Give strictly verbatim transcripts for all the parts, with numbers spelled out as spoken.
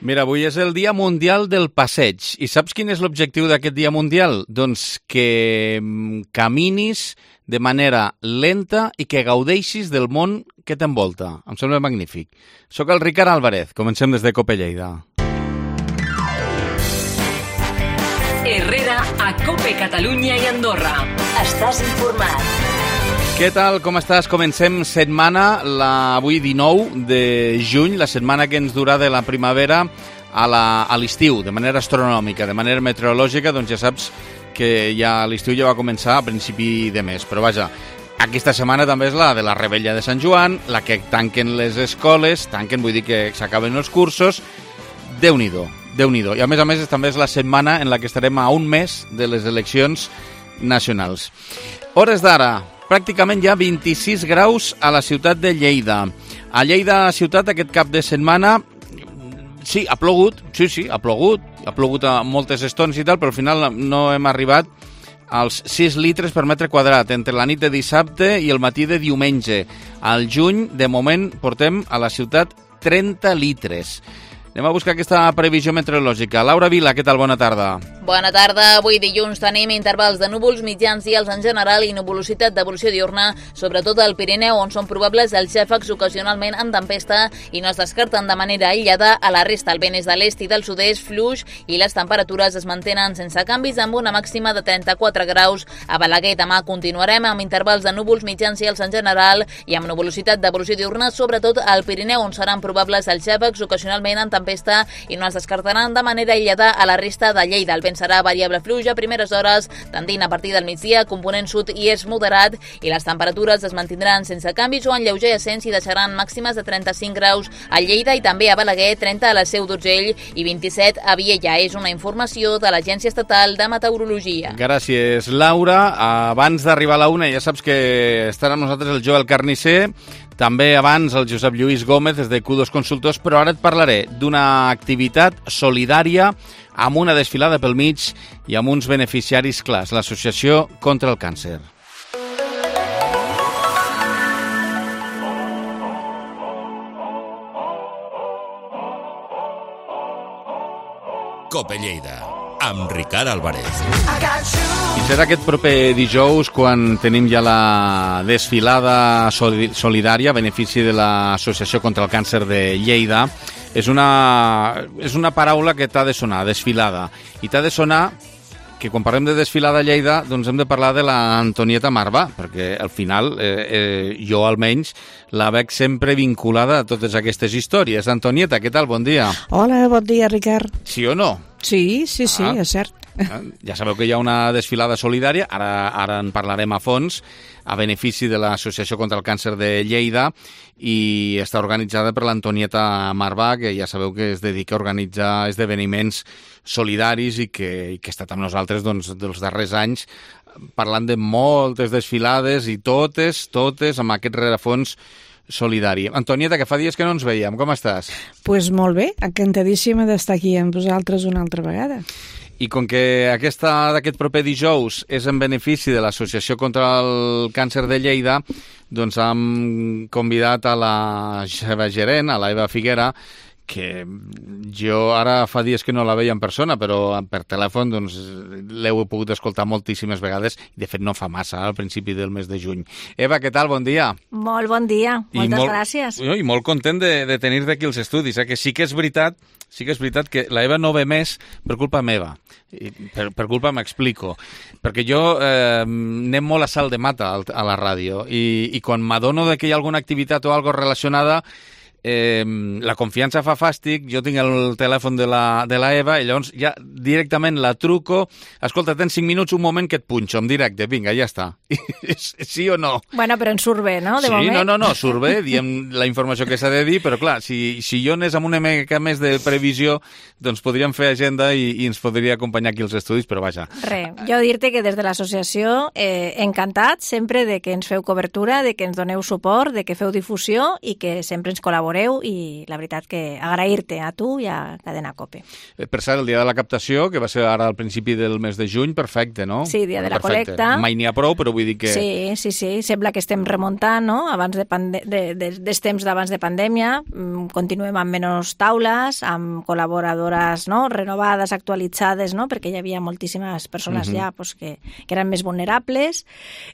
Mira, avui és el Dia Mundial del Passeig. I saps quin és l'objectiu d'aquest Dia Mundial? Doncs que caminis de manera lenta i que gaudeixis del món que t'envolta. Em sembla magnífic. Soc el Ricard Álvarez. Comencem des de Cope Lleida. Herrera a Cope Catalunya i Andorra. Estàs informat. Què tal? Com estàs? Comencem setmana, la, avui dinou de juny, la setmana que ens durà de la primavera a la- a l'estiu, de manera astronòmica, de manera meteorològica, doncs ja saps que ja l'estiu ja va començar a principi de mes. Però vaja, aquesta setmana també és la de la Revetlla de Sant Joan, la que tanquen les escoles, tanquen, vull dir que s'acaben els cursos. Déu-n'hi-do, Déu-n'hi-do. I a més a més també és la setmana en la que estarem a un mes de les eleccions nacionals. Hores d'ara, pràcticament ja vint-i-sis graus a la ciutat de Lleida. A Lleida ciutat aquest cap de setmana, sí, ha plogut, sí, sí, ha plogut, ha plogut a moltes estones i tal, però al final no hem arribat als sis litres per metre quadrat entre la nit de dissabte i el matí de diumenge. Al juny, de moment, portem a la ciutat trenta litres. Anem a buscar aquesta previsió meteorològica. Laura Vila, què tal? Bona tarda. Bona tarda. Avui dilluns tenim intervals de núvols mitjans i alts en general i nuvolositat d'evolució diurna, sobretot al Pirineu, on són probables els xàfecs ocasionalment en tempesta i no es descarten de manera aïllada. A la resta el vent és de l'est i del sud-est, fluix, i les temperatures es mantenen sense canvis amb una màxima de trenta-quatre graus. A Balaguer demà continuarem amb intervals de núvols mitjans i alts en general i amb nuvolositat d'evolució diurna, sobretot al Pirineu, on seran probables els xàfecs ocasionalment en tempesta i no es descartaran de manera aïllada a la resta de Lleida. El vent serà variable fluix a primeres hores, tendint a partir del migdia, component sud i és moderat, i les temperatures es mantindran sense canvis o en lleuger ascens i deixaran màximes de trenta-cinc graus a Lleida i també a Balaguer, trenta a la Seu d'Urgell i vint-i-set a Viella. És una informació de l'Agència Estatal de Meteorologia. Gràcies, Laura. Abans d'arribar a la una, ja saps que estarà amb nosaltres el Joel Carnicer, també abans el Josep Lluís Gómez des de Q dos Consultors, però ara et parlaré d'una activitat solidària amb una desfilada pel mig i amb uns beneficiaris clars, l'Associació contra el Càncer. Cope Lleida, amb Ricard Álvarez. I serà aquest proper dijous quan tenim ja la desfilada soli- solidària a benefici de l'Associació contra el Càncer de Lleida. És una, és una paraula que t'ha de sonar, desfilada. I t'ha de sonar que quan parlem de desfilada a Lleida doncs hem de parlar de l'Antonieta Marvà, perquè al final eh, eh, jo almenys la veig sempre vinculada a totes aquestes històries. Antonieta, què tal? Bon dia. Hola, bon dia, Ricard. Sí o no? Sí, sí, sí, Ah. és cert. Ja sabeu que hi ha una desfilada solidària, ara, ara en parlarem a fons, a benefici de l'Associació contra el Càncer de Lleida, i està organitzada per l'Antonieta Marvà, que ja sabeu que es dedica a organitzar esdeveniments solidaris i que, i que ha estat amb nosaltres doncs, dels darrers anys parlant de moltes desfilades i totes, totes amb aquest rerefons solidari. Antonieta, que fa dies que no ens veiem, com estàs? Doncs pues molt bé, encantadíssima d'estar aquí amb vosaltres una altra vegada. I com que aquesta d'aquest proper dijous és en benefici de l'Associació contra el Càncer de Lleida, doncs hem convidat a la seva gerent, a la Eva Figuera, que jo ara fa dies que no la veia en persona, però per telèfon doncs, l'heu pogut escoltar moltíssimes vegades, i de fet no fa massa, al principi del mes de juny. Eva, què tal? Bon dia. Molt bon dia, moltes I molt, gràcies. I molt content de, de tenir-te aquí als estudis, eh? Que sí que és veritat, sí que és veritat que la Eva no ve més per culpa meva. I per, per culpa m'explico. Perquè jo eh, anem molt a salt de mata a la ràdio, i, i quan m'adono de que hi ha alguna activitat o algo relacionada, Eh, la confiança fa fàstic, jo tinc el telèfon de la, de la Eva i llavors ja directament la truco, escolta, tens cinc minuts, un moment que et punxo en directe, vinga, ja està. Sí o no? Bueno, però en surt bé, no? De Sí, moment. no, no, no, surt bé, diem la informació que s'ha de dir, però clar, si, si jo anés amb una mica més de previsió, doncs podríem fer agenda i, i ens podria acompanyar aquí als estudis, però vaja. Re, jo dir-te que des de l'associació eh, encantats sempre de que ens feu cobertura, de que ens doneu suport, de que feu difusió i que sempre ens col·laboreu col·laboreu i la veritat que agrair-te a tu i a Cadena COPE. Per cert, el dia de la captació, que va ser ara al principi del mes de juny, perfecte, no? Sí, dia de la perfecte. col·lecta. Mai n'hi ha prou, però vull dir que... Sí, sí, sí, sembla que estem remuntant, no? Abans de, pande de, de, dels temps d'abans de pandèmia, continuem amb menys taules, amb col·laboradores, no?, renovades, actualitzades, no?, perquè hi havia moltíssimes persones uh-huh. ja pues, que, que eren més vulnerables,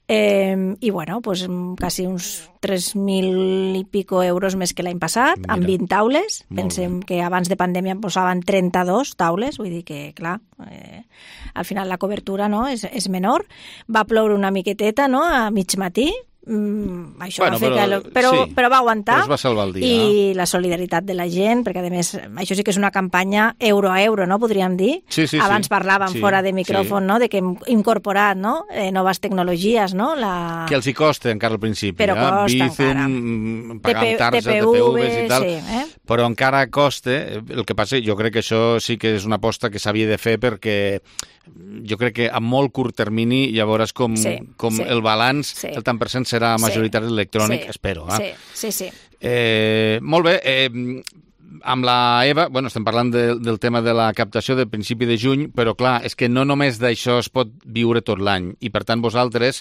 eh, i bueno, pues, quasi uns tres mil i pico euros més que l'any passat, Mira. amb vint taules. Molt Pensem bé. que abans de pandèmia en posaven trenta-dos taules, vull dir que, clar, eh, al final la cobertura no, és, és menor. Va ploure una miqueteta, no?, a mig matí. Mm, això bueno, va fer però, que... Però, sí, però va aguantar. Però es va salvar el dia. I la solidaritat de la gent, perquè a més, això sí que és una campanya euro a euro, no?, podríem dir. Sí, sí, Abans sí. parlàvem sí, fora de micròfon, sí. no?, de que hem incorporat, no?, eh, noves tecnologies, no? La... Que els hi costa encara al principi. Però eh? costa Bizum, encara. pagant targes, T P T P Vs i tal. Sí, eh? Però encara costa. El que passa, jo crec que això sí que és una aposta que s'havia de fer perquè jo crec que a molt curt termini ja veuràs com, sí, com sí. el balanç, sí. el tant per cent serà majoritari sí. electrònic, sí. espero. Eh? Sí, sí, sí. Eh, molt bé, eh, amb la Eva, bueno, estem parlant de, del tema de la captació del principi de juny, però clar, és que no només d'això es pot viure tot l'any, i per tant vosaltres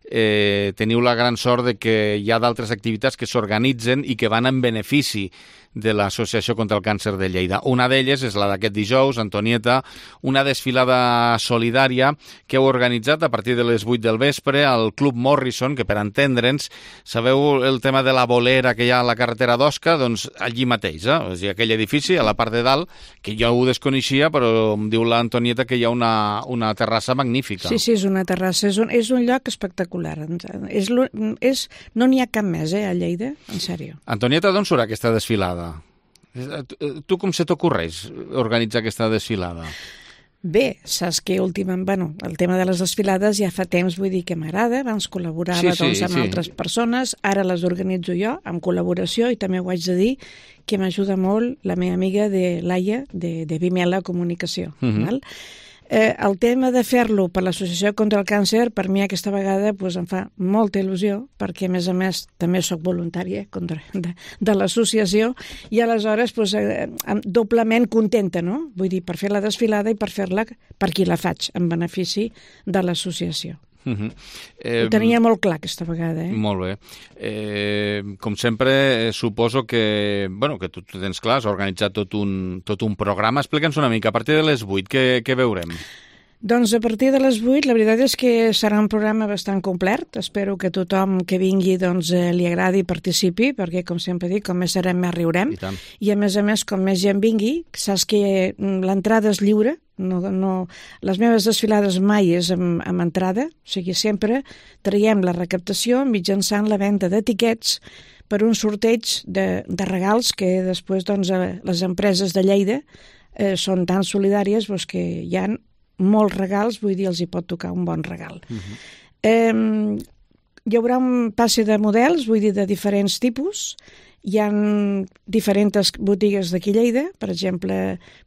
eh, teniu la gran sort de que hi ha d'altres activitats que s'organitzen i que van en benefici de l'Associació contra el Càncer de Lleida. Una d'elles és la d'aquest dijous, Antonieta, una desfilada solidària que heu organitzat a partir de les vuit del vespre al Club Morrison, que per entendre'ns, sabeu el tema de la bolera que hi ha a la carretera d'Osca? Doncs allí mateix, eh? És a dir, aquell edifici, a la part de dalt, que jo ho desconeixia, però em diu l'Antonieta que hi ha una, una terrassa magnífica. Sí, sí, és una terrassa, és un, és un lloc espectacular. És, és, no n'hi ha cap més, eh, a Lleida, en sèrio. Antonieta, d'on surt aquesta desfilada? Tu com se t'ocorreix organitzar aquesta desfilada? Bé, saps que últimament, bueno, el tema de les desfilades ja fa temps, vull dir que m'agrada, abans col·laborava sí, sí, doncs, amb sí. altres persones, ara les organitzo jo, amb col·laboració, i també ho haig de dir que m'ajuda molt la meva amiga de Laia, de, de Vimela Comunicació. Uh-huh. Val? Eh, el tema de fer-lo per l'Associació contra el Càncer, per mi aquesta vegada pues, em fa molta il·lusió, perquè a més a més també sóc voluntària contra, de, de l'associació, i aleshores pues, eh, doblement contenta, no? Vull dir, per fer la desfilada i per fer-la per qui la faig, en benefici de l'associació. Uh-huh. Eh, Ho tenia molt clar aquesta vegada. Eh? Molt bé. Eh, com sempre, eh, suposo que, bueno, que tu, tu tens clar, has organitzat tot un, tot un programa. Explica'ns una mica, a partir de les vuit, què, què veurem? Doncs a partir de les vuit, la veritat és que serà un programa bastant complet. Espero que tothom que vingui doncs, eh, li agradi i participi, perquè, com sempre dic, com més serem, més riurem. I tant. I a més a més, com més gent vingui, saps que l'entrada és lliure. No, no, les meves desfilades mai és amb, amb entrada, o sigui, sempre traiem la recaptació mitjançant la venda d'etiquets per un sorteig de, de regals que després doncs, les empreses de Lleida eh, són tan solidàries doncs, que hi ha molts regals, vull dir, els hi pot tocar un bon regal. Uh-huh. eh, hi haurà un passe de models, vull dir, de diferents tipus. Hi ha diferents botigues d'aquí Lleida, per exemple,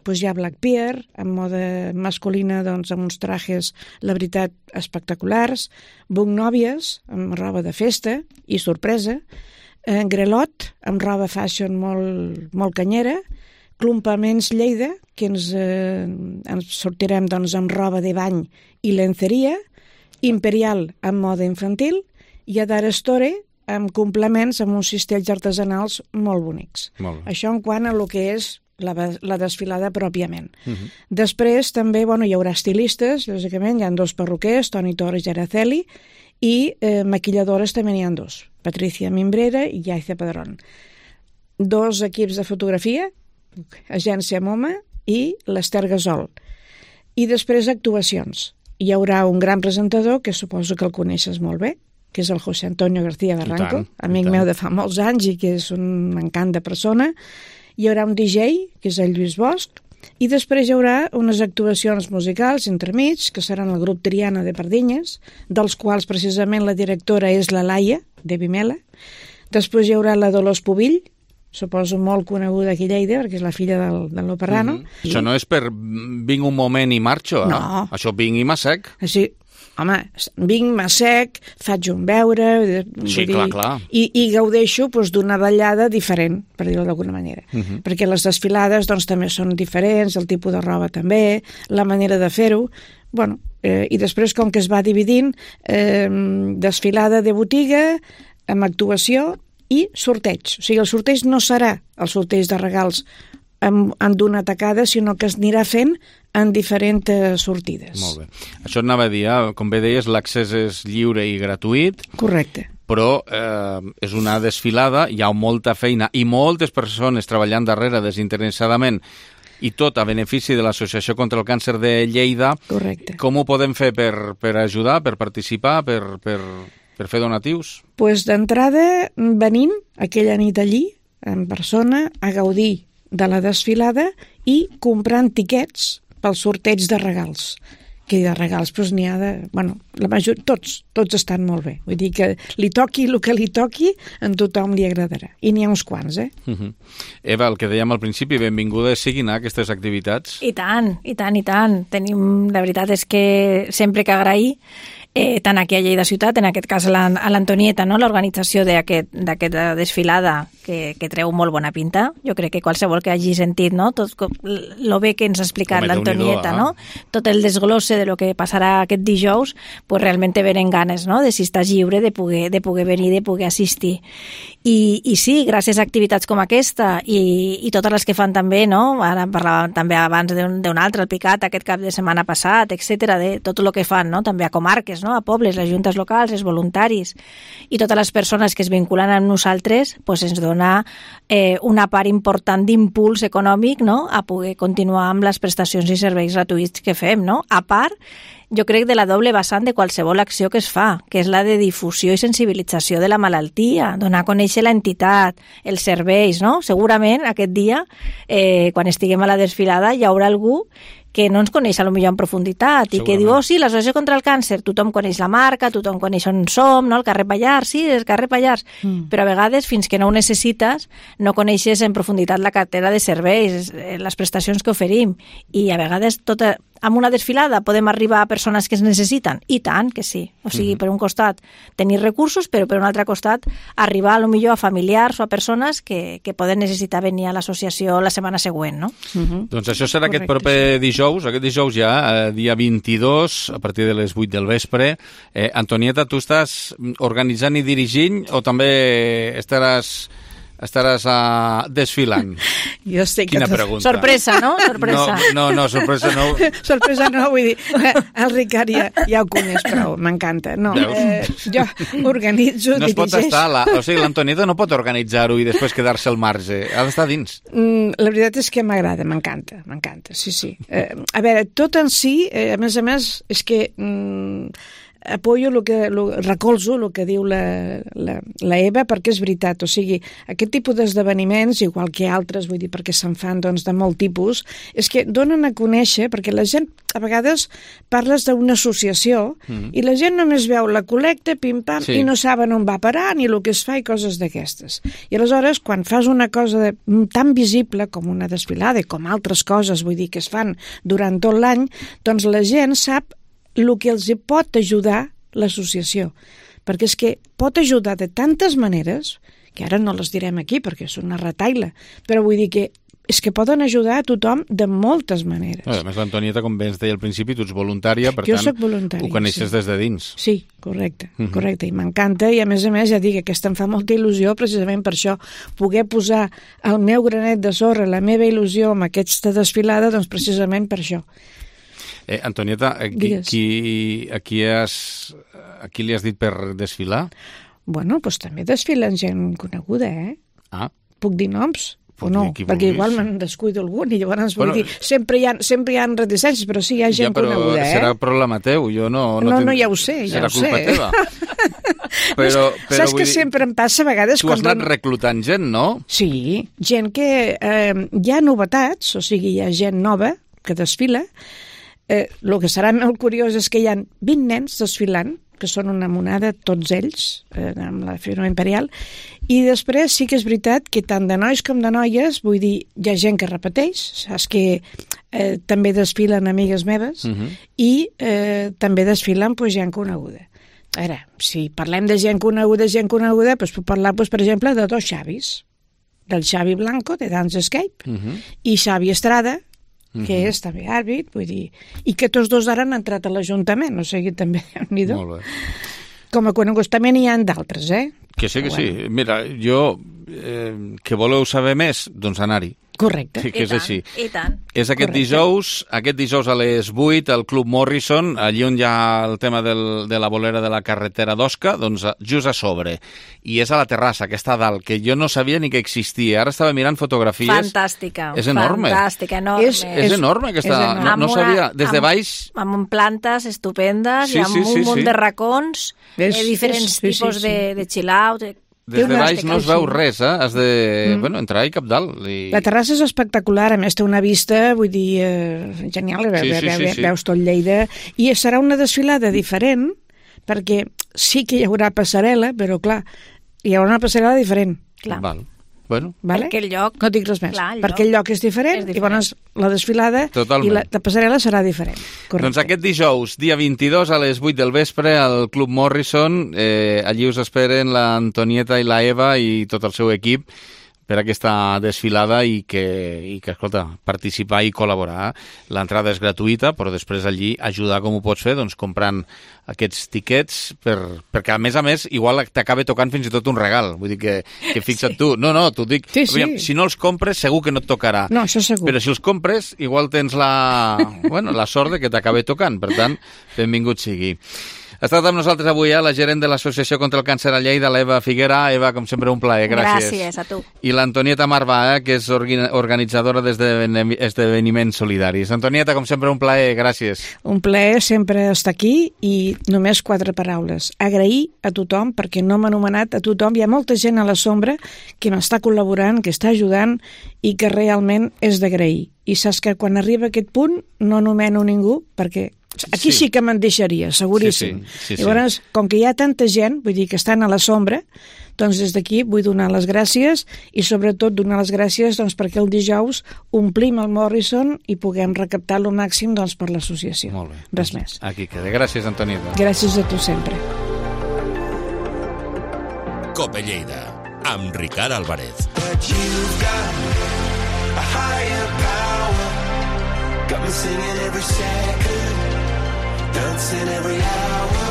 doncs hi ha Black Pier, en moda masculina, doncs, amb uns trajes, la veritat, espectaculars, Buc Nòvies, amb roba de festa i sorpresa, eh, Grelot, amb roba fashion molt, molt canyera, Clumpaments Lleida, que ens, eh, ens sortirem doncs, amb roba de bany i lenceria, Imperial, amb moda infantil, i Adara Store, amb complements, amb uns cistells artesanals molt bonics. Molt bé. Això en quant a lo que és la, la desfilada pròpiament. Uh-huh. Després també bueno, hi haurà estilistes, lògicament, hi ha dos perruquers, Toni Torres i Araceli, i eh, maquilladores també n'hi ha dos, Patricia Mimbrera i Yaiza Padrón. Dos equips de fotografia, Agència MoMA i l'Ester Gasol. I després actuacions. Hi haurà un gran presentador, que suposo que el coneixes molt bé, que és el José Antonio García Barranco, tant, amic meu de fa molts anys i que és un encant de persona. Hi haurà un D J, que és el Lluís Bosch, i després hi haurà unes actuacions musicals entremig, que seran el grup Triana de Pardinyes, dels quals precisament la directora és la Laia, de Vimela. Després hi haurà la Dolors Pubill, suposo molt coneguda aquí a Lleida, perquè és la filla del, del Loperrano. Mm-hmm. I... Això no és per vinc un moment i marxo, eh? No. Això vinc i m'assec. Així, home, vinc, m'assec, faig un beure... Sí, dir, clar, clar. I, i gaudeixo doncs, d'una ballada diferent, per dir-ho d'alguna manera. Uh -huh. Perquè les desfilades doncs, també són diferents, el tipus de roba també, la manera de fer-ho... Bueno, eh, i després, com que es va dividint, eh, desfilada de botiga, amb actuació i sorteig. O sigui, el sorteig no serà el sorteig de regals en, en d'una tacada, sinó que es anirà fent en diferents sortides. Molt bé. Això anava a dir, com bé deies, l'accés és lliure i gratuït. Correcte. Però eh, és una desfilada, hi ha molta feina i moltes persones treballant darrere desinteressadament, i tot a benefici de l'Associació contra el Càncer de Lleida. Correcte. Com ho podem fer per, per ajudar, per participar, per, per, per fer donatius? Doncs pues d'entrada venint aquella nit allí, en persona, a gaudir de la desfilada i comprant tiquets pel sorteig de regals. Que de regals doncs n'hi ha de... Bueno, la major, tots, tots estan molt bé. Vull dir que li toqui el que li toqui, a tothom li agradarà. I n'hi ha uns quants, eh? Uh -huh. Eva, el que dèiem al principi, benvingudes siguin a aquestes activitats. I tant, i tant, i tant. Tenim, la veritat és que sempre que agrair, eh, tant aquí a Lleida Ciutat, en aquest cas a l'Antonieta, no? L'organització d'aquesta desfilada que, que treu molt bona pinta. Jo crec que qualsevol que hagi sentit, no? Tot el bé que ens ha explicat l'Antonieta, no? Tot el desglosse de lo que passarà aquest dijous, pues realment te venen ganes, no? De si estàs lliure, de poder, de poder venir, de poder assistir. I, i sí, gràcies a activitats com aquesta i, i totes les que fan també, no? Ara parlàvem també abans d'un altre, el Picat, aquest cap de setmana passat, etcètera, de tot el que fan, no? També a comarques, no? A pobles, les juntes locals, els voluntaris i totes les persones que es vinculen amb nosaltres, pues ens dona eh, una part important d'impuls econòmic, no? A poder continuar amb les prestacions i serveis gratuïts que fem, no? A part, jo crec de la doble vessant de qualsevol acció que es fa, que és la de difusió i sensibilització de la malaltia, donar a conèixer l'entitat, els serveis, no? Segurament aquest dia, eh, quan estiguem a la desfilada, hi haurà algú que no ens coneix a lo millor en profunditat i que diu, oh sí, l'Associació contra el Càncer, tothom coneix la marca, tothom coneix on som, no? El carrer Pallars, sí, el carrer Pallars, mm. però a vegades, fins que no ho necessites, no coneixes en profunditat la cartera de serveis, les prestacions que oferim, i a vegades tota, amb una desfilada podem arribar a persones que es necessiten, i tant que sí. O sigui, mm-hmm. per un costat tenir recursos, però per un altre costat arribar a lo millor a familiars o a persones que, que poden necessitar venir a l'associació la setmana següent, no? Mm-hmm. Doncs això serà Correcte, aquest proper dijous. Dijous, aquest dijous ja, eh, dia vint-i-dos, a partir de les vuit del vespre. Eh, Antonieta, tu estàs organitzant i dirigint o també estaràs, estaràs uh, desfilant? Jo sé que... Quina pregunta. Sorpresa, no? Sorpresa. No, no, no sorpresa no. Sorpresa no, vull dir, el Ricard ja, ja ho coneix prou, m'encanta. No, eh, jo organitzo, no es pot dirigeix... estar, la, o sigui, l'Antonieta no pot organitzar-ho i després quedar-se al marge, ha d'estar dins. Mm, la veritat és que m'agrada, m'encanta, m'encanta, sí, sí. Eh, a veure, tot en si, eh, a més a més, és que... Mm, apoyo el que, lo, recolzo el que diu la, la, la Eva, perquè és veritat, o sigui, aquest tipus d'esdeveniments, igual que altres, vull dir, perquè se'n fan doncs, de molt tipus, és que donen a conèixer, perquè la gent, a vegades parles d'una associació mm. i la gent només veu la col·lecta, pim-pam, sí. i no saben on va parar ni el que es fa i coses d'aquestes. I aleshores, quan fas una cosa de, tan visible com una desfilada i com altres coses, vull dir, que es fan durant tot l'any, doncs la gent sap el que els pot ajudar l'associació. Perquè és que pot ajudar de tantes maneres, que ara no les direm aquí perquè és una retaila, però vull dir que és que poden ajudar a tothom de moltes maneres. A més, l'Antonieta, com bé ens deia al principi, tu ets voluntària, per jo tant, soc voluntària, ho coneixes sí. des de dins. Sí, correcte, uh-huh. correcte, i m'encanta, i a més a més, ja dic, aquesta em fa molta il·lusió precisament per això, poder posar el meu granet de sorra, la meva il·lusió amb aquesta desfilada, doncs precisament per això. Eh, Antonieta, a qui, qui, a, qui has, a qui li has dit per desfilar? Bueno, doncs també desfilen gent coneguda, eh? Ah. Puc dir noms? Puc o no? dir Perquè igual me'n descuido algun i llavors bueno, vull dir, sempre hi, ha, sempre hi ha reticències, però sí, hi ha gent ja, però coneguda, eh? Serà problema teu, jo no... No, no, ten... no ja ho sé, ja serà ho sé. Serà culpa teva. però, però, saps que dir... sempre em passa a vegades... Tu has anat dono... reclutant gent, no? Sí, gent que... Eh, hi ha novetats, o sigui, hi ha gent nova que desfila. Eh, el que serà molt curiós és que hi ha vint nens desfilant, que són una monada, tots ells, eh, amb la Fira Imperial, i després sí que és veritat que tant de nois com de noies, vull dir, hi ha gent que repeteix, saps que eh, també desfilen amigues meves Uh -huh. i eh, també desfilen pues, gent coneguda. Ara, si parlem de gent coneguda, gent coneguda, doncs puc parlar, doncs, per exemple, de dos Xavis, del Xavi Blanco, de Dance Escape, Uh -huh. i Xavi Estrada, que Uh -huh. és també àrbit, vull dir, i que tots dos ara han entrat a l'Ajuntament, o sigui, també, Déu-n'hi-do. Molt bé. Com a coneguts també n'hi ha d'altres, eh? Que sí, que Però sí. bueno. Mira, jo, eh, que voleu saber més, doncs anar-hi. Correcte. Sí, que és I tant, així. I tant. És aquest Correcte. dijous, aquest dijous a les vuit al Club Morrison, allí on hi ha el tema del, de la bolera de la carretera d'Osca, doncs just a sobre. I és a la terrassa, que està a dalt, que jo no sabia ni que existia. Ara estava mirant fotografies. Fantàstica. És enorme. Fantàstica, enorme. És- És enorme, aquesta... és enorme. No, no Amb una- sabia... Des de amb- baix... Amb plantes estupendes Sí, i amb sí, un sí, munt sí. de racons, És- eh, diferents és- sí, sí, tipus sí. de, de chill-out. De... Des de una baix no es veu sí. res, eh? Has de, Mm. bueno, entrar i cap dalt. I... La terrassa és espectacular, a més té una vista, vull dir, eh, genial, ve, Sí, ve, sí, ve, sí, ve, sí. veus tot Lleida, i serà una desfilada diferent, perquè sí que hi haurà passarel·la, però clar, hi haurà una passarel·la diferent, Clar. Val. Bueno, vale? Perquè el lloc... No dic res més, Clar, el perquè el lloc és diferent, és diferent. i llavors la desfilada Totalment. i la, la passarel·la serà diferent. Correcte. doncs aquest dijous, dia vint-i-dos a les vuit del vespre al Club Morrison, eh, allí us esperen l'Antonieta i la Eva i tot el seu equip per aquesta desfilada i que, i que, escolta, participar i col·laborar. L'entrada és gratuïta, però després allí ajudar com ho pots fer, doncs comprant aquests tiquets, per, perquè a més a més igual t'acaba tocant fins i tot un regal. Vull dir que, que fixa't tu. No, no, t'ho dic. Sí, sí. Aviam, si no els compres segur que no et tocarà. No, això segur. Però si els compres, igual tens la, bueno, la sort de que t'acabi tocant. Per tant, benvingut sigui. Ha estat amb nosaltres avui eh, la gerent de l'Associació contra el Càncer a Lleida, l'Eva Figuera. Eva, com sempre, un plaer. Gràcies. Gràcies a tu. I l'Antonieta Marvà, eh, que és orga- organitzadora d'esdeveniments solidaris. Antonieta, com sempre, un plaer. Gràcies. Un plaer sempre estar aquí i només quatre paraules. Agrair a tothom, perquè no m'ha anomenat a tothom. Hi ha molta gent a la sombra que m'està col·laborant, que està ajudant i que realment és d'agrair. I saps que quan arriba aquest punt no anomeno ningú perquè aquí Sí. sí, que me'n deixaria, seguríssim. Sí, sí, sí, sí. Llavors, com que hi ha tanta gent, vull dir que estan a la sombra, doncs des d'aquí vull donar les gràcies i sobretot donar les gràcies doncs, perquè el dijous omplim el Morrison i puguem recaptar el màxim doncs, per l'associació. Molt bé. Res més. Aquí queda. Gràcies, Antonieta. Gràcies a tu sempre. Cope Lleida, amb Ricard Álvarez. But you've got a higher power. Got me singing every second, dancing every hour.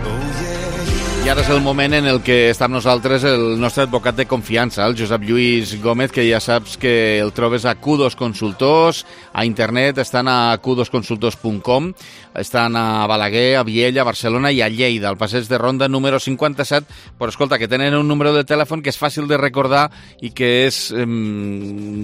Oh yeah, you. I ara és el moment en el que està amb nosaltres el nostre advocat de confiança, el Josep Lluís Gómez, que ja saps que el trobes a Q dos Consultors, a internet, estan a q dos consultors punt com, estan a Balaguer, a Viella, a Barcelona i a Lleida, al passeig de Ronda número cinquanta-set, però escolta, que tenen un número de telèfon que és fàcil de recordar i que és eh,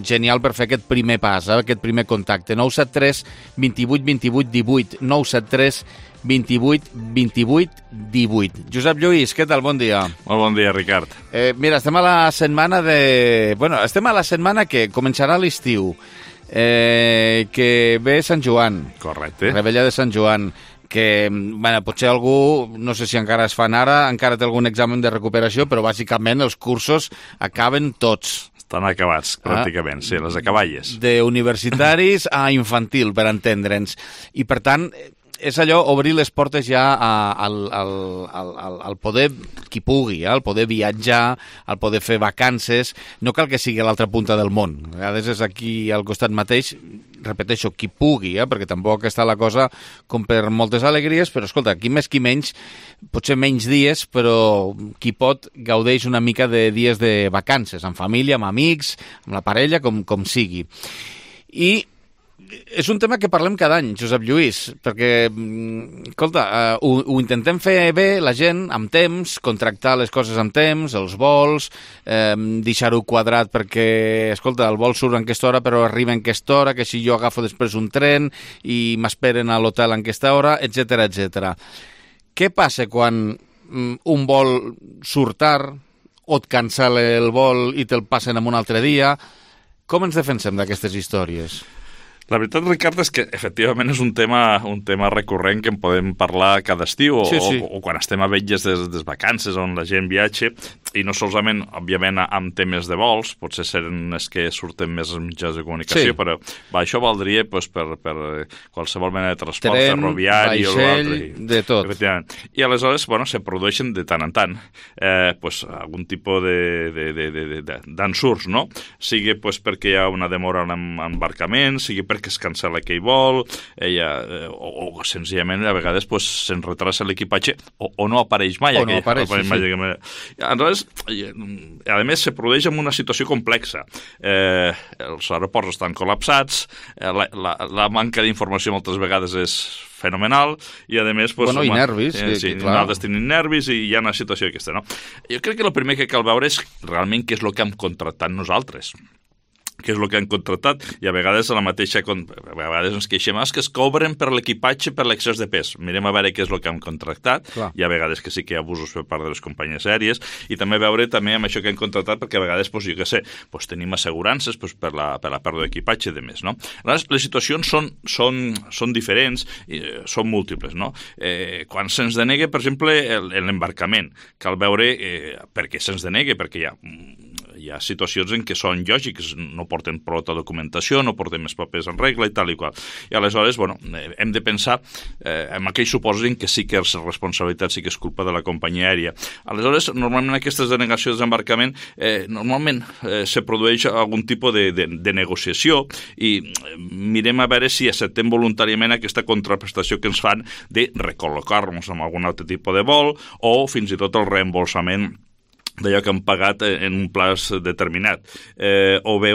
genial per fer aquest primer pas, eh, aquest primer contacte. nou set tres, vint-i-vuit, vint-i-vuit, divuit, nou set tres, vint-i-vuit, vint-i-vuit, divuit. Josep Lluís, què tal? Bon dia. Molt bon dia, Ricard. Eh, mira, estem a la setmana de... Bueno, estem a la setmana que començarà l'estiu, eh, que ve Sant Joan, Correcte. Rebella de Sant Joan, que, bueno, potser algú, no sé si encara es fan ara, encara té algun examen de recuperació, però bàsicament els cursos acaben tots. Estan acabats, pràcticament, sí, les acaballes. De universitaris a infantil, per entendre'ns. I, per tant, és allò, obrir les portes ja a, al, al, al, al poder, qui pugui, eh? Al poder viatjar, al poder fer vacances. No cal que sigui a l'altra punta del món. A vegades és aquí al costat mateix, repeteixo, qui pugui, eh? Perquè tampoc està la cosa com per moltes alegries, però escolta, qui més qui menys, potser menys dies, però qui pot gaudeix una mica de dies de vacances, amb família, amb amics, amb la parella, com, com sigui. I és un tema que parlem cada any, Josep Lluís, perquè, escolta, uh, ho, ho intentem fer bé, la gent, amb temps, contractar les coses amb temps, els vols, eh, deixar-ho quadrat perquè, escolta, el vol surt en aquesta hora però arriba en aquesta hora, que si jo agafo després un tren i m'esperen a l'hotel en aquesta hora, etcètera, etcètera. Què passa quan mm, un vol surt tard o et cancel el vol i te'l passen en un altre dia? Com ens defensem d'aquestes històries? La veritat, Ricard, és que efectivament és un tema, un tema recurrent que en podem parlar cada estiu o, Sí, sí. o, o quan estem a vetlles des, des vacances on la gent viatge. i no solament, òbviament, amb temes de vols, potser seran els que surten més als mitjans de comunicació, sí. però va, això valdria pues, per, per qualsevol mena de transport Tren, ferroviari vaixell, o l'altre. de tot. I aleshores, bueno, se produeixen de tant en tant eh, pues, algun tipus d'ensurts, no? Sigui pues, perquè hi ha una demora en l'embarcament, sigui perquè es cancel·la aquell vol, eh, ha, eh, o, o senzillament a vegades pues, se'n retrasa l'equipatge o, o no apareix mai. O no apareix, sí, sí. Aleshores, a més, se produeix en una situació complexa. Eh, els aeroports estan col·lapsats, eh, la, la, la manca d'informació moltes vegades és fenomenal, i a més... Pues, bueno, i nervis. Eh, sí, clar. Nosaltres tenim nervis i hi ha una situació aquesta, no? Jo crec que el primer que cal veure és realment què és el que hem contractat nosaltres. Què és el que han contractat, i a vegades a la mateixa, a vegades ens queixem que es cobren per l'equipatge per l'excés de pes. Mirem a veure què és el que han contractat. Clar. Hi ha vegades que sí que hi ha abusos per part de les companyies aèries, i també veure també amb això que han contractat, perquè a vegades, pues, jo què sé, pues, tenim assegurances pues, per, la, per la pèrdua d'equipatge i de més, no? Les, les situacions són, són, són diferents i eh, són múltiples, no? Eh, quan se'ns denega, per exemple, l'embarcament, cal veure eh, per què se'ns denega, perquè hi ha... hi ha situacions en què són lògics, no porten prou documentació, no porten més papers en regla i tal i qual. I aleshores, bueno, hem de pensar eh, en aquells supòsits en què sí que és responsabilitat, sí que és culpa de la companyia aèria. Aleshores, normalment aquestes denegacions d'embarcament eh, normalment eh, se produeix algun tipus de, de, de negociació i mirem a veure si acceptem voluntàriament aquesta contraprestació que ens fan de recol·locar-nos en algun altre tipus de vol o fins i tot el reembolsament d'allò que han pagat en un plaç determinat, eh, o bé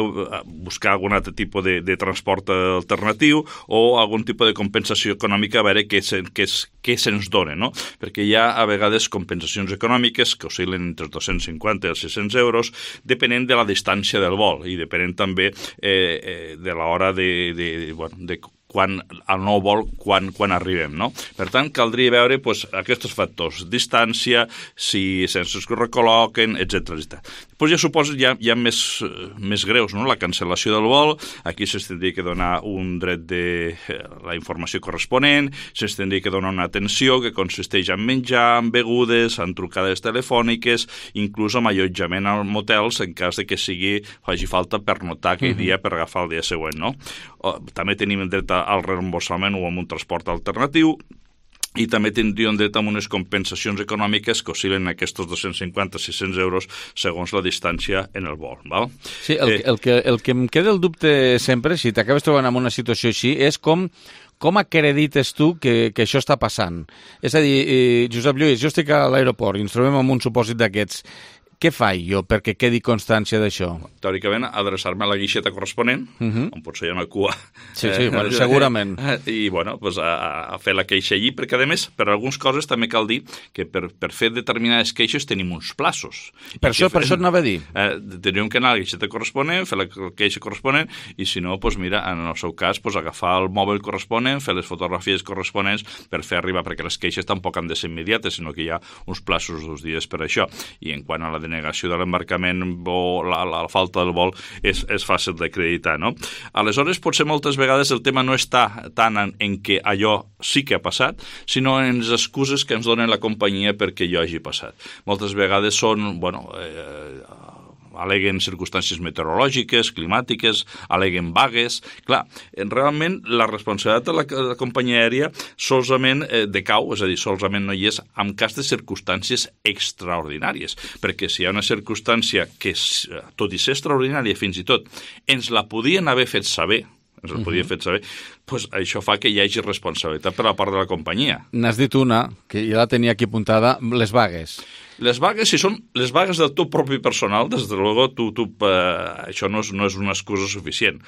buscar algun altre tipus de, de transport alternatiu o algun tipus de compensació econòmica a veure què, se, què, què se'ns dona, no? Perquè hi ha a vegades compensacions econòmiques que oscil·len entre dos-cents cinquanta i els sis-cents euros, depenent de la distància del vol i depenent també eh, eh, de l'hora de, de, bueno, de quan el nou vol, quan, quan arribem, no? Per tant, caldria veure pues, aquests factors, distància, si sense que recol·loquen, etcètera etcètera. Després ja suposo hi ha, hi ha més, més greus, no? La cancel·lació del vol, aquí se'ns tindria que donar un dret de la informació corresponent, se'ns tindria que donar una atenció que consisteix en menjar, en begudes, en trucades telefòniques, inclús amb allotjament als motels en cas de que sigui, faci falta per notar aquell dia per agafar el dia següent, no? O, també tenim dret al reemborsament o amb un transport alternatiu, i també tindríem dret a unes compensacions econòmiques que oscil·len aquests dos-cents cinquanta a sis-cents euros segons la distància en el vol. Val? Sí, el, eh, el, que, el que em queda el dubte sempre, si t'acabes trobant en una situació així, és com com acredites tu que, que això està passant? És a dir, eh, Josep Lluís, jo estic a l'aeroport i ens trobem amb un supòsit d'aquests. Què faig jo perquè quedi constància d'això? Teòricament, adreçar-me a la guixeta corresponent, uh -huh. on potser hi ha una cua. Sí, sí, bueno, segurament. I, bueno, pues, a, a fer la queixa allí, perquè, a més, per algunes coses també cal dir que per, per fer determinades queixes tenim uns plaços. Per això, per això et anava a dir. Eh, teníem que anar a la guixeta corresponent, fer la queixa corresponent, i si no, pues, mira, en el seu cas, pues, agafar el mòbil corresponent, fer les fotografies corresponents per fer arribar, perquè les queixes tampoc han de ser immediates, sinó que hi ha uns plaços dos dies per això. I en quant a la negació de l'embarcament o la, la, la falta del vol és, és fàcil d'acreditar, no? Aleshores, potser moltes vegades el tema no està tant en, en què allò sí que ha passat, sinó en les excuses que ens donen la companyia perquè allò hagi passat. Moltes vegades són, bueno, eh, aleguen circumstàncies meteorològiques, climàtiques, aleguen vagues. Clar, realment la responsabilitat de la, de la companyia aèria solament eh, decau, és a dir, solament no hi és en cas de circumstàncies extraordinàries, perquè si hi ha una circumstància que, tot i ser extraordinària fins i tot, ens la podien haver fet saber, ens la podien uh-huh. fet saber, pues això fa que hi hagi responsabilitat per la part de la companyia. N'has dit una, que ja la tenia aquí apuntada, les vagues. Les vagues, si són les vagues del teu propi personal, des de luego, tu, tu, eh, això no és, no és una excusa suficient.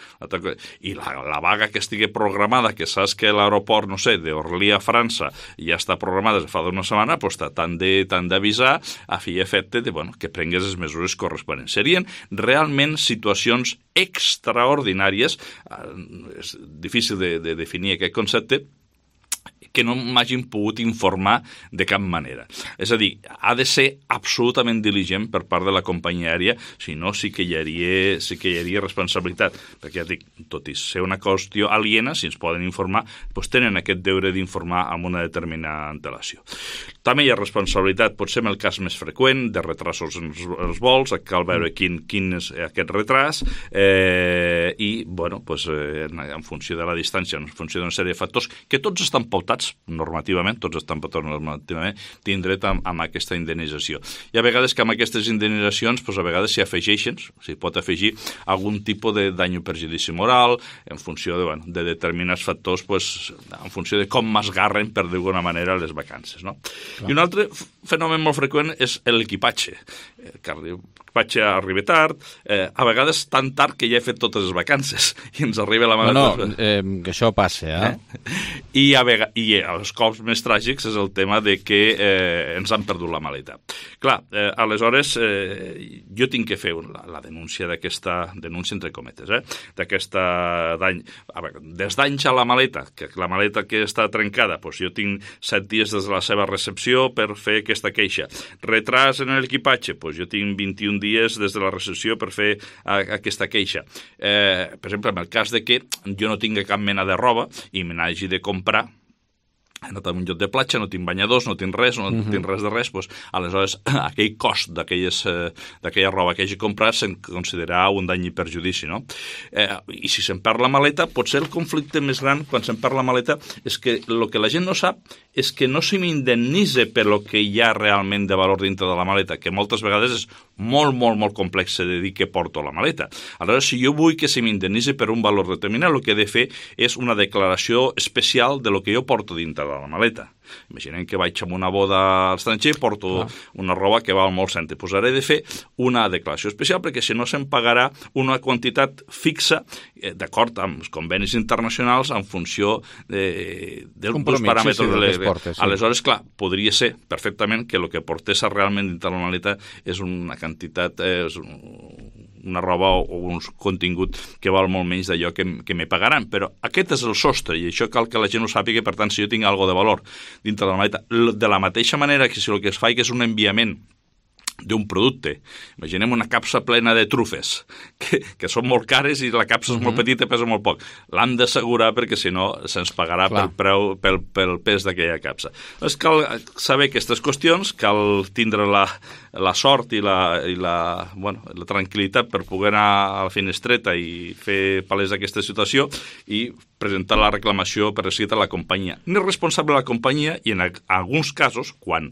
I la, la vaga que estigui programada, que saps que l'aeroport, no sé, d'Orly a França ja està programada des de fa d'una setmana, doncs t'han d'avisar a fi i efecte de, bueno, que prengues les mesures corresponents. Serien realment situacions extraordinàries, eh, és difícil de, de definir aquest concepte, que no m'hagin pogut informar de cap manera. És a dir, ha de ser absolutament diligent per part de la companyia aèria, si no sí que hi hauria, sí que hi hauria responsabilitat, perquè ja dic, tot i ser una qüestió aliena, si ens poden informar, doncs tenen aquest deure d'informar amb una determinada antelació. També hi ha responsabilitat, potser en el cas més freqüent, de retrasos en els vols, cal veure quin, quin és aquest retras, eh, i, bueno, doncs, eh, en funció de la distància, en funció d'una sèrie de factors, que tots estan pautats normativament, tots estan pautats normativament, tindré amb, amb aquesta indemnització. I a vegades que amb aquestes indemnitzacions, doncs a vegades s'hi afegeixen, s'hi pot afegir algun tipus de dany o perjudici moral, en funció de, bueno, de determinats factors, doncs, en funció de com m'esgarren, per d'alguna manera, les vacances, no? Clar. I un altre fenomen molt freqüent és l'equipatge. Que l'equipatge arriba tard, eh, a vegades tan tard que ja he fet totes les vacances i ens arriba la maleta. No, no, eh, que això passa, eh? eh? I, a vegades, I els cops més tràgics és el tema de que eh, ens han perdut la maleta. Clar, eh, aleshores eh, jo tinc que fer la, la denúncia d'aquesta, denúncia entre cometes, eh? d'aquesta dany, a veure, des danys a la maleta, que la maleta que està trencada, doncs jo tinc set dies des de la seva recepció per fer aquesta queixa. Retras en l'equipatge, doncs jo tinc vint-i-un dies des de la recepció per fer a, aquesta queixa. Eh, per exemple, en el cas de que jo no tinc cap mena de roba i me n'hagi de comprar, he anat a un lloc de platja, no tinc banyadors, no tinc res, no uh-huh. tinc res de res, doncs, aleshores aquell cost d'aquella roba que hagi comprat se'n considerarà un dany i perjudici, no? Eh, I si se'n perd la maleta, potser el conflicte més gran quan se'n perd la maleta és que el que la gent no sap és que no se m'indemnitza per lo que hi ha realment de valor dintre de la maleta, que moltes vegades és molt, molt, molt complex de dir que porto la maleta. Aleshores, si jo vull que se m'indemnitzi per un valor determinat, el que he de fer és una declaració especial de lo que jo porto dintre de la maleta. Imaginem que vaig a una boda a l'estranger, porto ah. una roba que val molt cent. Pues he de fer una declaració especial perquè si no se'm pagarà una quantitat fixa, eh, d'acord amb els convenis internacionals, en funció de, de, dels paràmetres. Sí, sí, de les portes, sí. Aleshores, clar, podria ser perfectament que el que portés realment dintre la maleta és una quantitat, eh, és un, una roba o un contingut que val molt menys d'allò que, que me pagaran. Però aquest és el sostre i això cal que la gent ho sàpiga, per tant, si jo tinc alguna de valor dintre de la maleta, de la mateixa manera que si el que es fa és un enviament d'un producte. Imaginem una capsa plena de trufes, que, que són molt cares i la capsa és uh-huh. molt petita i pesa molt poc. L'han d'assegurar perquè si no se'ns pagarà pel, preu, pel, pel pes d'aquella capsa. Doncs cal saber aquestes qüestions, cal tindre la, la sort i, la, i la, bueno, la tranquil·litat per poder anar a la finestreta i fer palès aquesta situació i presentar la reclamació per escrit a la companyia. N'és responsable la companyia i en alguns casos, quan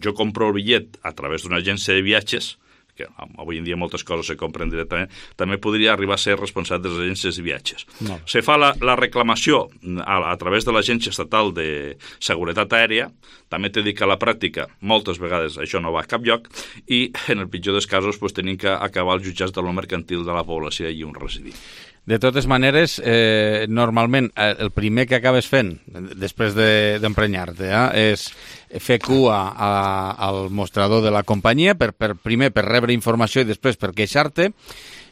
jo compro el bitllet a través d'una agència de viatges, que avui en dia moltes coses se compren directament, també podria arribar a ser responsable de les agències de viatges. No. Se fa la, la reclamació a, a través de l'Agència Estatal de Seguretat Aèria, també t'he dit que a la pràctica moltes vegades això no va a cap lloc i en el pitjor dels casos pues, tenim que acabar els jutjats de lo mercantil de la població i on residir. De totes maneres, eh, normalment el primer que acabes fent després d'emprenyar-te de, eh, és fer cua a, al mostrador de la companyia, per, per, primer per rebre informació i després per queixar-te.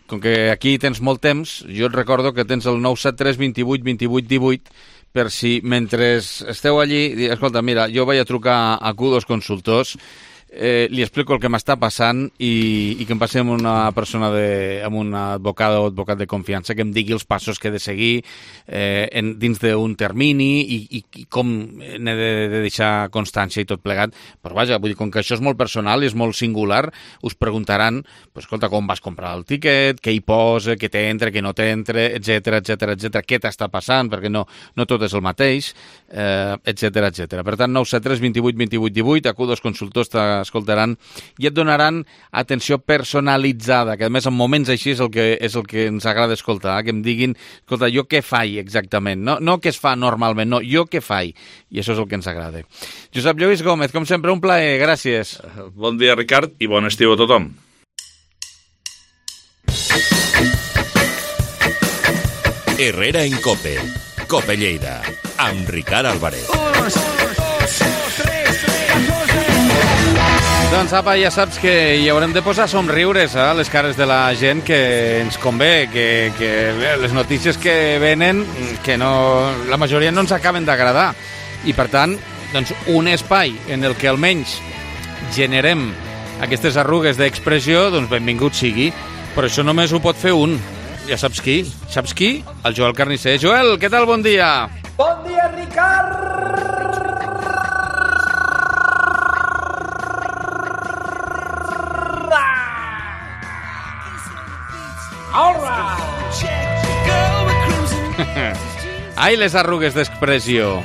Com que aquí tens molt temps, jo et recordo que tens el nou set tres vint vuit vint vuit divuit per si mentre esteu allí, escolta, mira, jo vaig a trucar a Q dos Consultors, Eh, li explico el que m'està passant i, i que em passi amb una persona de, amb un advocat o advocat de confiança que em digui els passos que he de seguir eh, en, dins d'un termini i, i, i com n'he de, de deixar constància i tot plegat. Però vaja, vull dir, com que això és molt personal i és molt singular, us preguntaran, pues, escolta, com vas comprar el tiquet, què hi posa, què t'entra, què no t'entra, etcètera, etcètera, etcètera, què t'està passant, perquè no, no tot és el mateix, eh, etcètera, etcètera. Per tant, nou set tres vint vuit vint vuit divuit, a Q dos Consultors escoltaran i et donaran atenció personalitzada, que a més en moments així és el que, és el que ens agrada escoltar, que em diguin, escolta, jo què faig exactament, no, no què es fa normalment, no, jo què faig, i això és el que ens agrada. Josep Lluís Gómez, com sempre, un plaer, gràcies. Bon dia, Ricard, i bon estiu a tothom. Herrera en Cope, Cope Lleida, amb Ricard Álvarez. Doncs apa, ja saps que hi haurem de posar somriures a eh, les cares de la gent que ens convé, que, que les notícies que venen, que no, la majoria no ens acaben d'agradar. I, per tant, doncs, un espai en el que almenys generem aquestes arrugues d'expressió, doncs benvingut sigui. Però això només ho pot fer un. Ja saps qui? Saps qui? El Joel Carnisser. Joel, què tal? Bon dia. Bon dia, Ricard! All right! Ai, les arrugues d'expressió.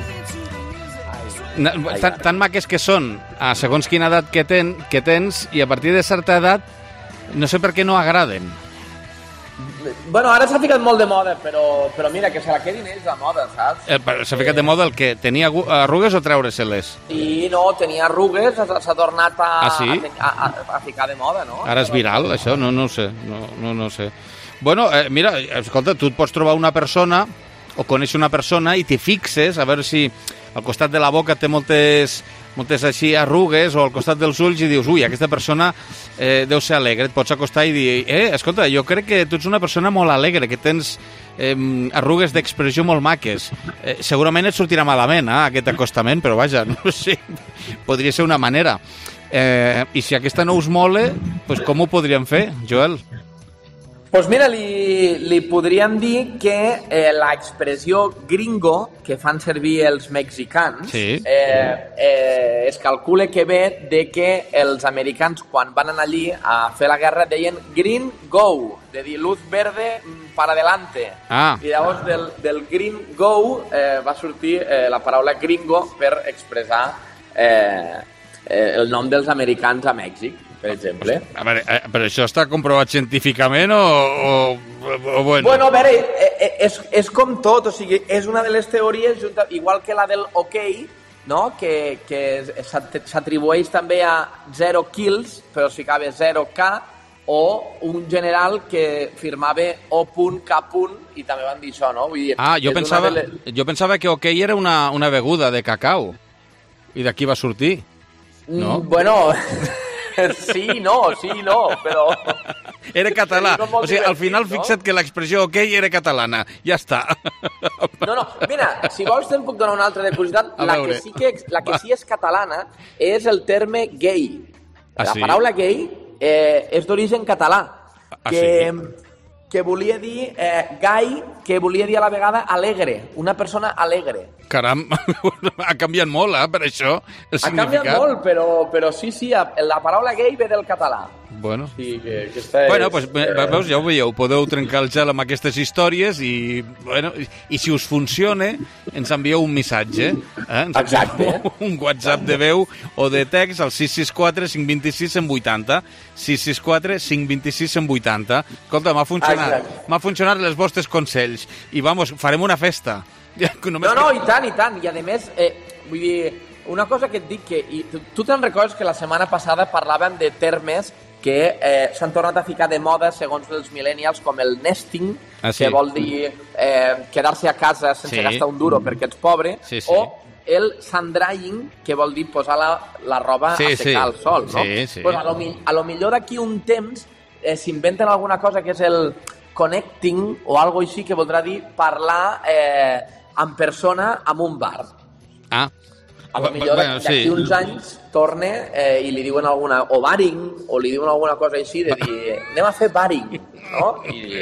Tan, tan maques que són, a segons quina edat que, ten, que tens, i a partir de certa edat, no sé per què no agraden. Bueno, ara s'ha ficat molt de moda, però, però mira, que se la quedin ells de moda, saps? Eh, s'ha ficat de moda el que? Tenia arrugues o treure-se-les? Sí, no, tenia arrugues, s'ha tornat a, ah, sí? a, a, a ficar de moda, no? Ara és viral, això? No, no ho sé. No, no, no sé. Bueno, eh, mira, escolta, tu et pots trobar una persona o conèixer una persona i t'hi fixes a veure si al costat de la boca té moltes, moltes així arrugues o al costat dels ulls i dius, ui, aquesta persona eh, deu ser alegre. Et pots acostar i dir, eh, escolta, jo crec que tu ets una persona molt alegre, que tens eh, arrugues d'expressió molt maques. Eh, segurament et sortirà malament, eh, aquest acostament, però vaja, no sé, podria ser una manera. Eh, I si aquesta no us mole, pues com ho podríem fer, Joel? Doncs pues mira, li, li podríem dir que eh, l'expressió gringo que fan servir els mexicans sí. eh, eh, es calcula que ve de que els americans quan van anar allí a fer la guerra deien green go, de dir luz verde para adelante. Ah. I llavors del, del green go eh, va sortir eh, la paraula gringo per expressar eh, eh, el nom dels americans a Mèxic, per exemple. A veure, eh, però això està comprovat científicament o, o, o bueno? Bueno, a veure, eh, és, és com tot, o sigui, és una de les teories, junta, igual que la del OK, no? que, que s'atribueix també a zero kills, però es ficava zero K, o un general que firmava O K i també van dir això, no? Vull dir, ah, jo pensava, les... jo pensava que OK era una, una beguda de cacau, i d'aquí va sortir, no? Mm, bueno... Sí, no, sí, no, però... Era català. O sigui, al final, no? Fixa't que l'expressió OK era catalana. Ja està. No, no, mira, si vols te'n puc donar una altra de curiositat. La que, sí que, la que sí és catalana és el terme gay. Ah, la sí? paraula gay eh, és d'origen català. Ah, que, sí? que volia dir eh, gai, que volia dir a la vegada alegre. Una persona alegre. Caram, ha canviat molt, eh, per això, el ha significat. Ha canviat molt, però, però sí, sí, la paraula gay ve del català. Bueno, sí, que, que és, bueno pues, eh... veus, ja ho veieu, podeu trencar el gel amb aquestes històries i, bueno, i, i si us funciona, ens envieu un missatge. Eh? Ens Exacte. Un WhatsApp de veu o de text al sis sis quatre cinc dos sis cent vuitanta. sis sis quatre cinc dos sis cent vuitanta. Escolta, m'ha funcionat. M'ha funcionat els vostres consells. I, vamos, farem una festa. No, no, i tant, i tant. I, a més, eh, vull dir, una cosa que et dic que... I tu, tu te'n recordes que la setmana passada parlàvem de termes que eh, s'han tornat a ficar de moda segons els millennials, com el nesting, ah, sí. que vol dir eh, quedar-se a casa sense sí. gastar un duro perquè ets pobre, sí, sí. o el sun-drying, que vol dir posar la, la roba sí, a secar sí. al sol, no? Sí, sí. Pues a, lo, a lo millor d'aquí un temps eh, s'inventen alguna cosa que és el connecting o algo així, que voldrà dir parlar eh, en persona en un bar. Ah. A lo millor bueno, d'aquí sí. uns anys torna eh, i li diuen alguna... o baring, o li diuen alguna cosa així de dir, anem a fer baring, no? I,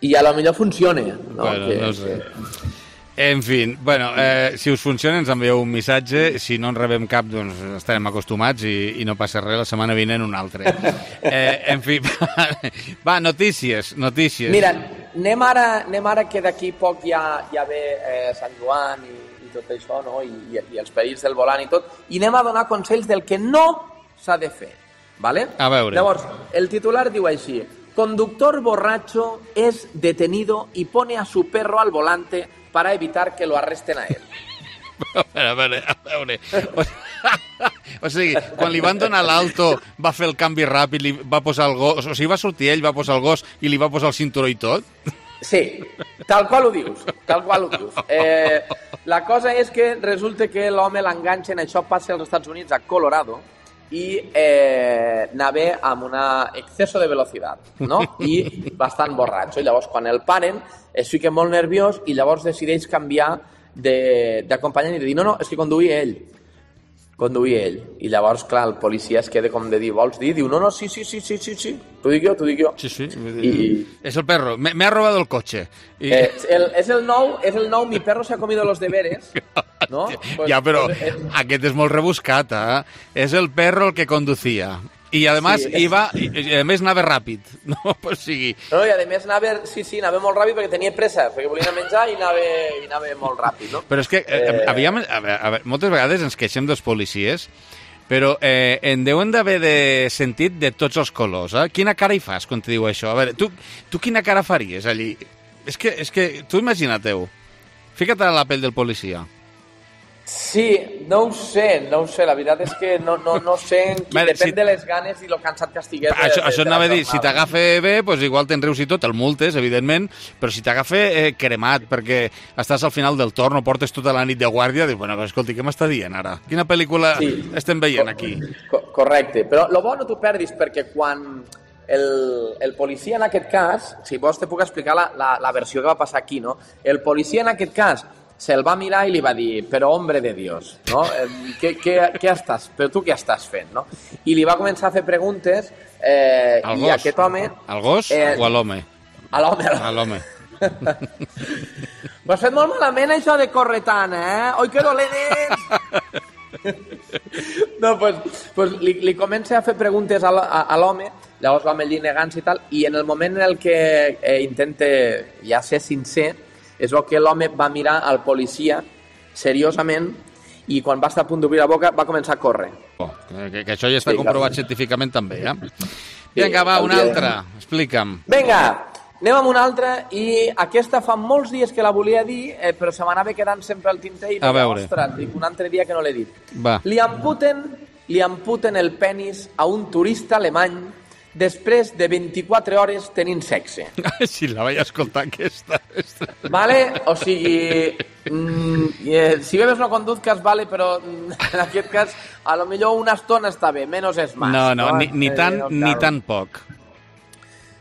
i a lo millor funciona, no? Bueno, que, no sé. Que... En fi, bueno, eh, si us funciona ens envieu un missatge, si no en rebem cap doncs estarem acostumats i, i no passa res, la setmana vinent un altre. Eh, en fi, va, notícies, notícies. Mira, anem ara, anem ara que d'aquí poc ja, ja ve eh, Sant Joan i, i tot això, no? I, i, i els perills del volant i tot, i anem a donar consells del que no s'ha de fer, ¿vale? A veure. Llavors, el titular diu així: conductor borracho es detenido y pone a su perro al volante para evitar que lo arresten a él. A veure, a veure, a veure. O, o sigui, quan li van donar l'alto va fer el canvi ràpid, li va posar el gos, o sigui, va sortir ell, va posar el gos i li va posar el cinturó i tot? Sí, tal qual ho dius, tal qual ho dius. Eh, la cosa és que resulta que l'home l'enganxen, això passa als Estats Units, a Colorado, i eh, anava amb un exceso de velocitat, no? I bastant borratxo. I llavors, quan el paren, es fica molt nerviós i llavors decideix canviar de- d'acompanyant i de dir, no, no, és que conduïa ell. Conduïa ell. I llavors, clar, el policia es queda com de dir, vols dir? Diu, no, no, sí, sí, sí, sí, sí, sí. T'ho dic jo, t'ho dic jo. Sí, sí. I- Es el perro. Me, me ha robado el coche. Y... Eh, el, és el nou, és el nou, mi perro se ha comido los deberes, no? Pues, ja, però pues, eh, aquest és molt rebuscat, eh? És el perro el que conducia. I, además, Sí. iba, i, i a més, anava ràpid. No, o sigui... No, i a més anava, sí, sí, anava molt ràpid perquè tenia pressa, perquè volia anar a menjar i anava, i anava molt ràpid, no? Però és que eh, Eh, aviam, a veure, a veure, moltes vegades ens queixem dels policies, però eh, en deuen d'haver de sentit de tots els colors. Eh? Quina cara hi fas quan te diu això? A veure, tu, tu quina cara faries allí? És que, és que tu imagina-teu. Fica't a la pell del policia. Sí, no ho sé, no ho sé, la veritat és que no, no, no sé, en qui, Vale, depèn si- de les ganes i lo cansat que estigués. de- Això, de- això de anava a la dir, si jornada. t'agafa bé, pues igual te'n rius i tot, el multes, evidentment, però si t'agafa eh, cremat perquè estàs al final del torn o portes tota la nit de guàrdia, dius, bueno, escolti, què m'està dient ara? Quina pel·lícula Sí. estem veient aquí? Co- correcte, però lo bo no t'ho perdis perquè quan el, el policia en aquest cas, si vols te puc explicar la, la, la versió que va passar aquí, no? El policia en aquest cas se'l va mirar i li va dir, però hombre de Dios, no? Eh, què, què, què estàs, però tu què estàs fent, no? I li va començar a fer preguntes eh, Al i gos? aquest home... Al gos eh, o a l'home? A l'home, a A l'home. Ho has fet molt malament, això de córrer tant, eh? Oi, que dolent ets! No, pues, pues li, li comença a fer preguntes a, l- a, a l'home, llavors l'home allí negant-se i tal, i en el moment en el que eh, intenta ja ser sincer, és el que l'home va mirar al policia seriosament i quan va estar a punt d'obrir la boca va començar a córrer. Oh, que, que això ja està Sí, comprovat clar. científicament també, eh? Vinga, va, una hauria de- altra. Explica'm. Vinga, anem amb una altra i aquesta fa molts dies que la volia dir, eh, però se m'anava quedant sempre al tinter i A veure. ostres, dic, un altre dia que no l'he dit. Va. Li amputen, li amputen el penis a un turista alemany després de vint-i-quatre hores tenint sexe. Si la vaig escoltar, aquesta. Vale? O sigui, mm, eh, si bebes no conduzcas, vale, però mm, en aquest cas, a lo millor una estona està bé, menos és más. No, no, ni, ni Eh, tant no ni cal. tan poc.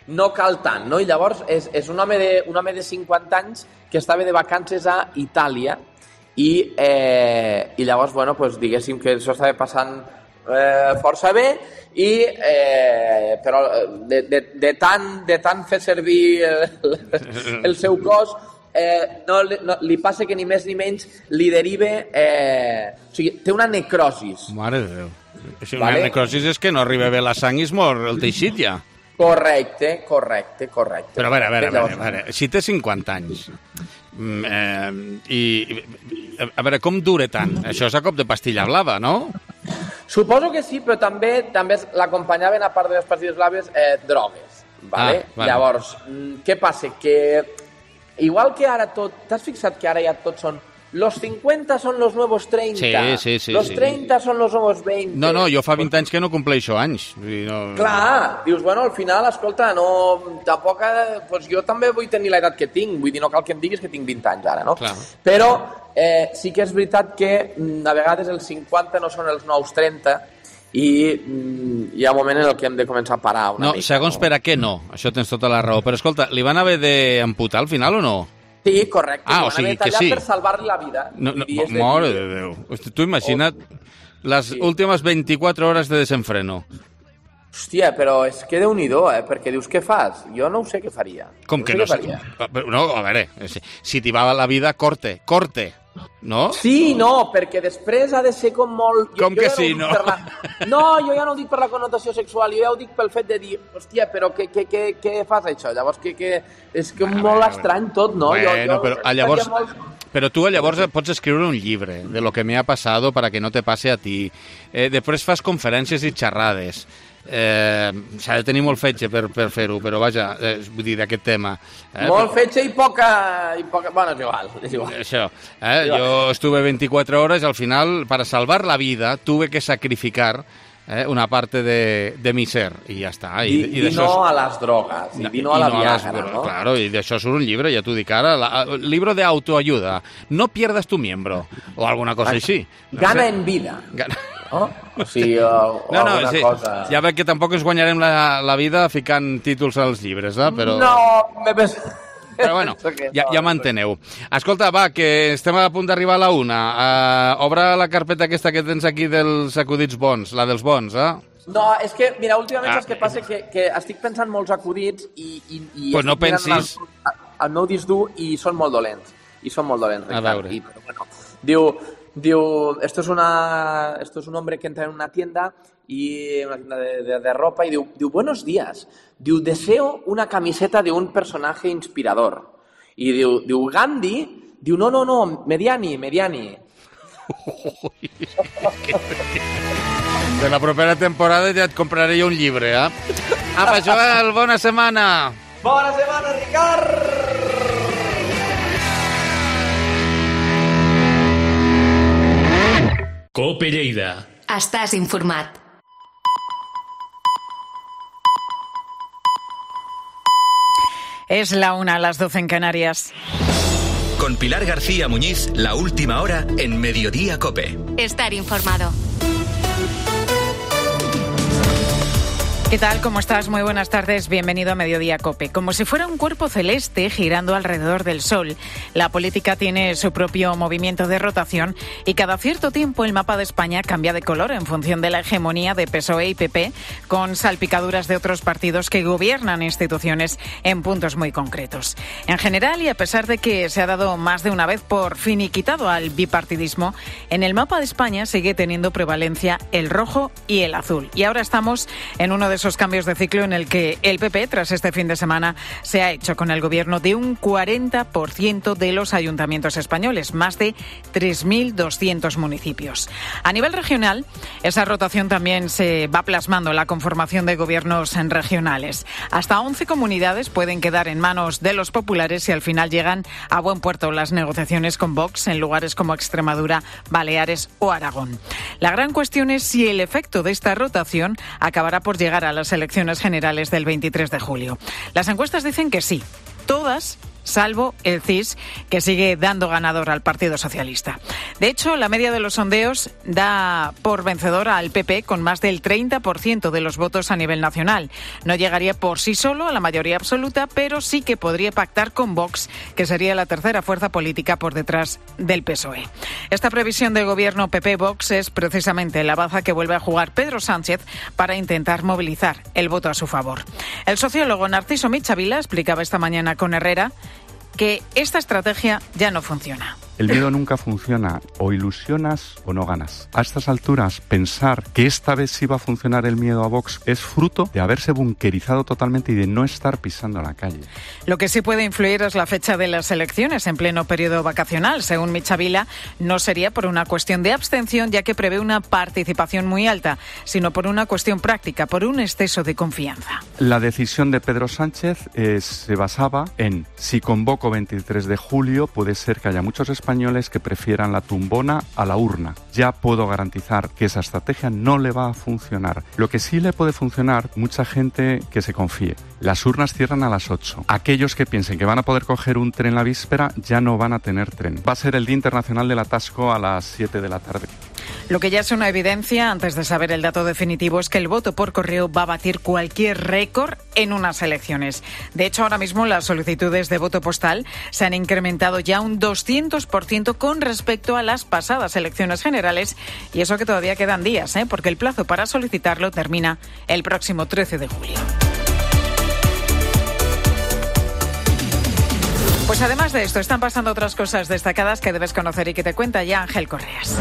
No cal tant, no? I llavors és, és un, home de, un home de cinquanta anys que estava de vacances a Itàlia i, eh, i llavors, bueno, pues, diguéssim que això estava passant eh, força bé i eh, però de, de, de, tant, de tant fer servir el, el seu cos eh, no, li- no, li passa que ni més ni menys li deriva eh, o sigui, té una necrosis. Mare de Déu. Si una Vale. necrosis és que no arriba bé la sang i es mor el teixit ja. Correcte, correcte, correcte. Però a veure, a veure, a veure, Llavors, a veure. Si té cinquanta anys mm, eh, i, i a veure, com dura tant? Això és a cop de pastilla blava, no? Suposo que sí, però també també l'acompanyaven, a part de les pastilles blaves, eh, drogues. Vale? Ah, vale. Llavors, mm, què passa? Que igual que ara tot... T'has fixat que ara ja tots són... Los cincuenta son los nuevos treinta. Sí, sí, sí, Los sí. treinta son los nuevos veinte. No, no, jo fa vint anys que no compleixo anys. Vull dir, no... Clar, dius, bueno, al final, escolta, no, tampoc, eh, pues jo també vull tenir l'edat que tinc, vull dir, no cal que em diguis que tinc vint anys ara, no? Clar. Però eh, sí que és veritat que mm, a vegades els cinquanta no són els nous trenta i mm, hi ha un moment en el que hem de començar a parar una No, mica. segons per a què no, això tens tota la raó. Però escolta, li van haver d'amputar al final o no? Sí, correcte, Ah, li o van sigui haver que tallat sí. per salvar-li la vida. No, no, I és de mare dir, de Déu. Hosti, tu imagina't les Sí. últimes vint-i-quatre hores de desenfreno. Hòstia, però és que Déu-n'hi-do, eh? Perquè dius, què fas? Jo no ho sé què faria. Com que sé no què sé? faria. No, a veure, si, si t'hi va la vida, corte, corte, no? Sí, no, perquè després ha de ser com molt... Com que ja sí, ho dic no? per La... No, jo ja no ho dic per la connotació sexual, jo ja ho dic pel fet de dir, hòstia, però què, què, què, què fas això? Llavors, que, que... és que Bueno, molt bueno, estrany tot, no? Bueno, però a llavors... estaria Molt... Pero tú llavors pots escriure un llibre de lo que me ha pasado para que no te pase a ti. Eh, després fas conferències i xerrades. Eh, S'ha de tenir molt fetge per, per fer-ho, però vaja, eh, vull dir, d'aquest tema. Eh, Molt fetge i poca... I poca... Bueno, és igual, és igual. Això, eh? Yo estuve veinticuatro horas y al final, para salvar la vida, tuve que sacrificar eh, una parte de, de mi ser, y ya está. I, i, i no a les drogues, i, i no a la Viagra, las- no? Claro, y de eso surt un libro, ya tú di cara, la, libro de autoayuda. No pierdas tu miembro, o alguna cosa així. No Gana sé. en vida. Gana... No? O sigui, o, o No, no, alguna sí. cosa... Ja veig que tampoc ens guanyarem la, la vida ficant títols als llibres, eh? Però... No, me pens... Però bueno, ja, ja m'enteneu. Escolta, va, que estem a punt d'arribar a la una. Uh, obre la carpeta aquesta que tens aquí dels acudits bons, la dels bons, eh? No, és que, mira, últimament ah. saps què passa? Que, que estic pensant molts acudits i, i, i pues no pensis... El, el meu disc dur i són molt dolents. I són molt dolents, Ricard. A veure. I, però, bueno, diu, diu, esto es, una, esto es un hombre que entra en una tienda y una tienda de, de, de ropa y diu, diu, buenos días. Diu, deseo una camiseta de un personaje inspirador. I diu, diu Gandhi, diu, no, no, no, Mediani, Mediani. De la propera temporada ja et compraré jo un llibre, eh? Apa, Joel, bona setmana! Bona setmana, Ricard! Cope Lleida. Estàs informat. Es la una a las doce en Canarias. Con Pilar García Muñiz, la última hora en Mediodía Cope. Estar informado. ¿Qué tal? ¿Cómo estás? Muy buenas tardes. Bienvenido a Mediodía Cope. Como si fuera un cuerpo celeste girando alrededor del Sol, la política tiene su propio movimiento de rotación y cada cierto tiempo el mapa de España cambia de color en función de la hegemonía de P S O E y P P, con salpicaduras de otros partidos que gobiernan instituciones en puntos muy concretos. En general, y a pesar de que se ha dado más de una vez por finiquitado al bipartidismo, en el mapa de España sigue teniendo prevalencia el rojo y el azul. Y ahora estamos en uno de esos cambios de ciclo en el que el P P, tras este fin de semana, se ha hecho con el gobierno de un cuarenta por ciento de los ayuntamientos españoles, más de tres mil doscientos municipios. A nivel regional, esa rotación también se va plasmando en la conformación de gobiernos regionales. Hasta once comunidades pueden quedar en manos de los populares si al final llegan a buen puerto las negociaciones con Vox en lugares como Extremadura, Baleares o Aragón. La gran cuestión es si el efecto de esta rotación acabará por llegar a las elecciones generales del veintitrés de julio. Las encuestas dicen que sí, todas, salvo el C I S, que sigue dando ganador al Partido Socialista. De hecho, la media de los sondeos da por vencedora al P P con más del treinta por ciento de los votos a nivel nacional. No llegaría por sí solo a la mayoría absoluta, pero sí que podría pactar con Vox, que sería la tercera fuerza política por detrás del P S O E. Esta previsión del gobierno P P-Vox es precisamente la baza que vuelve a jugar Pedro Sánchez para intentar movilizar el voto a su favor. El sociólogo Narciso Michavila explicaba esta mañana con Herrera que esta estrategia ya no funciona. El miedo nunca funciona, o ilusionas o no ganas. A estas alturas, pensar que esta vez sí va a funcionar el miedo a Vox es fruto de haberse bunkerizado totalmente y de no estar pisando la calle. Lo que sí puede influir es la fecha de las elecciones en pleno periodo vacacional. Según Michavila, no sería por una cuestión de abstención, ya que prevé una participación muy alta, sino por una cuestión práctica, por un exceso de confianza. La decisión de Pedro Sánchez eh, se basaba en, si convoco veintitrés de julio, puede ser que haya muchos españoles españoles que prefieran la tumbona a la urna. Ya puedo garantizar que esa estrategia no le va a funcionar. Lo que sí le puede funcionar, mucha gente que se confíe. Las urnas cierran a las ocho. Aquellos que piensen que van a poder coger un tren la víspera ya no van a tener tren. Va a ser el Día Internacional del Atasco a las siete de la tarde. Lo que ya es una evidencia, antes de saber el dato definitivo, es que el voto por correo va a batir cualquier récord en unas elecciones. De hecho, ahora mismo las solicitudes de voto postal se han incrementado ya un doscientos por ciento con respecto a las pasadas elecciones generales, y eso que todavía quedan días, ¿eh? porque el plazo para solicitarlo termina el próximo trece de julio. Pues además de esto, están pasando otras cosas destacadas que debes conocer y que te cuenta ya Ángel Correas.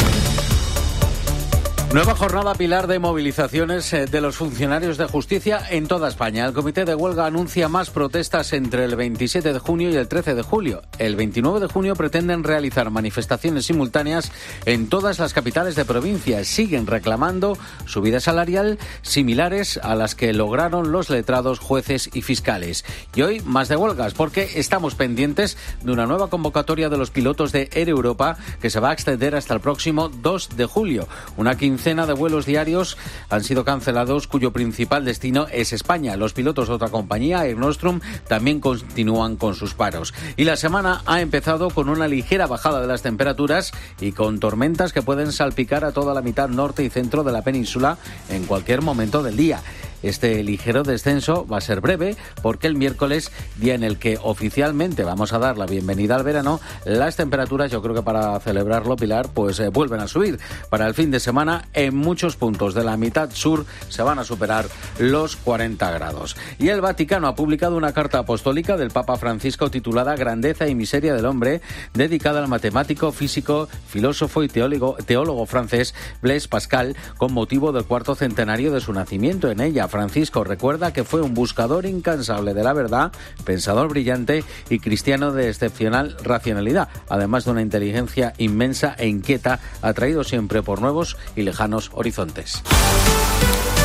Nueva jornada, Pilar, de movilizaciones de los funcionarios de justicia en toda España. El comité de huelga anuncia más protestas entre el veintisiete de junio y el trece de julio. El veintinueve de junio pretenden realizar manifestaciones simultáneas en todas las capitales de provincia. Siguen reclamando subida salarial similares a las que lograron los letrados, jueces y fiscales. Y hoy más de huelgas, porque estamos pendientes de una nueva convocatoria de los pilotos de Air Europa que se va a extender hasta el próximo dos de julio. Una quincena de vuelos diarios han sido cancelados, cuyo principal destino es España. Los pilotos de otra compañía, Air Nostrum, también continúan con sus paros. Y la semana ha empezado con una ligera bajada de las temperaturas y con tormentas que pueden salpicar a toda la mitad norte y centro de la península en cualquier momento del día. Este ligero descenso va a ser breve porque el miércoles, día en el que oficialmente vamos a dar la bienvenida al verano, las temperaturas, yo creo que para celebrarlo, Pilar, pues eh, vuelven a subir. Para el fin de semana, en muchos puntos de la mitad sur se van a superar los cuarenta grados. Y el Vaticano ha publicado una carta apostólica del Papa Francisco titulada Grandeza y miseria del hombre, dedicada al matemático, físico, filósofo y teólogo, teólogo francés Blaise Pascal, con motivo del cuarto centenario de su nacimiento. En ella, Francisco recuerda que fue un buscador incansable de la verdad, pensador brillante y cristiano de excepcional racionalidad, además de una inteligencia inmensa e inquieta, atraído siempre por nuevos y lejanos horizontes.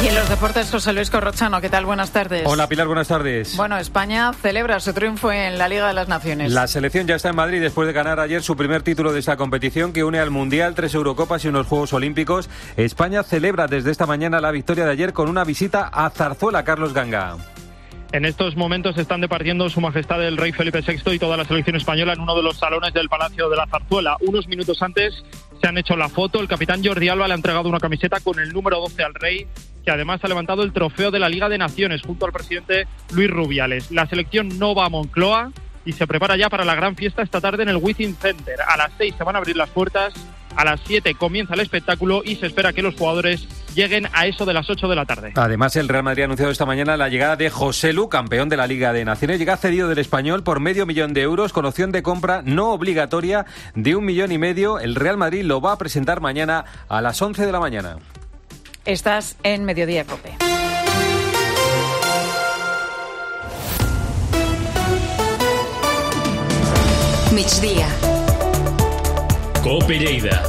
Y en los deportes, José Luis Corrochano, ¿qué tal? Buenas tardes. Hola, Pilar, buenas tardes. Bueno, España celebra su triunfo en la Liga de las Naciones. La selección ya está en Madrid después de ganar ayer su primer título de esta competición que une al Mundial, tres Eurocopas y unos Juegos Olímpicos. España celebra desde esta mañana la victoria de ayer con una visita a Zarzuela. Carlos Ganga. En estos momentos están departiendo Su Majestad el Rey Felipe sexto y toda la selección española en uno de los salones del Palacio de la Zarzuela. Unos minutos antes se han hecho la foto. El capitán Jordi Alba le ha entregado una camiseta con el número doce al Rey, que además ha levantado el trofeo de la Liga de Naciones junto al presidente Luis Rubiales. La selección no va a Moncloa y se prepara ya para la gran fiesta esta tarde en el Withing Center. A las seis se van a abrir las puertas, a las siete comienza el espectáculo y se espera que los jugadores lleguen a eso de las ocho de la tarde. Además, el Real Madrid ha anunciado esta mañana la llegada de José Lu, campeón de la Liga de Naciones. Llega cedido del Español por medio millón de euros con opción de compra no obligatoria de un millón y medio. El Real Madrid lo va a presentar mañana a las once de la mañana. Estás en Mediodía COPE. Migdia. COPE Lleida.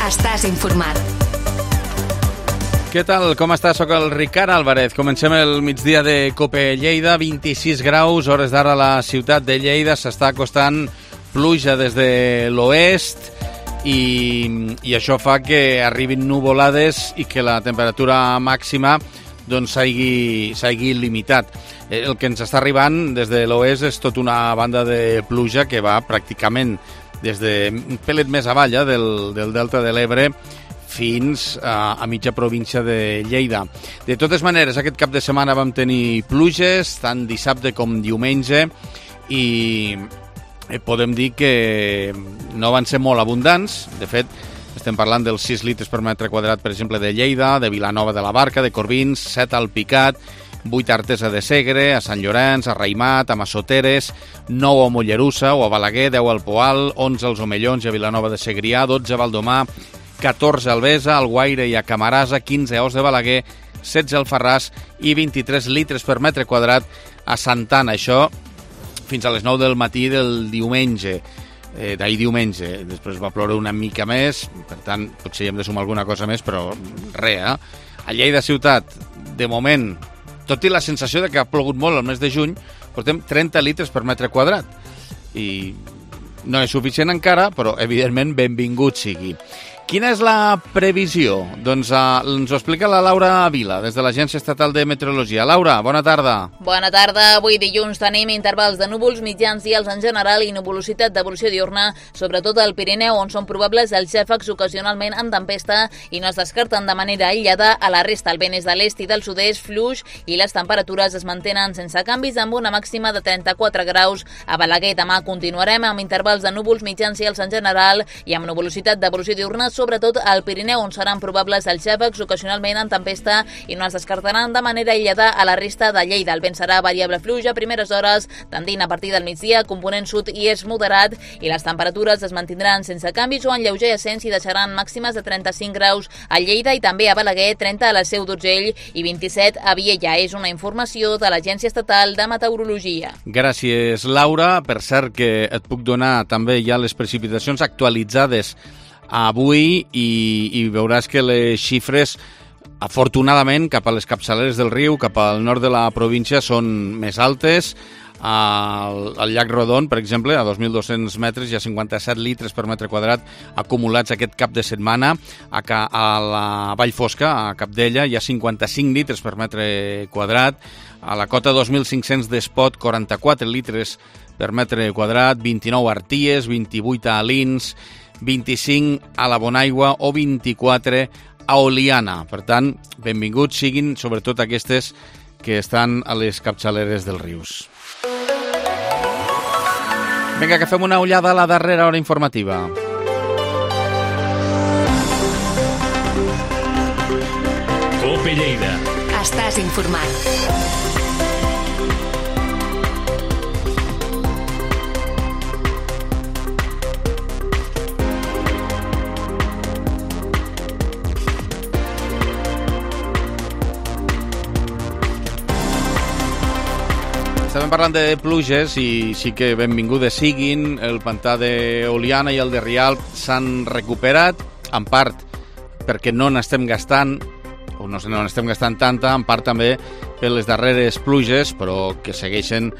Estàs informat. Què tal? Com estàs? Soc el Ricard Álvarez. Comencem el migdia de COPE Lleida. vint-i-sis graus, hores d'ara a la ciutat de Lleida. S'està acostant pluja des de l'oest i, i això fa que arribin nuvolades i que la temperatura màxima doncs s'hagi s'hagi limitat. El que ens està arribant des de l'oest és tota una banda de pluja que va pràcticament des de un pelet més avall eh, del, del Delta de l'Ebre fins a, a mitja província de Lleida. De totes maneres, aquest cap de setmana vam tenir pluges, tant dissabte com diumenge, i podem dir que no van ser molt abundants. De fet, estem parlant dels sis litres per metre quadrat, per exemple, de Lleida, de Vilanova de la Barca, de Corbins, set al Picat, vuit a Artesa de Segre, a Sant Llorenç, a Raimat, a Massoteres, nou a Mollerussa o a Balaguer, deu al Poal, onze als Omellons i a Vilanova de Segrià, dotze a Valdomà, catorze a Albesa, al Guaire i a Camarasa, quinze a Os de Balaguer, setze al Farràs i vint-i-tres litres per metre quadrat a Santana. Això fins a les nou del matí del diumenge, eh, d'ahir diumenge. Després va ploure una mica més, per tant, potser hi hem de sumar alguna cosa més, però res, eh? A Lleida ciutat, de moment, tot i la sensació de que ha plogut molt el mes de juny, portem trenta litres per metre quadrat. I no és suficient encara, però evidentment benvingut sigui. Quina és la previsió? Doncs uh, ens ho explica la Laura Vila, des de l'Agència Estatal de Meteorologia. Laura, bona tarda. Bona tarda. Avui dilluns tenim intervals de núvols mitjans i alts en general i nuvolositat d'evolució diurna, sobretot al Pirineu, on són probables els xàfecs ocasionalment en tempesta i no es descarten de manera aïllada. A la resta, el vent és de l'est i del sud-est, fluix, i les temperatures es mantenen sense canvis amb una màxima de trenta-quatre graus. A Balaguer demà continuarem amb intervals de núvols mitjans i alts en general i amb nuvolositat d'evolució diurna, sobretot al Pirineu, on seran probables els xàfecs ocasionalment en tempesta i no es descartaran de manera aïllada a la resta de Lleida. El vent serà variable fluix a primeres hores, tendint a partir del migdia, component sud i és moderat, i les temperatures es mantindran sense canvis o en lleuger ascens i deixaran màximes de trenta-cinc graus a Lleida i també a Balaguer, trenta a la Seu d'Urgell i vint-i-set a Viella. És una informació de l'Agència Estatal de Meteorologia. Gràcies, Laura. Per cert, que et puc donar també ja les precipitacions actualitzades avui i, i veuràs que les xifres, afortunadament, cap a les capçaleres del riu, cap al nord de la província, són més altes. Al, al llac Rodon, per exemple, a dos mil dos-cents metres, hi ha cinquanta-set litres per metre quadrat acumulats aquest cap de setmana. A, a la Vall Fosca, a Capdella, hi ha cinquanta-cinc litres per metre quadrat. A la cota dos mil cinc-cents d'Espot, quaranta-quatre litres per metre quadrat, vint-i-nou a Arties, vint-i-vuit a Alins, vint-i-cinc a la Bonaigua o vint-i-quatre a Oliana. Per tant, benvinguts siguin sobretot aquestes que estan a les capçaleres dels rius. Vinga, que fem una ullada a la darrera hora informativa. Cope Lleida. Estàs informat. Estem parlant de pluges i sí que benvingudes siguin. El pantà d'Oliana i el de Rialp s'han recuperat, en part perquè no n'estem gastant, o no n'estem gastant tanta, en part també per les darreres pluges, però que segueixen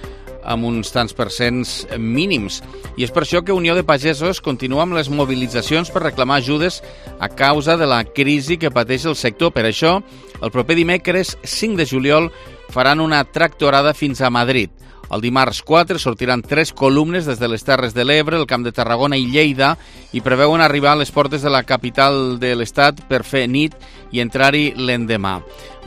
amb uns tants percents mínims. I és per això que Unió de Pagesos continua amb les mobilitzacions per reclamar ajudes a causa de la crisi que pateix el sector. Per això, el proper dimecres cinc de juliol faran una tractorada fins a Madrid. El dimarts quatre sortiran tres columnes des de les Terres de l'Ebre, el Camp de Tarragona i Lleida i preveuen arribar a les portes de la capital de l'Estat per fer nit i entrar-hi l'endemà,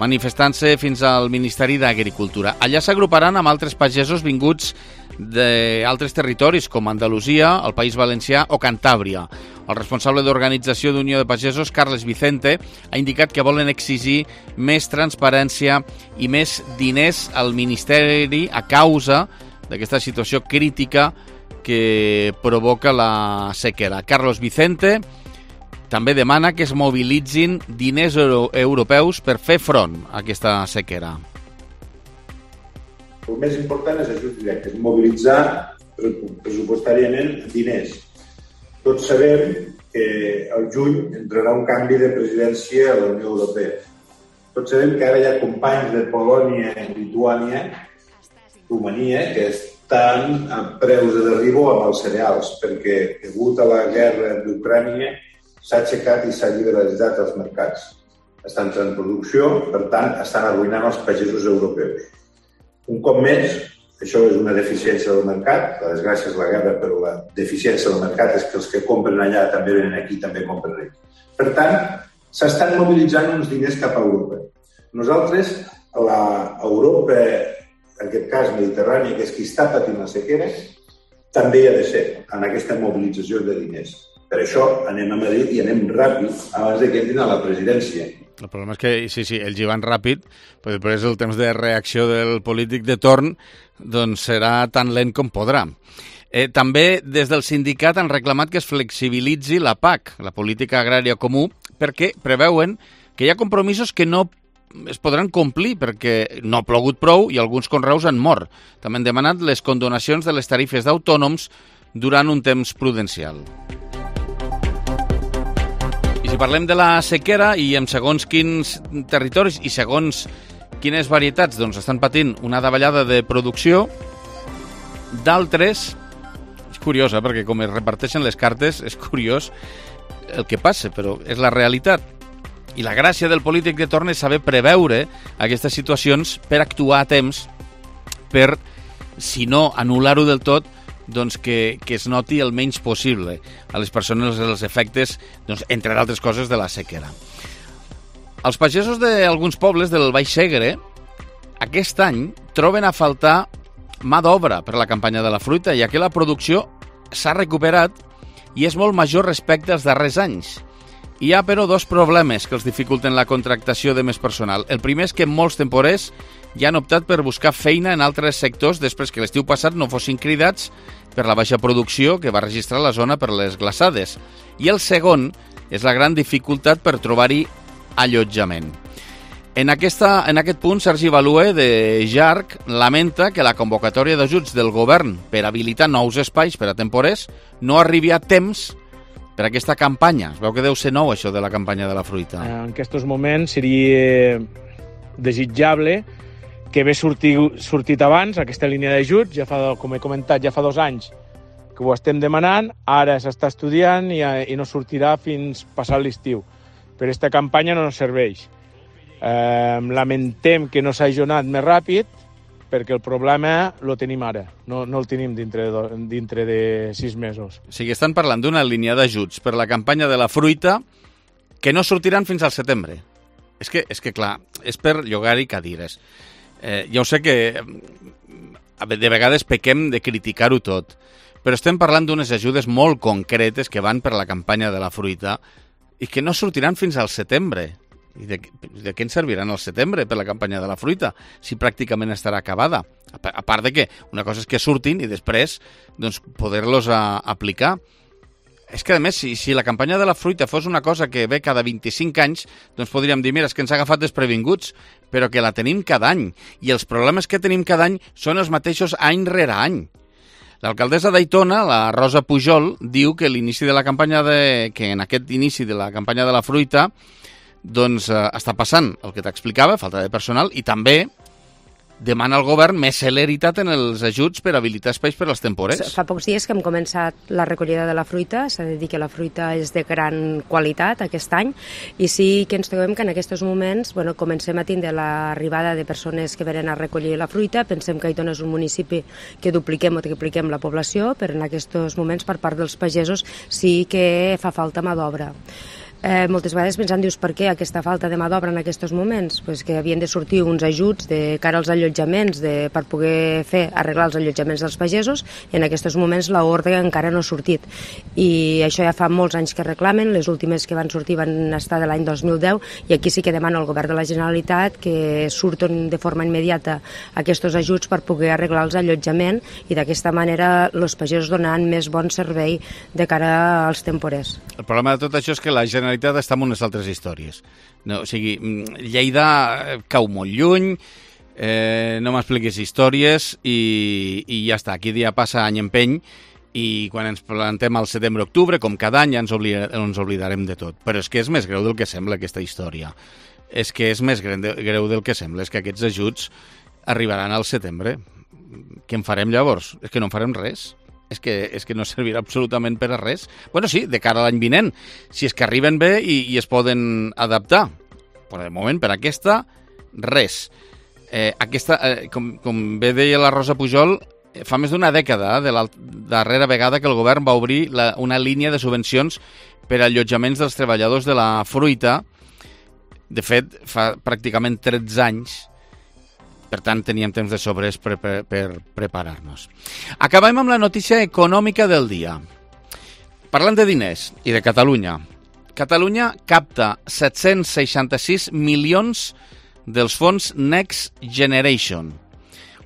manifestant-se fins al Ministeri d'Agricultura. Allà s'agruparan amb altres pagesos vinguts d'altres territoris com Andalusia, el País Valencià o Cantàbria. El responsable d'organització d'Unió de Pagesos, Carles Vicente, ha indicat que volen exigir més transparència i més diners al Ministeri a causa d'aquesta situació crítica que provoca la sequera. Carlos Vicente també demana que es mobilitzin diners euro europeus per fer front a aquesta sequera. El més important és ajuts directes, mobilitzar pressupostàriament diners. Tots sabem que al juny entrarà un canvi de presidència a la Unió Europea. Tots sabem que ara hi ha companys de Polònia i Lituània, Romania, que estan a preus de derribo amb els cereals, perquè degut a la guerra d'Ucrània s'ha aixecat i s'ha liberalitzat els mercats. Estan entrant en producció, per tant, estan arruïnant els pagesos europeus. Un cop més, això és una deficiència del mercat, la desgràcia és la guerra, però la deficiència del mercat és que els que compren allà també venen aquí, també compren aquí. Per tant, s'estan mobilitzant uns diners cap a Europa. Nosaltres, a l'Europa, en aquest cas mediterrània, que és qui està patint la sequera, també hi ha de ser en aquesta mobilització de diners. Per això anem a Madrid i anem ràpid abans que entrin a la presidència. El problema és que, sí, sí, ells hi van ràpid, però després el temps de reacció del polític de torn doncs serà tan lent com podrà. Eh, també des del sindicat han reclamat que es flexibilitzi la P A C, la Política Agrària Comú, perquè preveuen que hi ha compromisos que no es podran complir perquè no ha plogut prou i alguns conreus han mort. També han demanat les condonacions de les tarifes d'autònoms durant un temps prudencial. Si parlem de la sequera i en segons quins territoris i segons quines varietats doncs estan patint una davallada de producció, d'altres, és curiós, eh, perquè com es reparteixen les cartes, és curiós el que passa, però és la realitat. I la gràcia del polític de torn és saber preveure aquestes situacions per actuar a temps, per, si no anul·lar-ho del tot, doncs que, que es noti el menys possible a les persones els efectes, doncs, entre d'altres coses, de la sequera. Els pagesos d'alguns pobles del Baix Segre aquest any troben a faltar mà d'obra per la campanya de la fruita, ja que la producció s'ha recuperat i és molt major respecte als darrers anys. Hi ha, però, dos problemes que els dificulten la contractació de més personal. El primer és que molts temporers ja han optat per buscar feina en altres sectors després que l'estiu passat no fossin cridats per la baixa producció que va registrar la zona per les glaçades. I el segon és la gran dificultat per trobar-hi allotjament. En, aquesta, en aquest punt, Sergi Balue, de J A R C, lamenta que la convocatòria d'ajuts del govern per habilitar nous espais per a temporers no arribi a temps per aquesta campanya. Es veu que deu ser nou, això de la campanya de la fruita. En aquests moments seria desitjable que hagués sortit, sortit abans aquesta línia d'ajuts, ja fa, com he comentat, ja fa dos anys que ho estem demanant, ara s'està estudiant i, i no sortirà fins passat l'estiu. Per aquesta campanya no ens serveix. Eh, lamentem que no s'ha ajornat més ràpid, perquè el problema lo tenim ara, no, no el tenim dintre de, dintre de sis mesos. O sigui, estan parlant d'una línia d'ajuts per la campanya de la fruita que no sortiran fins al setembre. És que, és que clar, és per llogar-hi cadires. Eh, ja ho sé que de vegades pequem de criticar-ho tot, però estem parlant d'unes ajudes molt concretes que van per la campanya de la fruita i que no sortiran fins al setembre. I de, de què ens serviran al setembre per la campanya de la fruita, si pràcticament estarà acabada? A, a part de que una cosa és que surtin i després doncs, poder-los a, aplicar. És que, a més, si, si la campanya de la fruita fos una cosa que ve cada vint-i-cinc anys, doncs podríem dir, mira, és que ens ha agafat desprevinguts, però que la tenim cada any. I els problemes que tenim cada any són els mateixos any rere any. L'alcaldessa d'Aitona, la Rosa Pujol, diu que l'inici de la campanya de, que en aquest inici de la campanya de la fruita doncs eh, està passant el que t'explicava, falta de personal, i també demana al govern més celeritat en els ajuts per habilitar espais per als temporers. Fa pocs dies que hem començat la recollida de la fruita, s'ha de dir que la fruita és de gran qualitat aquest any, i sí que ens trobem que en aquests moments bueno, comencem a tindre l'arribada de persones que venen a recollir la fruita. Pensem que Aitona és un municipi que dupliquem o tripliquem la població, però en aquests moments per part dels pagesos sí que fa falta mà d'obra. Eh, moltes vegades pensant, dius, per què aquesta falta de mà d'obra en aquests moments? Pues que havien de sortir uns ajuts de cara als allotjaments de, per poder fer arreglar els allotjaments dels pagesos, i en aquests moments l'ordre encara no ha sortit. I això ja fa molts anys que reclamen, les últimes que van sortir van estar de l'any dos mil deu, i aquí sí que demana al govern de la Generalitat que surten de forma immediata aquests ajuts per poder arreglar els allotjaments, i d'aquesta manera els pagesos donaran més bon servei de cara als temporers. El problema de tot això és que la Generalitat està en unes altres històries. No, o sigui, Lleida cau molt lluny, eh, no m'expliquis històries i, i ja està. Aquí dia passa any empeny i quan ens plantem al setembre-octubre, com cada any, ja ens, oblida, ens oblidarem de tot. Però és que és més greu del que sembla aquesta història. És que és més greu del que sembla. És que aquests ajuts arribaran al setembre. Què en farem llavors? És que no en farem res. És que, és que no servirà absolutament per a res. Bueno, sí, de cara a l'any vinent, si és que arriben bé i, i es poden adaptar. Però de moment, per aquesta, res. Eh, aquesta, eh, com, com bé deia la Rosa Pujol, fa més d'una dècada, de la darrera vegada que el govern va obrir la, una línia de subvencions per a allotjaments dels treballadors de la fruita. De fet, fa pràcticament tretze anys. Per tant, teníem temps de sobres per, per, per preparar-nos. Acabem amb la notícia econòmica del dia. Parlant de diners i de Catalunya. Catalunya capta set-cents seixanta-sis milions dels fons Next Generation.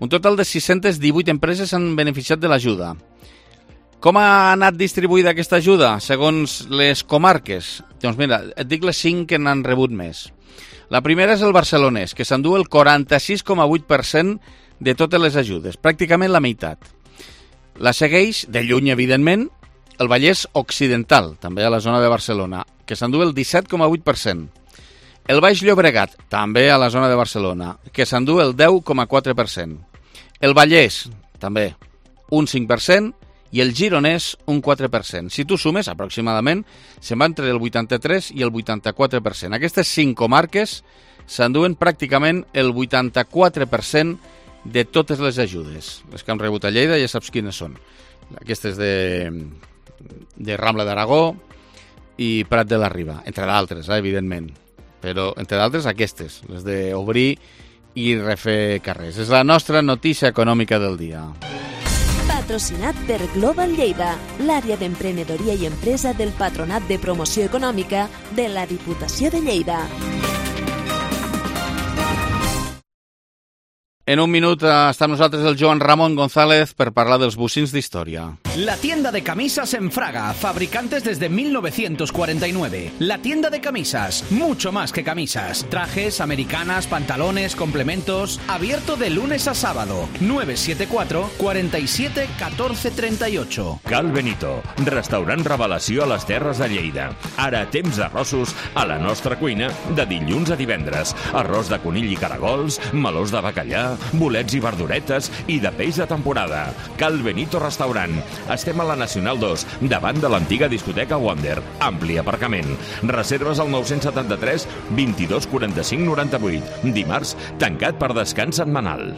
Un total de sis-centes divuit empreses han beneficiat de l'ajuda. Com ha anat distribuïda aquesta ajuda, segons les comarques? Doncs mira, et dic les cinc que n'han rebut més. La primera és el barcelonès, que s'endú el quaranta-sis coma vuit per cent de totes les ajudes, pràcticament la meitat. La segueix, de lluny evidentment, el Vallès Occidental, també a la zona de Barcelona, que s'endú el disset coma vuit per cent. El Baix Llobregat, també a la zona de Barcelona, que s'endú el deu coma quatre per cent. El Vallès, també, un cinc per cent, i el Gironès un quatre per cent. Si tu sumes, aproximadament, se'n va entre el vuitanta-tres i el vuitanta-quatre per cent. Aquestes cinc comarques s'enduen pràcticament el vuitanta-quatre per cent de totes les ajudes. Les que han rebut a Lleida ja saps quines són. Aquestes de, de Rambla d'Aragó i Prat de la Riba, entre d'altres, eh, evidentment. Però, entre d'altres, aquestes, les d'obrir i refer carrers. És la nostra notícia econòmica del dia. Patrocinat per Global Lleida, l'àrea d'emprenedoria i empresa del Patronat de Promoció Econòmica de la Diputació de Lleida. En un minut està amb nosaltres el Joan Ramon González per parlar dels bocins d'història. La tienda de camisas en Fraga, fabricantes desde mil novecientos cuarenta y nueve. La tienda de camisas, mucho más que camisas. Trajes, americanas, pantalones, complementos. Abierto de lunes a sábado. nueve siete cuatro, cuarenta y siete, catorce treinta y ocho. Cal Benito, restaurant revelació a les Terres de Lleida. Ara temps d'arrossos a la nostra cuina de dilluns a divendres. Arròs de conill i caragols, melós de bacallà, bolets i verduretes i de peix de temporada. Cal Benito Restaurant. Estem a la Nacional dos, davant de l'antiga discoteca Wonder. Ampli aparcament. Reserves al nou setanta-tres, vint-i-dos, quaranta-cinc, noranta-vuit. Dimarts, tancat per descans setmanal.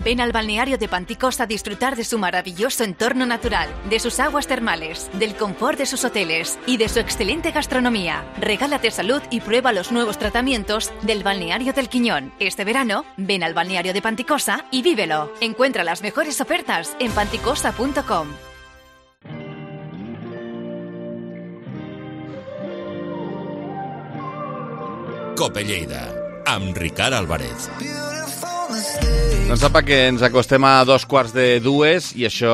Ven al balneario de Panticós a disfrutar de su maravilloso entorno natural, de sus aguas termales, del confort de sus hoteles y de su excelente gastronomía. Regálate salud y prueba los nuevos tratamientos del balneario del Quiñón. Este verano, ven al balneario de Panticosa y vívelo. Encuentra las mejores ofertas en panticosa punto com. Cope Lleida, amb Ricard Álvarez. Doncs sapa que ens acostem a dos quarts de dues i això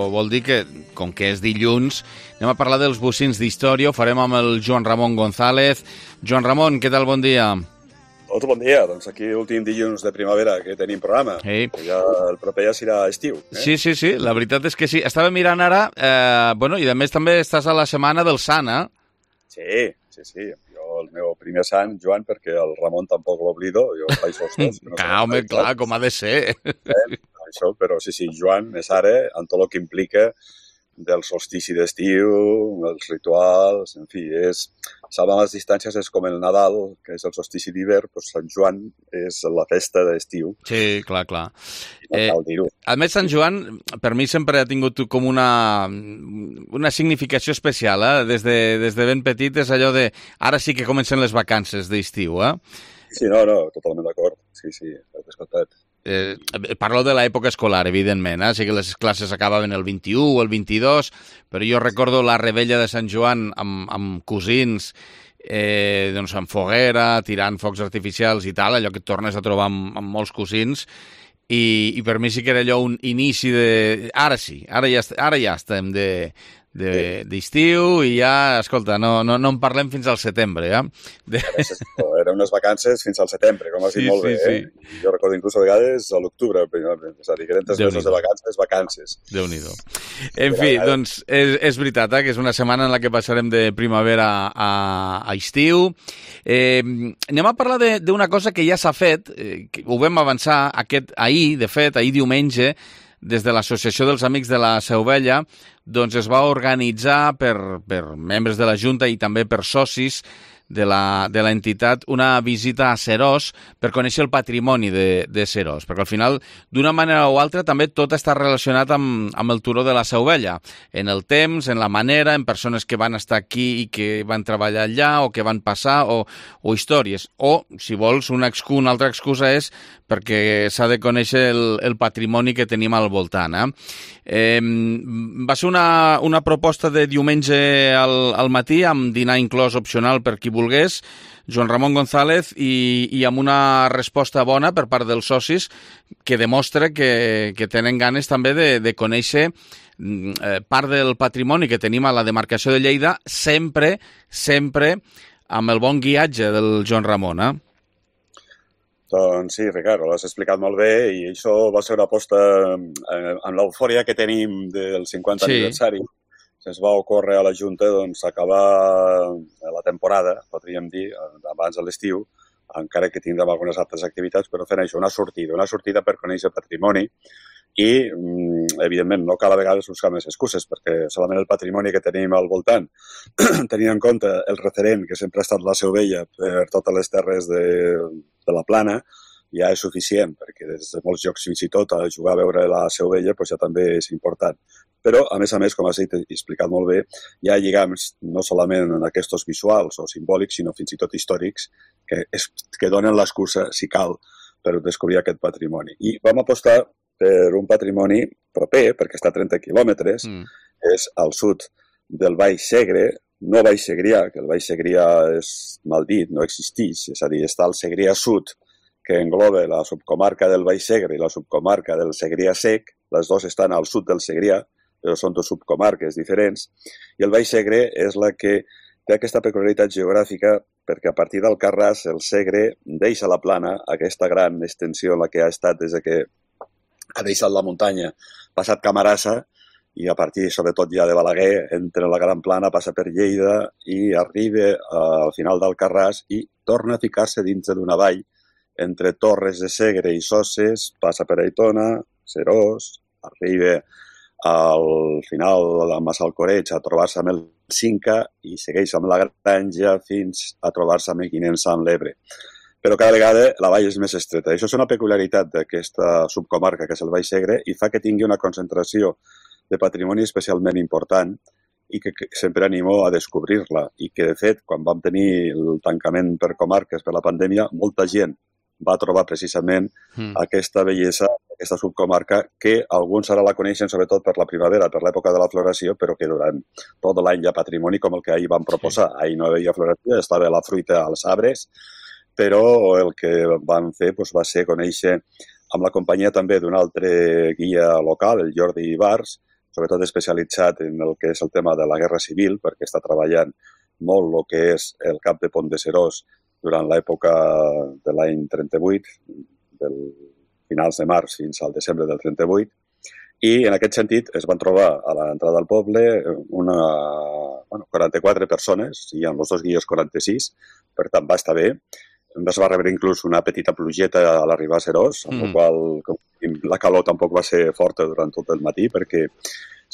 vol dir que, com que és dilluns, anem a parlar dels bocins d'història. Ho farem amb el Joan Ramon González. Joan Ramon, què tal? Bon dia. Hola, bon dia. Doncs aquí últim dilluns de primavera que tenim programa. Sí. Ja, el proper ja serà estiu. Eh? Sí, sí, sí, la veritat és que sí. Estava mirant ara, eh, bueno, i a més també estàs a la setmana del Sant, eh? Sí, sí, sí. El meu primer sant, Joan, perquè el Ramon tampoc l'oblido, jo faig els dos. No clar, home, clar, com ha de ser. Eh, això, però sí, sí, Joan és ara, en tot el que implica del solstici d'estiu, els rituals, en fi, és... Salvant les distàncies és com el Nadal, que és el solstici d'hivern, doncs Sant Joan és la festa d'estiu. Sí, clar, clar. No cal dir-ho. A més, Sant Joan, per mi sempre ha tingut com una, una significació especial, eh? Des de, des de ben petit és allò de... Ara sí que comencen les vacances d'estiu, eh? Sí, no, no, totalment d'acord. Sí, sí, has escoltat. Eh, parlo de l'època escolar, evidentment, eh? Sí que les classes acabaven el vint-i-u o el vint-i-dos, però jo recordo la rebella de Sant Joan amb, amb cosins, eh, doncs amb foguera, tirant focs artificials i tal, allò que et tornes a trobar amb, amb molts cosins, i, i per mi sí que era allò un inici de... Ara sí, ara ja, ara ja estem de... d'estiu i ja, escolta, no, no, no en parlem fins al setembre, ja. De... Eren unes vacances fins al setembre, com has dit sí, molt bé, sí, eh? Sí. Jo recordo inclús a vegades a l'octubre, és a dir, que eren tres mesos de vacances, vacances. Déu-n'hi-do. En fi, doncs, és, és veritat, eh, que és una setmana en la que passarem de primavera a, a estiu. Eh, anem a parlar d'una cosa que ja s'ha fet, eh, que ho vam avançar aquest, ahir, de fet, ahir diumenge, des de l'Associació dels Amics de la Seu Vella, doncs es va organitzar per, per membres de la Junta i també per socis de la, de l'entitat una visita a Seròs per conèixer el patrimoni de, de Seròs, perquè al final, d'una manera o altra, també tot està relacionat amb, amb el turó de la Seu Vella, en el temps, en la manera, en persones que van estar aquí i que van treballar allà o que van passar, o, o històries. O, si vols, una, excu, una altra excusa és perquè s'ha de conèixer el, el patrimoni que tenim al voltant. Eh? Eh, va ser una, una proposta de diumenge al, al matí, amb dinar inclòs opcional per qui volgués, Joan Ramon González, i, i amb una resposta bona per part dels socis que demostra que, que tenen ganes també de, de conèixer eh, part del patrimoni que tenim a la demarcació de Lleida, sempre, sempre amb el bon guiatge del Joan Ramon, eh? Doncs sí, Ricardo, l'has explicat molt bé i això va ser una aposta eh, amb l'eufòria que tenim del cinquanta sí. aniversari. Se'ns va ocórrer a la Junta doncs, acabar la temporada, podríem dir, abans de l'estiu, encara que tindrem algunes altres activitats, però fent això, una sortida, una sortida per conèixer patrimoni i, evidentment, no cal a vegades buscar més excuses, perquè solament el patrimoni que tenim al voltant, tenint en compte el referent que sempre ha estat la Seu Vella per totes les terres de, de la Plana, ja és suficient, perquè des de molts llocs fins i tot a jugar a veure la Seu Vella doncs ja també és important. Però, a més a més, com has dit i explicat molt bé, hi ha lligams no solament en aquests visuals o simbòlics, sinó fins i tot històrics, que, és, que donen l'excusa, si cal, per descobrir aquest patrimoni. I vam apostar per un patrimoni proper, perquè està a trenta quilòmetres, mm. és al sud del Baix Segre, no Baix Segrià, que el Baix Segrià és mal dit, no existeix, és a dir, està al Segrià Sud, que engloba la subcomarca del Baix Segre i la subcomarca del Segrià Sec, les dues estan al sud del Segrià, però són dues subcomarques diferents, i el Baix Segre és la que té aquesta peculiaritat geogràfica perquè a partir del Carràs el Segre deixa la plana, aquesta gran extensió en la que ha estat des que ha deixat la muntanya, passat Camarasa, i a partir, sobretot ja de Balaguer, entra la Gran Plana, passa per Lleida i arriba al final del Carràs i torna a ficar-se dins d'una vall entre Torres de Segre i Soses, passa per Aitona, Seròs, arriba al final de Massalcoreig a trobar-se amb el Cinca i segueix amb la Granja fins a trobar-se amb Mequinensa amb l'Ebre. però cada vegada la vall és més estreta. Això és una peculiaritat d'aquesta subcomarca, que és el Baix Segre, i fa que tingui una concentració de patrimoni especialment important i que, que sempre animo a descobrir-la. I que, de fet, quan vam tenir el tancament per comarques per la pandèmia, molta gent va trobar precisament mm. aquesta bellesa, aquesta subcomarca, que alguns ara la coneixen sobretot per la primavera, per l'època de la floració, però que durant tot l'any hi ha patrimoni com el que ahir vam proposar. Sí. Ahir no hi havia floració, estava la fruita als arbres, però el que vam fer doncs, va ser conèixer amb la companyia també d'un altre guia local, el Jordi Ibars, sobretot especialitzat en el que és el tema de la Guerra Civil, perquè està treballant molt el que és el cap de Pont de Serós durant l'època de l'any trenta-vuit, del finals de març fins al desembre del trenta-vuit, i en aquest sentit es van trobar a l'entrada del poble una, bueno, quaranta-quatre persones, i amb els dos guies quaranta-sis, per tant va estar bé. Es va rebre inclús una petita plugeta a l'arribar a Serós, amb mm. la qual la calor tampoc va ser forta durant tot el matí, perquè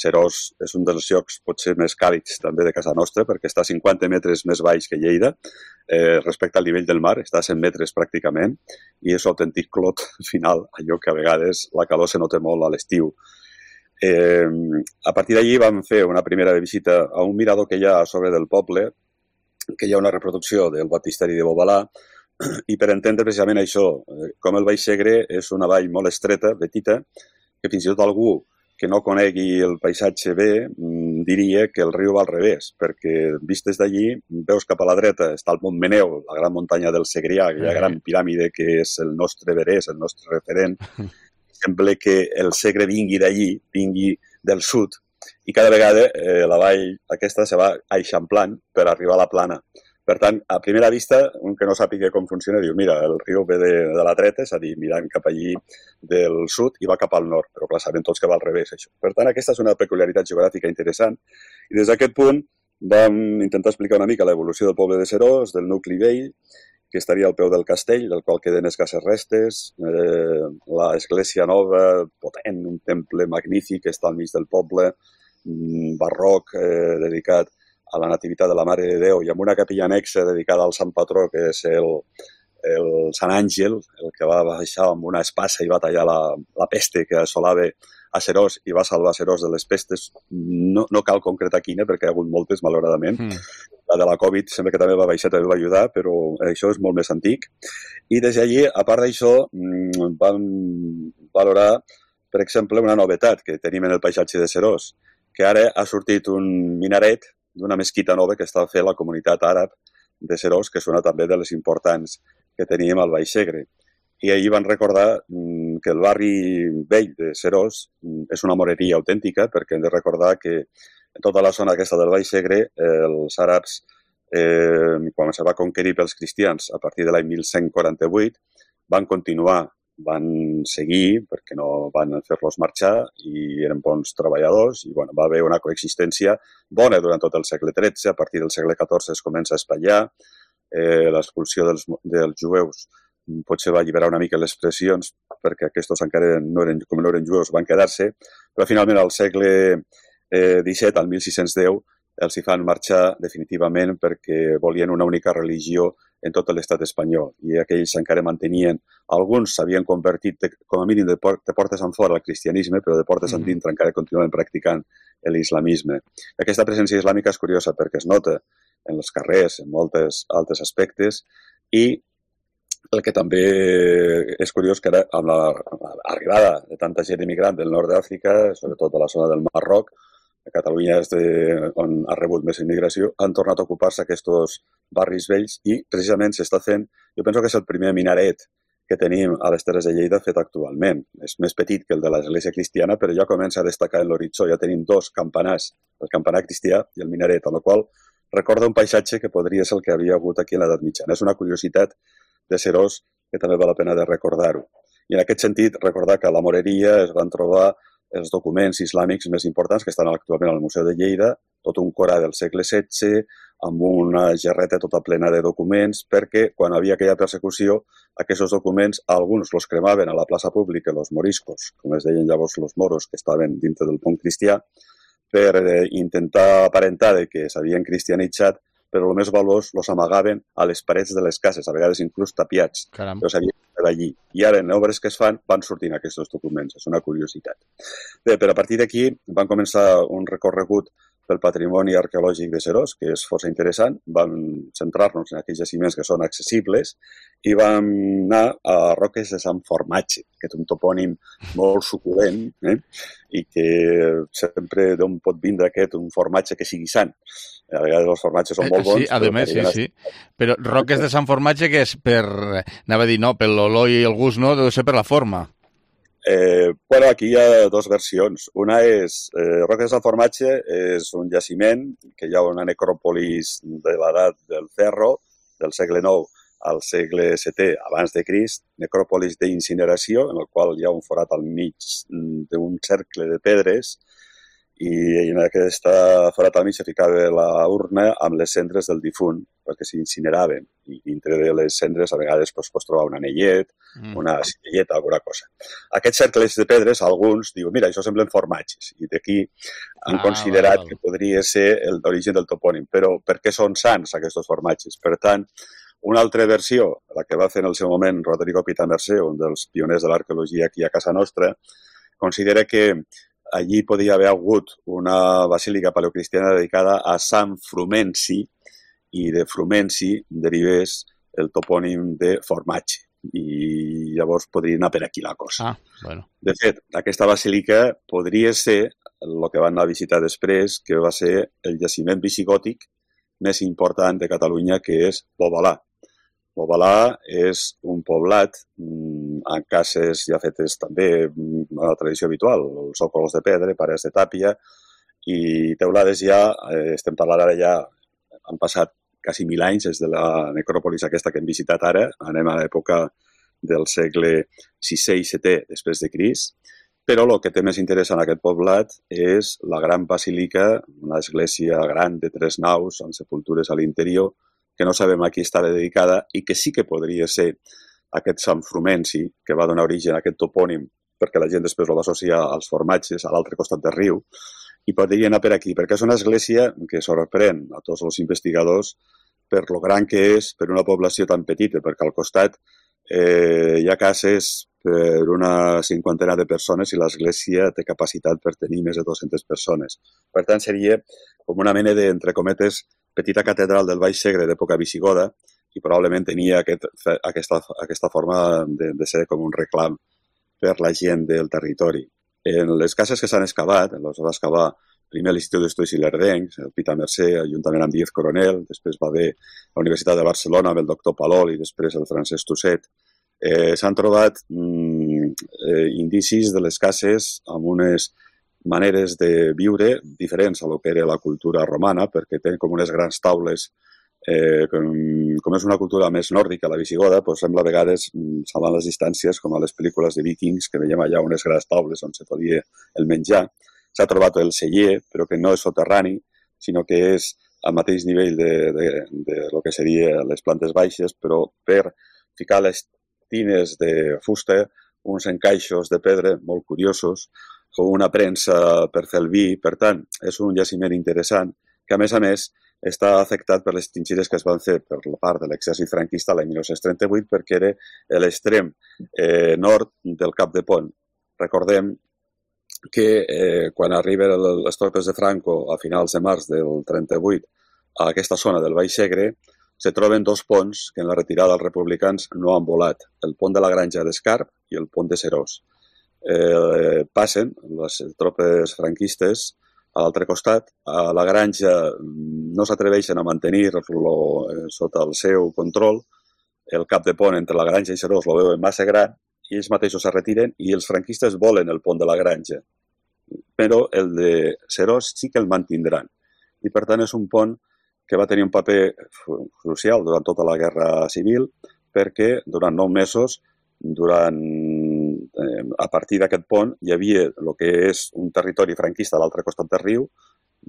Serós és un dels llocs potser més càlids també de casa nostra, perquè està a cinquanta metres més baix que Lleida, eh, respecte al nivell del mar, està a cent metres pràcticament, i és un autèntic clot final, allò que a vegades la calor se nota molt a l'estiu. Eh, a partir d'allí vam fer una primera visita a un mirador que hi ha a sobre del poble, que hi ha una reproducció del baptisteri de Bobalà, i per entendre precisament això, com el Baix Segre és una vall molt estreta, petita, que fins i tot algú que no conegui el paisatge bé diria que el riu va al revés, perquè vist des d'allí veus cap a la dreta està el Montmeneu, la gran muntanya del Segrià, aquella gran piràmide que és el nostre Everest, el nostre referent. Sembla que el Segre vingui d'allí, vingui del sud, i cada vegada eh, la vall aquesta se va eixamplant per arribar a la plana. Per tant, a primera vista, un que no sàpiga com funciona diu, mira, el riu ve de, de la dreta, és a dir, mirant cap allí del sud i va cap al nord, però clar, sabem tots que va al revés, això. Per tant, aquesta és una peculiaritat geogràfica interessant. I des d'aquest punt vam intentar explicar una mica l'evolució del poble de Serós, del nucli vell, que estaria al peu del castell, del qual queden escasses restes, eh, l'església nova, potent, un temple magnífic que està al mig del poble, barroc, eh, dedicat a la Nativitat de la Mare de Déu, i amb una capella anexa dedicada al Sant Patró, que és el, el Sant Àngel, el que va baixar amb una espasa i va tallar la, la peste que assolava a Serós i va salvar Serós de les pestes. No, no cal concretar quina, perquè hi ha hagut moltes, malauradament. Mm. La de la Covid sembla que també va baixar, també va ajudar, però això és molt més antic. I des d'allí, a part d'això, vam valorar, per exemple, una novetat que tenim en el paisatge de Serós, que ara ha sortit un minaret d'una mesquita nova que està fent la comunitat àrab de Serós, que és una també de les importants que teníem al Baix Segre. I ahir van recordar que el barri vell de Serós és una moreria autèntica, perquè hem de recordar que en tota la zona aquesta del Baix Segre, els àrabs, eh, quan se va conquerir pels cristians a partir de l'any mil cent quaranta-vuit, van continuar, van seguir, perquè no van fer-los marxar, i eren bons treballadors, i bueno, va haver una coexistència bona durant tot el segle tretze. A partir del segle catorze es comença a espatllar, eh, l'expulsió dels, dels jueus potser va alliberar una mica les pressions, perquè aquests encara no eren, com no eren jueus, van quedar-se, però finalment al segle eh, disset, al mil sis-cents deu, els hi fan marxar definitivament perquè volien una única religió en tot l'estat espanyol, i aquells encara mantenien, alguns s'havien convertit de, com a mínim de, por, de portes en fora al cristianisme, però de portes en dintre encara continuaven practicant l'islamisme. Aquesta presència islàmica és curiosa perquè es nota en els carrers, en molts altres aspectes, i el que també és curiós que ara, amb l'arribada de tanta gent immigrant del nord d'Àfrica, sobretot a la zona del Marroc, Catalunya és de, on ha rebut més immigració, han tornat a ocupar-se aquests barris vells i precisament s'està fent, jo penso que és el primer minaret que tenim a les Terres de Lleida fet actualment. És més petit que el de l'església cristiana, però ja comença a destacar en l'horitzó. Ja tenim dos campanars, el campanar cristià i el minaret, amb el qual recorda un paisatge que podria ser el que havia hagut aquí en l'edat mitjana. És una curiositat de Serós que també val la pena de recordar-ho. I en aquest sentit, recordar que a la Moreria es van trobar els documents islàmics més importants que estan actualment al Museu de Lleida, tot un Corà del segle setze, amb una gerreta tota plena de documents, perquè quan havia aquella persecució, aquests documents, alguns los cremaven a la plaça pública, els moriscos, com es deien llavors els moros, que estaven dintre del punt cristià, per intentar aparentar que s'havien cristianitzat, però el més valuós els amagaven a les parets de les cases, a vegades inclús tapiats. Caram. Però sabien que era allí. I ara, en obres que es fan, van sortint aquests documents. És una curiositat. Bé, però a partir d'aquí van començar un recorregut pel patrimoni arqueològic de Seròs, que és força interessant. Vam centrar-nos en aquells jaciments que són accessibles i vam anar a Roques de Sant Formatge, que és un topònim molt suculent, eh? I que sempre d'on pot vindre aquest, un formatge que sigui sant. A vegades els formatges són molt bons. Sí, a més, sí, sí. Però Roques de Sant Formatge, que és per, anava a dir, no, per l'olor i el gust, no, deu ser per la forma. Eh, bueno, aquí hi ha dues versions. Una és, eh, Roques de Sant Formatge és un jaciment que hi ha una necròpolis de l'edat del ferro, del segle nou al segle setè abans de Crist, necròpolis d'incineració, en el qual hi ha un forat al mig d'un cercle de pedres i en aquesta forat al mig se ficava la urna amb les cendres del difunt perquè s'incineraven i dintre de les cendres a vegades pues, pots trobar un anellet, mm. una cistelleta, alguna cosa. Aquests cercles de pedres, alguns diuen, mira, això semblen formatges i d'aquí han ah, considerat val, val. que podria ser l'origen del topònim. Però per què són sants aquests formatges? Per tant, una altra versió, la que va fer en el seu moment Rodrigo Pitamercé, un dels pioners de l'arqueologia aquí a casa nostra, considera que allí podia haver hagut una basílica paleocristiana dedicada a Sant Frumenci i de Frumenci derivés el topònim de formatge. I llavors podria anar per aquí la cosa. Ah, bueno. De fet, aquesta basílica podria ser el que van anar a visitar després, que va ser el jaciment visigòtic més important de Catalunya, que és Bobalà. Bobalà és un poblat amb cases ja fetes també a la tradició habitual, els sòcols de pedra, parets de tàpia i teulades ja, estem parlant ara ja, han passat quasi mil anys des de la necròpolis aquesta que hem visitat ara, anem a l'època del segle sisè i setè després de Crist, però el que té més interès en aquest poblat és la gran basílica, una església gran de tres naus amb sepultures a l'interior, que no sabem a qui estava dedicada i que sí que podria ser aquest Sant Frumenci, que va donar origen a aquest topònim, perquè la gent després el va associar als formatges, a l'altre costat del riu, i podria anar per aquí, perquè és una església que sorprèn a tots els investigadors per lo gran que és per una població tan petita, perquè al costat eh, hi ha cases per una cinquantena de persones i l'església té capacitat per tenir més de dues-centes persones. Per tant, seria com una mena de, entre cometes, petita catedral del Baix Segre d'època visigoda i probablement tenia aquest, aquesta, aquesta forma de, de ser com un reclam per la gent del territori. En les cases que s'han excavat, els va excavar primer l'Institut d'Estudis Ilerdencs, el Pitamercé, juntament amb Díaz Coronel, després va haver la Universitat de Barcelona amb el doctor Palol i després el Francesc Tusset. Eh, s'han trobat mm, eh, indicis de les cases amb unes maneres de viure diferents a lo que era la cultura romana, perquè tenen com unes grans taules, eh, com, com és una cultura més nòrdica, la visigoda, doncs sembla a vegades, salvant les distàncies, com a les pel·lícules de vikings, que veiem allà unes grans taules on se podia el menjar. S'ha trobat el celler, però que no és soterrani, sinó que és al mateix nivell de, de, de lo que seria les plantes baixes, però per ficar les tines de fusta, uns encaixos de pedra molt curiosos, com una premsa per fer el vi. Per tant, és un jaciment interessant que, a més a més, està afectat per les trinxeres que es van fer per la part de l'exèrcit franquista l'any mil nou-cents trenta-vuit perquè era l'extrem eh, nord del Cap de Pont. Recordem que eh, quan arriben les tropes de Franco a finals de març del trenta-vuit a aquesta zona del Baix Segre, se troben dos ponts que en la retirada dels republicans no han volat, el pont de la Granja d'Escarp i el pont de Seròs. Eh, passen les tropes franquistes a l'altre costat, a la Granja no s'atreveixen a mantenir-lo eh, sota el seu control, el cap de pont entre la Granja i Seròs lo veuen massa gran i ells mateixos es retiren i els franquistes volen el pont de la Granja, però el de Seròs sí que el mantindran i per tant és un pont que va tenir un paper crucial durant tota la Guerra Civil perquè durant nou mesos, durant, eh, a partir d'aquest pont, hi havia el que és un territori franquista a l'altre costat del riu,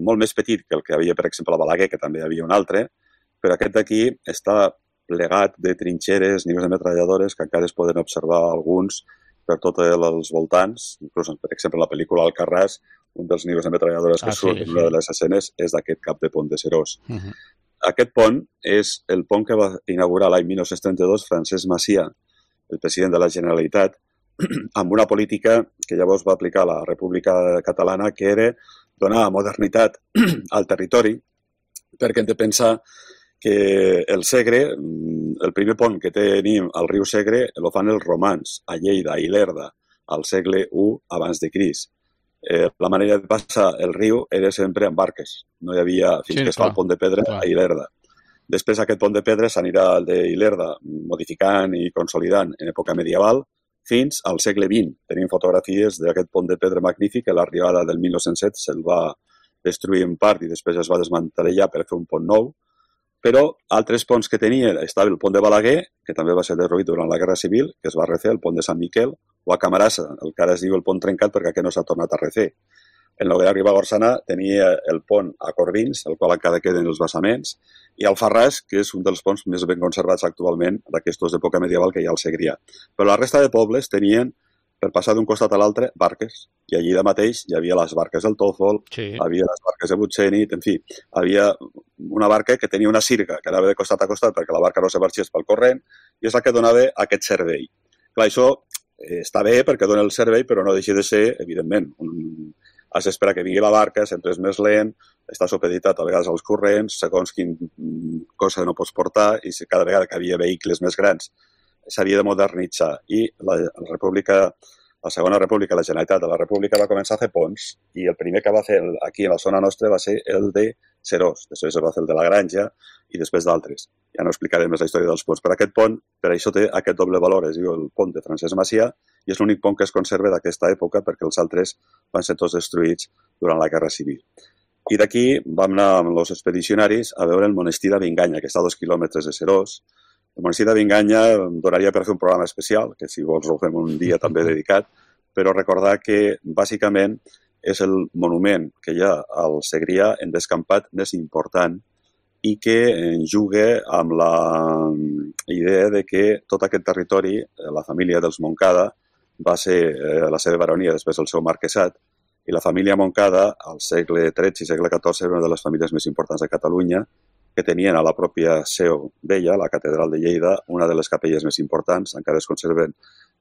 molt més petit que el que havia, per exemple, a Balaguer, que també hi havia un altre, però aquest d'aquí està plegat de trinxeres, nius de metralladores, que encara es poden observar alguns per tots els voltants. Inclús, per exemple, en la pel·lícula Alcarràs, un dels nius de metralladores que ah, surt sí, en una sí. de les escenes és d'aquest cap de pont de Seròs. Uh-huh. aquest pont és el pont que va inaugurar l'any mil nou-cents trenta-dos Francesc Macià, el president de la Generalitat, amb una política que llavors va aplicar la República Catalana, que era donar modernitat al territori, perquè hem de pensar que el Segre, el primer pont que tenim al riu Segre, el fan els romans, a Lleida, a Ilerda, al segle u abans de Crist. Eh, la manera de passar el riu era sempre amb barques. No hi havia, fins sí, que es fa el pont de pedra clar. A Ilerda. Després aquest pont de pedra s'anirà al d'Ilerda modificant i consolidant en època medieval fins al segle vint. Tenim fotografies d'aquest pont de pedra magnífic que a l'arribada del mil nou-cents set se'l va destruir en part i després es va desmantellar per fer un pont nou. Però altres ponts que tenia, estava el pont de Balaguer, que també va ser derruït durant la Guerra Civil, que es va refer, el pont de Sant Miquel, o a Camarasa, el que ara es diu el pont trencat perquè aquest no s'ha tornat a refer. En Noguera Ribagorçana tenia el pont a Corbins, el qual encara queden els bassaments, i Alfarràs, que és un dels ponts més ben conservats actualment d'aquestos d'època medieval que hi ha al Segrià. Però la resta de pobles tenien, per passar d'un costat a l'altre, barques. I allí de mateix hi havia les barques del Tòfol, sí. Hi havia les barques de Butxenit, en fi, havia una barca que tenia una sirga que anava de costat a costat perquè la barca no se marxés pel corrent i és la que donava aquest servei. Clar, això eh, està bé perquè dona el servei, però no deixa de ser, evidentment, un... has d'esperar que vingui la barca, sempre és més lent, està supeditat a vegades als corrents, segons quin cosa no pots portar, i cada vegada que havia vehicles més grans s'havia de modernitzar. I la, la República, la Segona República, la Generalitat de la República va començar a fer ponts, i el primer que va fer aquí a la zona nostra va ser el de Serós, després es va fer el de la Granja i després d'altres. Ja no explicaré més la història dels ponts, però aquest pont, per això té aquest doble valor, es diu el pont de Francesc Macià, i és l'únic pont que es conserva d'aquesta època perquè els altres van ser tots destruïts durant la Guerra Civil. I d'aquí vam anar amb els expedicionaris a veure el monestir de Binganya, que està a dos quilòmetres de Serós. El monestir de Binganya donaria per fer un programa especial, que si vols ho fem un dia també dedicat, però recordar que bàsicament és el monument que hi ha al Segrià en descampat més important i que juga amb la idea de que tot aquest territori, la família dels Montcada, va ser la seva baronia, després el seu marquesat, i la família Montcada, al segle tretze i segle catorze, era una de les famílies més importants de Catalunya, que tenien a la pròpia seu vella, la catedral de Lleida, una de les capelles més importants, encara es conserven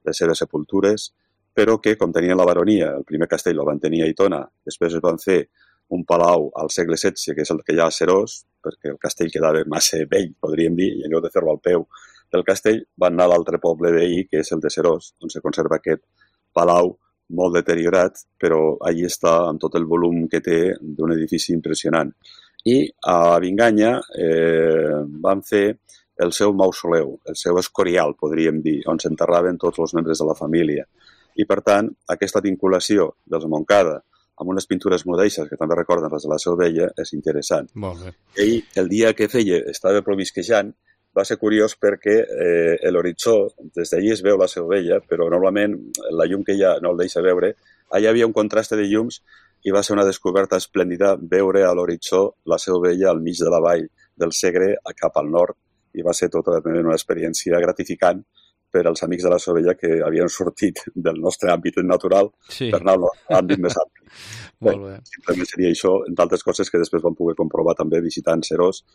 les seves sepultures, però que, com tenien la baronia, el primer castell el van tenir a Aitona, després es van fer un palau al segle setze, que és el que hi ha a Serós, perquè el castell quedava massa vell, podríem dir, i en lloc de fer-lo al peu del castell, van anar a l'altre poble veí, que és el de Serós, on se conserva aquest palau molt deteriorat, però allí està amb tot el volum que té d'un edifici impressionant. I a Binganya eh, van fer el seu mausoleu, el seu escorial, podríem dir, on s'enterraven tots els membres de la família. I, per tant, aquesta vinculació dels Montcada amb unes pintures mudeixes, que també recorden les de la Seu Vella, és interessant. Molt bé. Ell, el dia que feia, estava provisquejant, va ser curiós perquè eh, l'horitzó, des d'allí es veu la Seu Vella, però normalment la llum que hi ha no el deixa veure. Allà hi havia un contrast de llums i va ser una descoberta esplèndida veure a l'horitzó la Seu Vella al mig de la vall del Segre cap al nord, i va ser tota una experiència gratificant per als amics de la Seu Vella que havien sortit del nostre àmbit natural sí. per anar a l'àmbit més ampli. Bé, simplement seria això, entre altres coses que després vam poder comprovar també visitant Serós,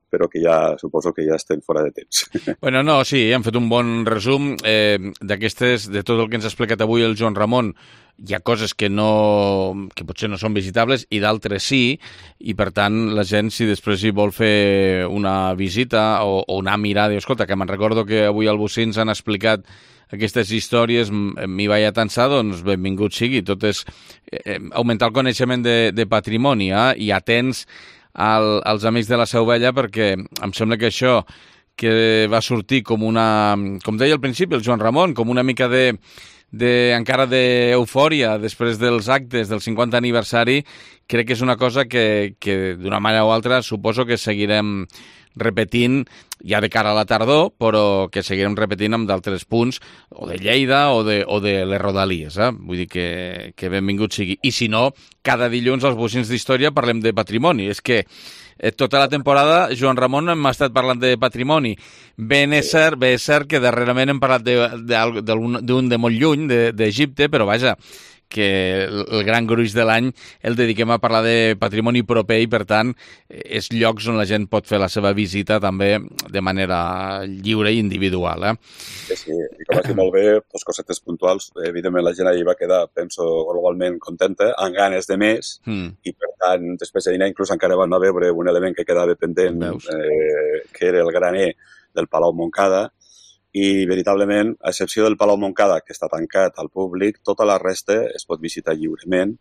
però que ja suposo que ja estem fora de temps. Bueno, no, sí, hem fet un bon resum eh, d'aquestes, de tot el que ens ha explicat avui el Joan Ramon. Hi ha coses que no, que potser no són visitables i d'altres sí, i per tant la gent, si després hi vol fer una visita o, o una mirada, escolta, que me'n recordo que avui al Bocins ens han explicat aquestes històries, m'hi vaig atansar, doncs benvingut sigui. Tot és eh, augmentar el coneixement de, de patrimoni eh, i atents al, als amics de la Seu Vella, perquè em sembla que això que va sortir com una, com deia al principi el Joan Ramon, com una mica de de, encara d'eufòria després dels actes del cinquanta aniversari, crec que és una cosa que, que d'una manera o altra suposo que seguirem repetint ja de cara a la tardor, però que seguirem repetint amb d'altres punts, o de Lleida o de, o de les Rodalies. Eh? Vull dir que, que benvingut sigui. I si no, cada dilluns als Bocins d'Història parlem de patrimoni. És que eh, tota la temporada, Joan Ramon, hem estat parlant de patrimoni. Ben és cert, bé és cert que darrerament hem parlat d'un de, de, de, de molt lluny, d'Egipte, però vaja, que el gran gruix de l'any el dediquem a parlar de patrimoni proper i, per tant, és llocs on la gent pot fer la seva visita també de manera lliure i individual. Eh? Sí, sí, i com has dit molt bé, dos cosetes puntuals. Evidentment, la gent ahir va quedar, penso, globalment contenta, amb ganes de més, mm. i, per tant, després de dinar, inclús encara van a veure un element que quedava pendent, eh, que era el graner del Palau Montcada, i, veritablement, a excepció del Palau Montcada, que està tancat al públic, tota la resta es pot visitar lliurement.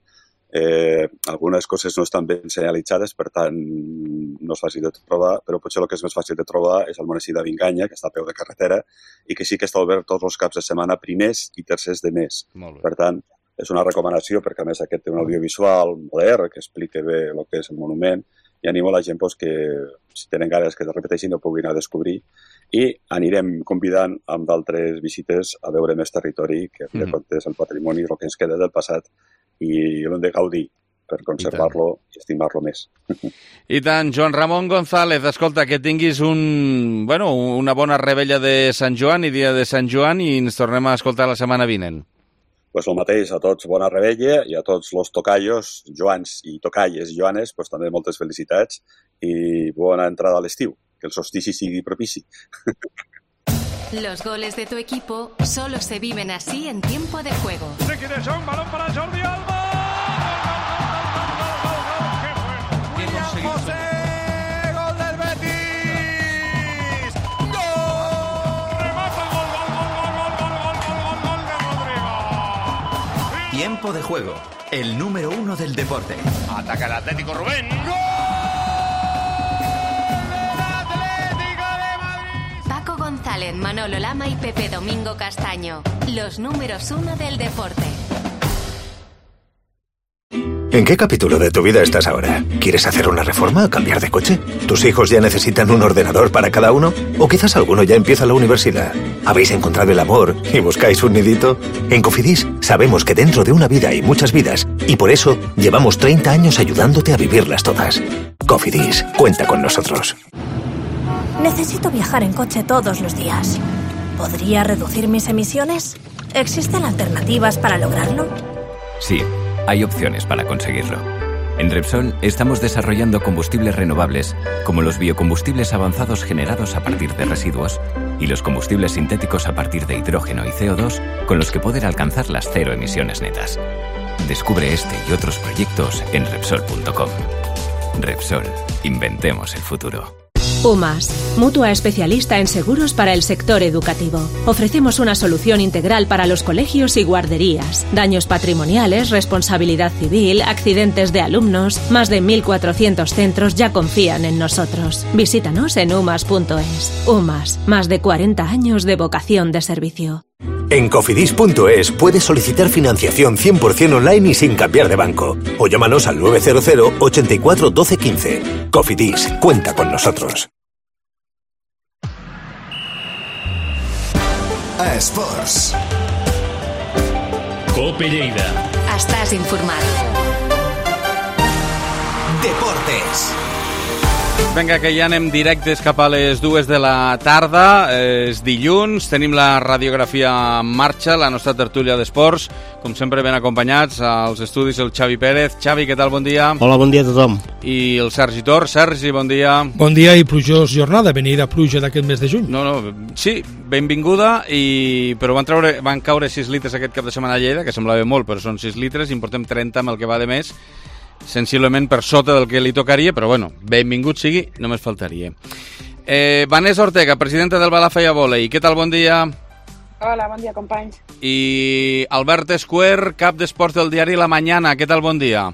Eh, algunes coses no estan ben senyalitzades, per tant, no és fàcil de trobar, però potser el que és més fàcil de trobar és el monestir de Vinganya, que està a peu de carretera, i que sí que està obert tots els caps de setmana, primers i tercers de mes. Per tant, és una recomanació, perquè a més aquest té un audiovisual modern que explica bé el que és el monument, i animo a la gent pues, que, si tenen ganes que es repeteixin, ho puguin anar a descobrir. I anirem convidant amb d'altres visites a veure més territori, que a fi de comptes el patrimoni, el que ens queda del passat, i l'hem de gaudir per conservar-lo i estimar-lo més. I tant, Joan Ramon González, escolta, que tinguis un, bueno, una bona rebella de Sant Joan i dia de Sant Joan, i ens tornem a escoltar la setmana vinent. Pues el mateix, a tots bona rebella, i a tots los tocallos, Joans i tocalles i Joanes, pues també moltes felicitats i bona entrada a l'estiu, que el solstici sigui propici. Los goles de tu equipo solo se viven así en tiempo de juego. ¿De quién es un balón para Jordi Alba? ¡Qué bueno! William José, gol del Betis. ¡Gol! Remata el gol, gol, gol, gol, gol, gol, gol, gol, gol de Rodrigo. Tiempo de juego, el número uno del deporte. Ataca el Atlético Rubén. ¡Gol! González, Manolo Lama y Pepe Domingo Castaño, los números uno del deporte. ¿En qué capítulo de tu vida estás ahora? ¿Quieres hacer una reforma o cambiar de coche? ¿Tus hijos ya necesitan un ordenador para cada uno? ¿O quizás alguno ya empieza la universidad? ¿Habéis encontrado el amor y buscáis un nidito? En Cofidis sabemos que dentro de una vida hay muchas vidas y por eso llevamos treinta años ayudándote a vivirlas todas. Cofidis, cuenta con nosotros. Necesito viajar en coche todos los días. ¿Podría reducir mis emisiones? ¿Existen alternativas para lograrlo? Sí, hay opciones para conseguirlo. En Repsol estamos desarrollando combustibles renovables, como los biocombustibles avanzados generados a partir de residuos y los combustibles sintéticos a partir de hidrógeno y C O dos, con los que poder alcanzar las cero emisiones netas. Descubre este y otros proyectos en Repsol punto com. Repsol, inventemos el futuro. UMAS, mutua especialista en seguros para el sector educativo. Ofrecemos una solución integral para los colegios y guarderías. Daños patrimoniales, responsabilidad civil, accidentes de alumnos. Más de mil cuatrocientos centros ya confían en nosotros. Visítanos en umas punto es. UMAS, más de cuarenta años de vocación de servicio. En cofidis punto es puedes solicitar financiación cien por ciento online y sin cambiar de banco. O llámanos al nueve cero cero, ochenta y cuatro, doce, quince. Cofidis, cuenta con nosotros. A Esports. Cope Lleida. Estàs informat. Deportes. Vinga, que ja anem directes cap a les dues de la tarda. És dilluns, tenim la radiografia en marxa, la nostra tertúlia d'esports, com sempre ben acompanyats als estudis el Xavi Pérez. Xavi, què tal? Bon dia. Hola, bon dia a tothom. I el Sergi Tor. Sergi, bon dia. Bon dia i plujós jornada, venida pluja d'aquest mes de juny. No, no, sí, benvinguda, i... però van, treure, van caure sis litres aquest cap de setmana a Lleida, que semblava molt, però són sis litres, i en portem trenta amb el que va de mes, sensiblement per sota del que li tocaria, però bueno, benvingut sigui, només faltaria. Eh, Vanessa Ortega, presidenta del Balafaya Volei, què tal? Bon dia. Hola, bon dia, companys. I Albert Escuer, cap d'esports del diari La Mañana, què tal? Bon dia.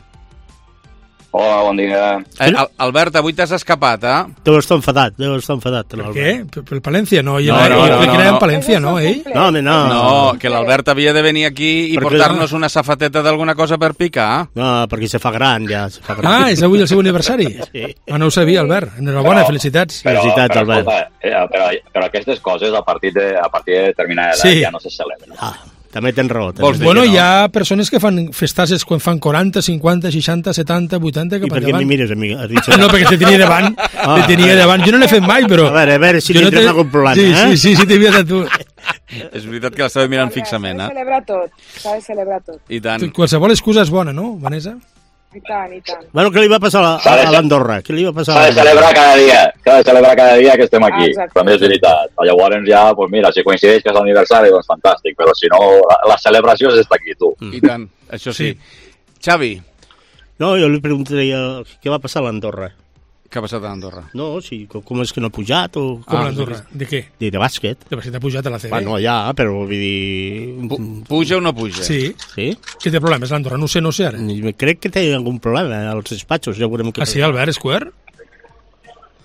Hola, bon dia. Eh, Albert, avui t'has escapat, eh? Deu estar enfadat, deu estar enfadat. Per què? Per, per Palència, no? No, no, no, no, no, no. Palència, no, ell? No, home, no. No, que l'Albert havia de venir aquí i perquè portar-nos una safateta d'alguna cosa per picar. No, perquè se fa gran, ja. Se fa gran. Ah, és avui el seu aniversari? Sí. Ah, no ho sabia, Albert. Enhorabona, però, felicitats. Però, felicitats, però, Albert. Escolta, eh, però, però aquestes coses a partir de, a partir de determinada edat sí. ja no se celebren. Ah. També tens raó. Vols dir bueno, hi ha persones que fan festasses quan fan quaranta, cinquanta, seixanta, setanta, vuitanta, cap I per què mi mires a mi? No, perquè te tenia davant. Ah. Te tenia davant. Jo no l'he fet mai, però... A veure, a veure si no li tens te... algun problema, sí, eh? Sí, sí, sí, t'he vist a tu. És veritat que l'estava mirant fixament, S'ha eh? de celebrar tot, s'ha de celebrar tot. I tant. Qualsevol excusa és bona, no, Vanessa? I tant, i tant. Bueno, què li va passar a, a, a l'Andorra? Què li va passar a S'ha de l'Andorra? celebrar cada dia, s'ha de celebrar cada dia que estem aquí. Exacte. També és veritat. Llavors ja, pues mira, si coincideix que és l'aniversari, doncs fantàstic, però si no, la, la celebració és estar aquí, tu. I tant, això sí. Xavi. No, jo li preguntaria què va passar a l'Andorra. Què ha passat a Andorra? No, sí, com, com és que no ha pujat o... Com ah, l'Andorra? De què? De, de bàsquet. De bàsquet ha pujat a la C B. Bueno, ja, però vull dir... Pu puja o no puja? Sí. Sí? Què té problemes l'Andorra? No sé, no sé ara. Crec que té algun problema als despatxos, ja veurem què... Ah, sí, Albert Square?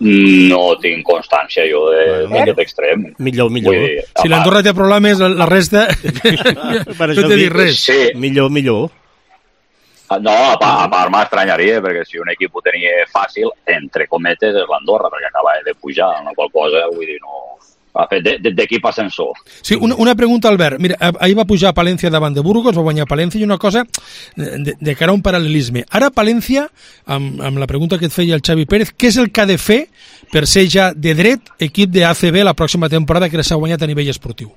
No tinc constància jo d'aquest extrem. Millor, millor. Dir, si l'Andorra té problemes, la, la resta... per no t'he dit res. Sí. Millor, millor. No, a part, a part m'estranyaria, perquè si un equip ho tenia fàcil, entre cometes, és l'Andorra, perquè acaba de pujar, una qual cosa, vull dir, no... Ha fet d'equip ascensor. Sí, una, una pregunta, Albert. Mira, ahir va pujar a Palència davant de Burgos, va guanyar Palència, i una cosa de, de cara a un paral·lelisme. Ara Palència, amb, amb la pregunta que et feia el Xavi Pérez, què és el que ha de fer per ser ja de dret equip de A C B la pròxima temporada que s'ha guanyat a nivell esportiu?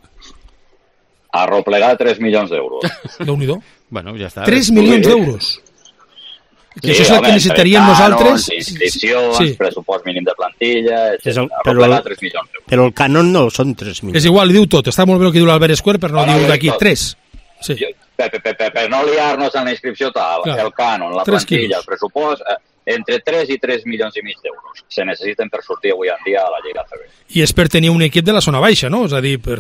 Arroplegar tres milions d'euros. Déu-n'hi-do. Bueno, ja està. tres milions d'euros. Que Sí, això és el home, que necessitaríem entre nosaltres. cànons, inscripcions, Sí. pressupost mínim de plantilla, És el, etcètera. però, Arroplegar tres milions d'euros. però el cànon no són tres milions. És igual, li diu tot. Està molt bé el que diu l'Albert Square, però no, No, no, diu diu d'aquí tot. tres. Sí. Per, per, per, per no liar-nos en la inscripció tal, Clar. el cànon, la Tres plantilla, quilos. el pressupost, eh, entre tres i tres milions i mig d'euros se necessiten per sortir avui en dia a la Lliga A C B. I és per tenir un equip de la zona baixa, no? És a dir, per...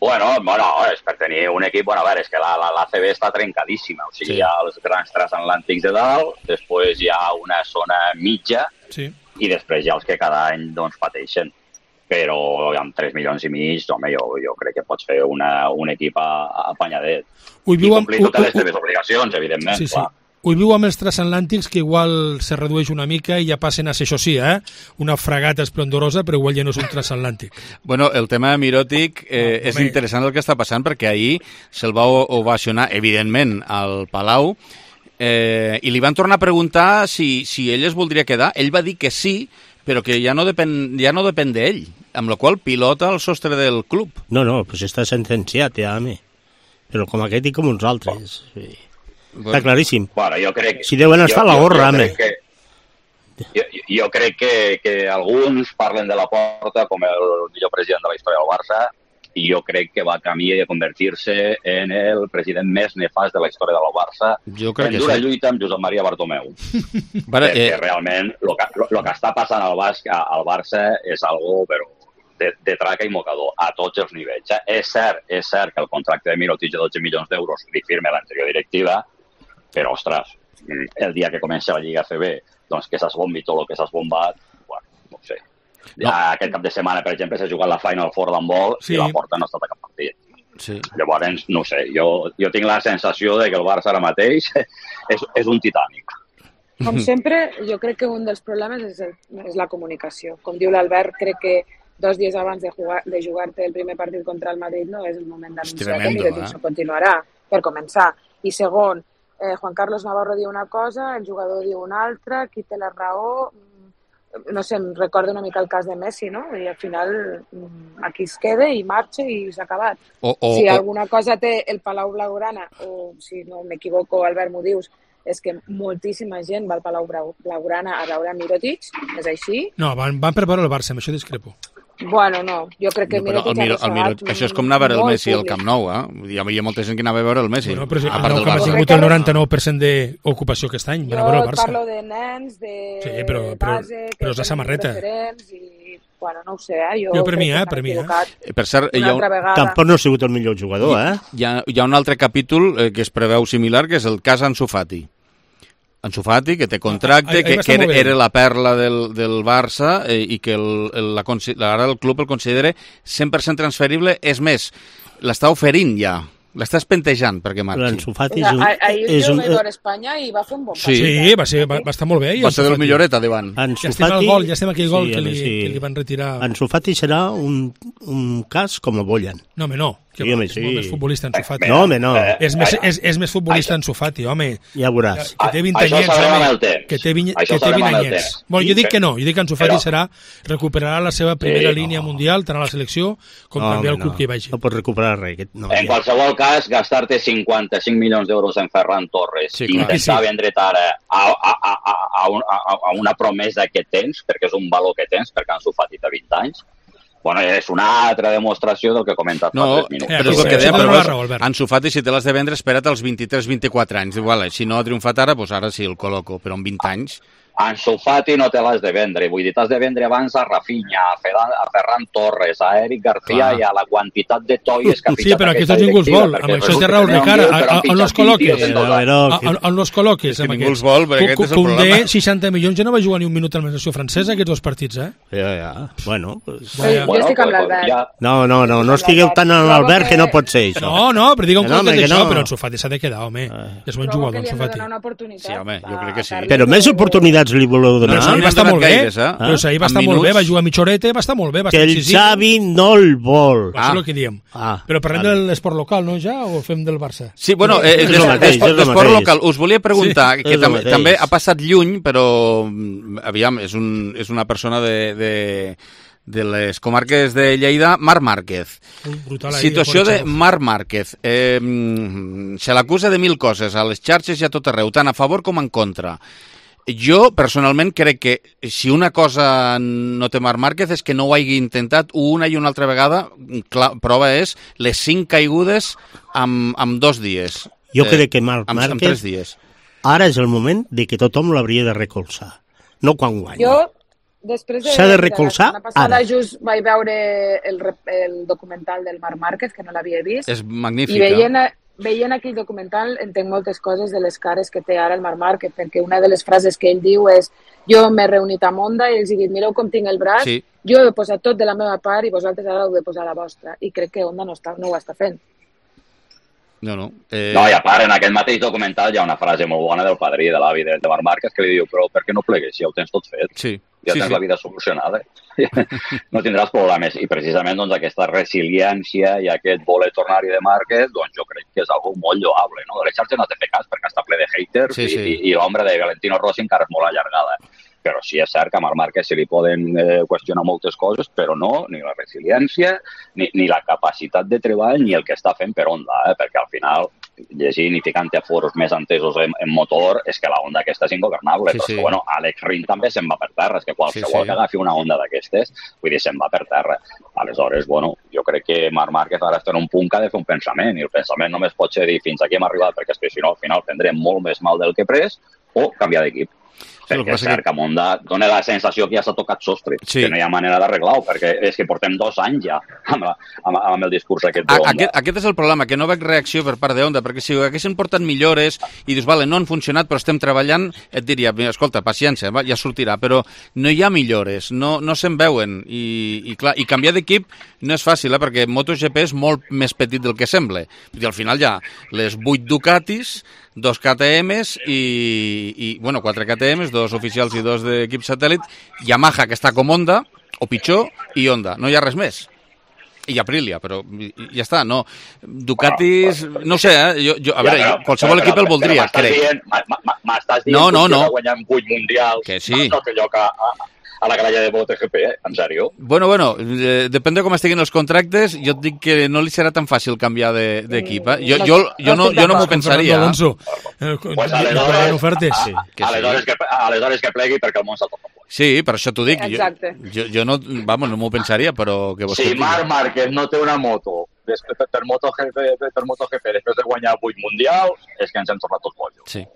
Bueno, bueno, és per tenir un equip, bueno, a veure, és que la, la, la C B està trencadíssima, o sigui, Sí. sí. hi ha els grans transatlàntics de dalt, després hi ha una zona mitja, Sí. i després hi ha els que cada any, doncs, pateixen. Però amb tres milions i mig, home, jo, jo crec que pots fer una, un equip a- a- apanyadet. Ho I viu amb- complir totes ho- les teves obligacions, evidentment, Sí, sí. clar. Ho viu amb els transatlàntics, que igual se redueix una mica i ja passen a ser, això sí, eh? una fragata esplendorosa, però igual ja no és un transatlàntic. Bueno, el tema de Mirotic eh, No, és home. interessant el que està passant, perquè ahir se'l va o- ovacionar, evidentment, al Palau, eh, i li van tornar a preguntar si, si ell es voldria quedar. Ell va dir que sí, però que ja no depèn, ja no depèn d'ell, amb la qual pilota el sostre del club. No, no, pues està sentenciat ja, home. Però com aquest i com uns altres. Sí. Està claríssim. Bueno, jo crec... Si deuen estar a la gorra, jo, jo home. crec que, jo, jo crec que, que alguns parlen de la Porta com el millor president de la història del Barça, i jo crec que va camí de convertir-se en el president més nefast de la història del Barça, Jo crec en que dura sí. lluita amb Josep Maria Bartomeu. Vale, Perquè eh, realment el que, lo, lo que està passant al, Basc, al Barça és algo però de, de traca i mocador a tots els nivells. Eh? És cert, és cert que el contracte de Mirotic de dotze milions d'euros li firma l'anterior directiva, però, ostres, el dia que comença la Lliga A C B, doncs que s'esbombi tot el que s'ha esbombat, bueno, no ho sé. Ja no. Aquest cap de setmana, per exemple, s'ha jugat la Final Four d'handbol Sí. i la Porta no ha estat a cap partit. sí. Llavors, no ho sé, jo, jo tinc la sensació de que el Barça ara mateix és, és un titànic. Com sempre, jo crec que un dels problemes és, el, és la comunicació. Com diu l'Albert, crec que dos dies abans de, jugar, de jugar-te el primer partit contra el Madrid no és el moment d'anunciar que Mirotic eh? no continuarà, per començar. I segon, eh, Juan Carlos Navarro diu una cosa, el jugador diu una altra, qui té la raó... No sé, em recorda una mica el cas de Messi, no? I al final aquí es queda i marxa i s'ha acabat. O, o, si o, alguna cosa té el Palau Blaugrana, o si no m'equivoco, Albert, m'ho dius, és que moltíssima gent va al Palau Blaugrana a veure Mirotic, és així? No, van, van per veure el Barça, amb això discrepo. Bueno, no, jo crec que no, però Mirotic el Miro, el Miro, això és com anar a veure el Messi al Camp Nou, eh? Hi havia molta gent que anava a veure el Messi. Bueno, però a el part Nou del Camp ha Barça. tingut el noranta-nou per cent d'ocupació aquest any. Van a Jo veure el et Barça. parlo de nens, de Sí, però, però, base, que però és la tenen samarreta. referents i, bueno, no ho sé, eh? Jo, Jo per crec mi, que eh, s'han per mi, eh? equivocat Per cert, hi una ha, un, altra vegada. Tampoc no ha sigut el millor jugador, eh? hi, ha, hi ha un altre capítol eh, que es preveu similar, que és el cas Ansu Fati. Ansu Fati, que té contracte, Ah, ahí- ahí que, va estar que era, molt bé. era la perla del, del Barça eh, i que el, el, la, ara el club el considera cent per cent transferible. És més, l'està oferint ja L'estàs pentejant perquè marxi. L'Ansu Fati és un... Ahir és jo un... vaig veure Espanya i va fer un bon Sí, partit. Sí, va, ser, va, va estar molt bé. Va ser del milloreta davant. Ja estem al gol, ja estem aquell gol Sí, que, li, sí. que li van retirar. Ansu Fati serà un, un cas com a Boyan. No, home, no. Que Sí, va, home, és sí. molt més futbolista Ansu Fati. No, home, no. És més, és, és més futbolista Ansu Fati, home. Ja veuràs. Que té vint Això ho anyets, sabrem amb el home. temps. Que té vint, Això ho que té sabrem vint amb el anyets. temps. Bueno, jo dic Sí, que no. Jo dic que Ansu Fati però- serà, recuperarà la seva primera Sí, línia no. mundial, tant a la selecció com també al club que hi vagi. No pots recuperar res. Aquest, no, En qualsevol cas, gastar-te cinquanta-cinc milions d'euros en Ferran Torres Sí, i clar. intentar Sí. vendre't ara a, a, a, a, a, un- a, a una promesa que tens, perquè és un valor que tens, perquè Ansu Fati té vint anys, bueno, és una altra demostració del que he comentat No, fa tres minuts. però és el que deia, però veus, Ansu Fati, si te l'has de vendre, espera't als vint-i-tres vint-i-quatre anys. Igual, si no ha triomfat ara, doncs ara sí el col·loco, però amb vint anys... Ansu Fati no te l'has de vendre, vull dir, t'has de vendre abans a Rafinha, a Ferran, a Ferran Torres, a Eric García Clar. i a la quantitat de toies que ha Sí, fitxat però aquesta aquests ningú els directiva, vol. perquè Amb això té resulta raó que el n'hi ha Ricard. un tio que A- l'han a- On els fitxat vint col·loques? tios en dos anys. A- On els col·loques? És que amb ningú aquests? els vol, perquè aquest és el Koundé, problema. seixanta milions, ja no va jugar ni un minut a la selecció francesa, aquests dos partits, eh? Ja, ja. Bueno, pues... Vaya. Jo estic amb l'Albert. No, no, no, no estigueu tan en l'Albert que no pot ser això. No, no, però digueu Que no, coses home, que d'això, no. però Ansu Fati s'ha de quedar, home. És bon Trobo jugador, que li Ansu hem de Fati. donar una oportunitat. Sí, home, jo crec que sí. Però més oportunitats li voleu donar. Però ahir va n'han estar donat molt bé, gaires, eh? però ahir va Amb estar molt bé, minuts. va jugar a mitjoreta, va estar molt bé, va Que estar el incisiu. Xavi no el vol. Això és el que diem. Ah, Però parlem vale. de l'esport local, no, ja, o fem del Barça? Sí, bueno, eh, És des- el mateix, d'esport és el d'esport mateix. local. Us volia preguntar, Sí, que és el tam mateix. també ha passat lluny, però, mm, aviam, és, un, és una persona de, de, de les comarques de Lleida, Marc Márquez. Brutal, ahí, Situació de Corchov. Marc Márquez. Eh, mm, se l'acusa de mil coses, a les xarxes i a tot arreu, tant a favor com en contra. Jo, personalment, crec que si una cosa no té Marc Márquez és que no ho hagi intentat una i una altra vegada. Clar, prova és les cinc caigudes amb, amb dos dies. Jo Eh, crec que Marc amb, amb Márquez tres dies. ara és el moment de que tothom l'hauria de recolzar. No quan guanya. Jo, després de... S'ha de recolzar la setmana passada ara. just vaig veure el, rep- el documental del Marc Márquez, que no l'havia vist. És magnífica. I veient, veient aquell documental entenc moltes coses de les cares que té ara el Marc Márquez, perquè una de les frases que ell diu és jo m'he reunit amb Onda i els he dit mireu com tinc el braç, Sí. jo he posat tot de la meva part i vosaltres ara heu de posar la vostra. I crec que Onda no, està, no ho està fent. No, no. Eh... No, i a part, en aquest mateix documental hi ha una frase molt bona del padrí, de l'avi de, de Marc Márquez, que li diu, però per què no plegues si ja ho tens tot fet? Sí. Ja sí, tens sí. la vida solucionada. No tindràs problemes. I precisament doncs, aquesta resiliència i aquest voler tornar-hi de Márquez, doncs jo crec que és algo molt lloable. No? De les xarxes no has de fer cas perquè està ple de haters Sí, sí. i, i, i l'ombra de Valentino Rossi encara és molt allargada. Però sí és cert que a Marc Márquez se li poden eh, qüestionar moltes coses, però no ni la resiliència, ni, ni la capacitat de treball, ni el que està fent per Honda, eh? Perquè al final, llegint i ficant-te a foros més entesos en, en motor, és que la Honda aquesta és ingovernable. Sí, però sí. és que, bueno, Alex Rin també se'n va per terra, és que qualsevol Sí, sí. que agafi una Honda d'aquestes, vull dir, se'n va per terra. Aleshores, bueno, jo crec que Marc Márquez ara està en un punt que ha de fer un pensament, i el pensament només pot ser dir fins aquí hem arribat, perquè és que si no, al final prendrem molt més mal del que he pres, o canviar d'equip. el que Perquè és passa cert que- que a Honda dona la sensació que ja s'ha tocat sostre, Sí. que no hi ha manera d'arreglar-ho, perquè és que portem dos anys ja amb, la, amb, amb el discurs aquest A, d'Honda. aquest, aquest és el problema, que no veig reacció per part de Honda, perquè si haguessin portat millores i dius, vale, no han funcionat, però estem treballant, et diria, "Mira, escolta, paciència, va, ja sortirà, però no hi ha millores, no, no se'n veuen, i, i, clar, i canviar d'equip no és fàcil, eh, perquè MotoGP és molt més petit del que sembla. I al final hi ha les vuit Ducatis, dos K T Ms i, i bueno, quatre K T Ms, dos oficials i dos d'equip satèl·lit, Yamaha, que està com Honda, o pitjor, i Honda. No hi ha res més. I Aprilia, però i- i ja està, no. Ducatis, no sé, eh? Jo, jo, a veure, jo, qualsevol equip el voldria, però m'estàs crec. dient- m- m- M'estàs dient No, no, que no. va guanyar vuit mundials, Que sí. no té lloc a, a, a la gralla de MotoGP, eh? En sèrio? Bueno, bueno, eh, depèn de com estiguin els contractes, jo et dic que no li serà tan fàcil canviar de- d'equip. Eh? Jo, jo, jo no, jo no m'ho pensaria. Fernando Alonso. Eh, Pues hi aleshores, hauran ofertes. sí, que sí. aleshores, que, aleshores que plegui perquè el món s'ha tocat. Sí, per això t'ho dic. Jo, Exacte. jo, jo no, vamos, no m'ho pensaria, però que vos Si Marc Márquez no té una moto després, per, per, MotoGP, per MotoGP després de guanyar vuit mundials, és que ens hem tornat tots bojos. Sí.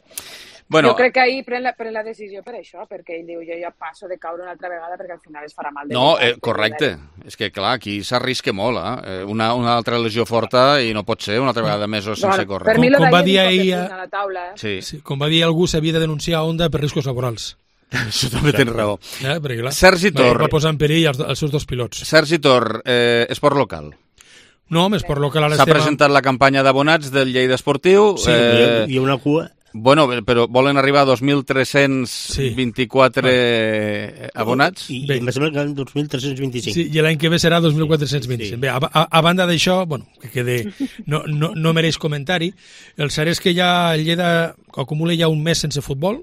Bueno, Jo crec que ahir pren la, pren la decisió per això, perquè ell diu jo ja passo de caure una altra vegada perquè al final es farà mal de no, veritat. eh, correcte. És que, clar, aquí s'arrisca molt, eh? Una, una altra lesió forta i no pot ser una altra vegada mesos sense Bueno, córrer. per mi lo Com va d'ahir dir és un ahir, cop de eh? puny a la taula, eh? Sí, Sí, com va dir algú, s'havia de denunciar a Honda per riscos laborals. això també tens raó. Eh? Perquè, clar, Sergi va- Tor. va posar en perill els, els seus dos pilots. Sergi Tor, eh, esport local. No, més per lo que l'Esteve... S'ha presentat la campanya d'abonats del Lleida Esportiu. Sí, eh... hi ha una cua... Bueno, però volen arribar a dos mil tres-cents vint-i-quatre sí. abonats. I, i em sembla que dos mil tres-cents vint-i-cinc. Sí, i l'any que ve serà dos mil quatre-cents vint-i-cinc. Sí. Bé, a, a, a banda d'això, bueno, que quede, no, no, no mereix comentari, el cert és que ja el Lleida acumula ja un mes sense futbol,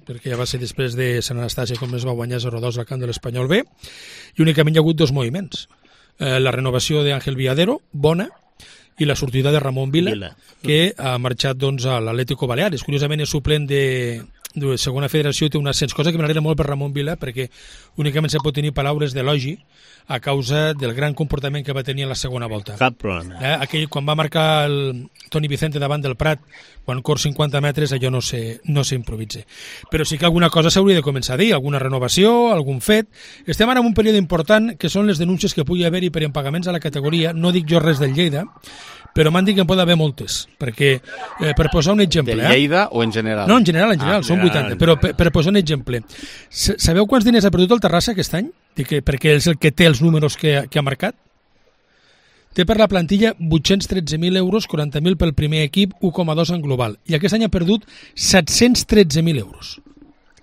perquè ja va ser després de Sant Anastàcia com es va guanyar zero dos al camp de l'Espanyol B, i únicament hi ha hagut dos moviments. Eh, la renovació d'Àngel Villadero, bona, i la sortida de Ramon Vila, Vila. que ha marxat doncs, a l'Atlético Baleares. Curiosament és suplent de, de segona federació, té un ascens, cosa que m'agrada molt per Ramon Vila, perquè únicament se pot tenir paraules d'elogi a causa del gran comportament que va tenir en la segona volta. Cap problema. Eh, aquell, quan va marcar el Toni Vicente davant del Prat, quan cor cinquanta metres, allò no se, no s'improvisa. Però sí que alguna cosa s'hauria de començar a dir, alguna renovació, algun fet. Estem ara en un període important, que són les denúncies que pugui haver-hi per impagaments a la categoria. No dic jo res del Lleida, però m'han dit que en pot haver moltes, perquè, eh, per posar un exemple... Del Lleida eh? o en general? No, en general, en general, ah, són vuitanta, però per, per posar un exemple. Sabeu quants diners ha perdut el Terrassa aquest any? Que, perquè és el que té els números que, que ha marcat? Té per la plantilla vuit-cents tretze mil euros, quaranta mil pel primer equip, u coma dos en global. I aquest any ha perdut set-cents tretze mil euros.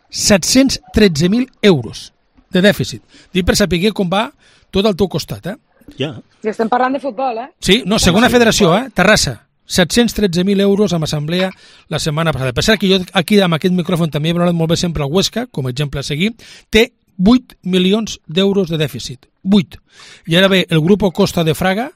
set-cents tretze mil euros de dèficit. Dic per saber com va tot al teu costat, eh? Ja. I estem parlant de futbol, eh? Sí, no, segona federació, eh? Terrassa. set-cents tretze mil euros amb assemblea la setmana passada. Per cert que jo aquí amb aquest micròfon també he parlat molt bé sempre al Huesca, com a exemple a seguir, té vuit milions d'euros de dèficit. vuit. I ara ve el grup Costa de Fraga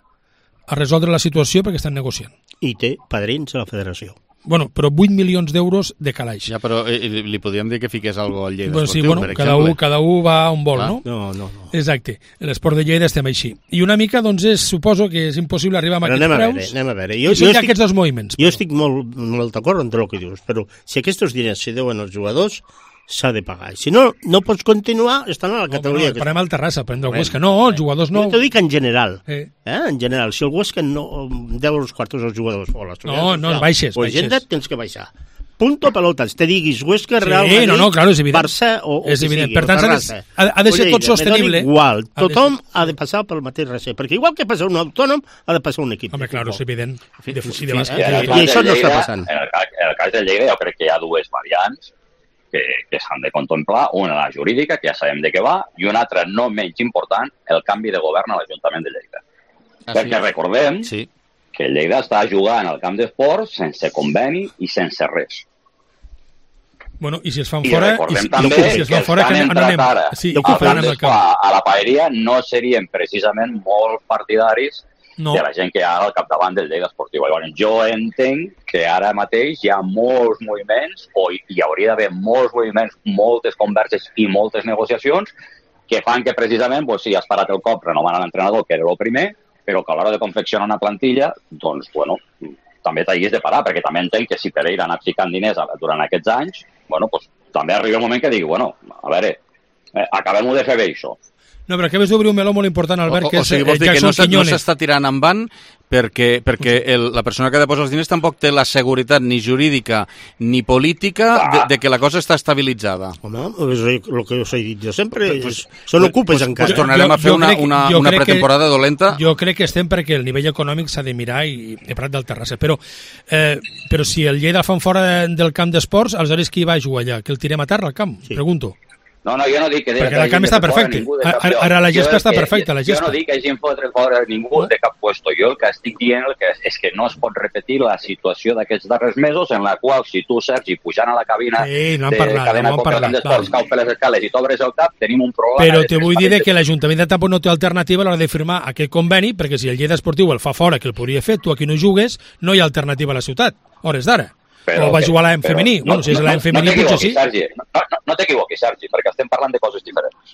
a resoldre la situació perquè estan negociant. I té padrins a la federació. Bueno, però vuit milions d'euros de calaix. Ja, però eh, li podríem dir que fiqués algo al Lleida bueno, Esportiu, sí, bueno, per cada exemple. un, cada un va on vol, ah. no? No, no, no. Exacte. L'esport de Lleida estem així. I una mica, doncs, és, suposo que és impossible arribar a però aquests anem preus. A veure, anem a veure. Jo, I són ja aquests dos moviments. Jo estic molt, molt d'acord amb el que dius, però si aquests diners se deuen als jugadors, s'ha de pagar. Si no, no pots continuar estant a la categoria. No, no, parem al Terrassa, parem del Huesca. No, els jugadors no... Jo t'ho dic en general. Eh. Eh? En general, si el Huesca no deu els quartos als jugadors o les no, no, baixes, o baixes. Agenda, tens que baixar. Punto pelotas. Te diguis Huesca, sí, Real Madrid, no, no, claro, és evident. Barça o, o és que evident. sigui. Per tant, Terrassa. ha, ha de ser tot sostenible. Igual. Tothom ha de passar pel mateix recer. Perquè igual que passa un autònom, ha de passar un equip. Home, claro, és evident. I, de, i, de i, I això no està passant. En el, cas, en el cas del Lleida jo crec que hi ha dues variants que, que s'han de contemplar. Una, la jurídica, que ja sabem de què va, i una altra, no menys important, el canvi de govern a l'Ajuntament de Lleida. Ah, perquè sí. recordem sí. que Lleida està jugant al camp d'esports sense conveni i sense res. Bueno, i si es fan I fora... recordem i si, també si es que fan fora, que han entrat anem, ara sí, a, a, a la paeria no serien precisament molt partidaris no. de la gent que hi ha al capdavant del Lleida Esportiu. Llavors, jo entenc que ara mateix hi ha molts moviments, o hi, hi hauria d'haver molts moviments, moltes converses i moltes negociacions que fan que precisament, pues, sí, has parat el cop renovant l'entrenador, que era el primer, però que a l'hora de confeccionar una plantilla, doncs, bueno, també t'hagis de parar, perquè també entenc que si Pereira ha anat ficant diners durant aquests anys, bueno, pues, també arriba un moment que digui, bueno, a veure, eh, acabem-ho de fer bé, això. No, però acabes d'obrir un meló molt important, Albert, o, que o sigui, és el Jackson que Quiñones. no s'està tirant en van perquè, perquè el, la persona que ha de posar els diners tampoc té la seguretat ni jurídica ni política de, de que la cosa està estabilitzada. Home, és el que us he dit jo sempre, pues, són ocupes pues, encara. Pues tornarem a fer una, una, una pretemporada que, dolenta. Jo crec que estem perquè el nivell econòmic s'ha de mirar i he parlat del Terrassa, però, eh, però si el Lleida el fan fora del camp d'esports, aleshores qui va a jugar allà? Que el tirem a terra al camp? Sí. Pregunto. No, no, jo no dic que... Perquè el camp està perfecte. Ara, ara la gespa està perfecta, la gespa. Jo no dic que hagin fotre fora ningú de cap puesto. Jo el que estic dient el que és que no es pot repetir la situació d'aquests darrers mesos en la qual si tu, Sergi, pujant a la cabina sí, no de parlat, cadena no Coca d'Esports, cau per les escales i t'obres el cap, tenim un problema... Però te vull dir que l'Ajuntament de Tampo no té alternativa a l'hora de firmar aquest conveni, perquè si el Lleida Esportiu el fa fora, que el podria fer, tu aquí no jugues, no hi ha alternativa a la ciutat, hores d'ara. Però, o va jugar a l'A M femení. No, bueno, si és l'A M femení, no potser sí. Sergi, no, no, no t'equivoquis, Sergi, perquè estem parlant de coses diferents.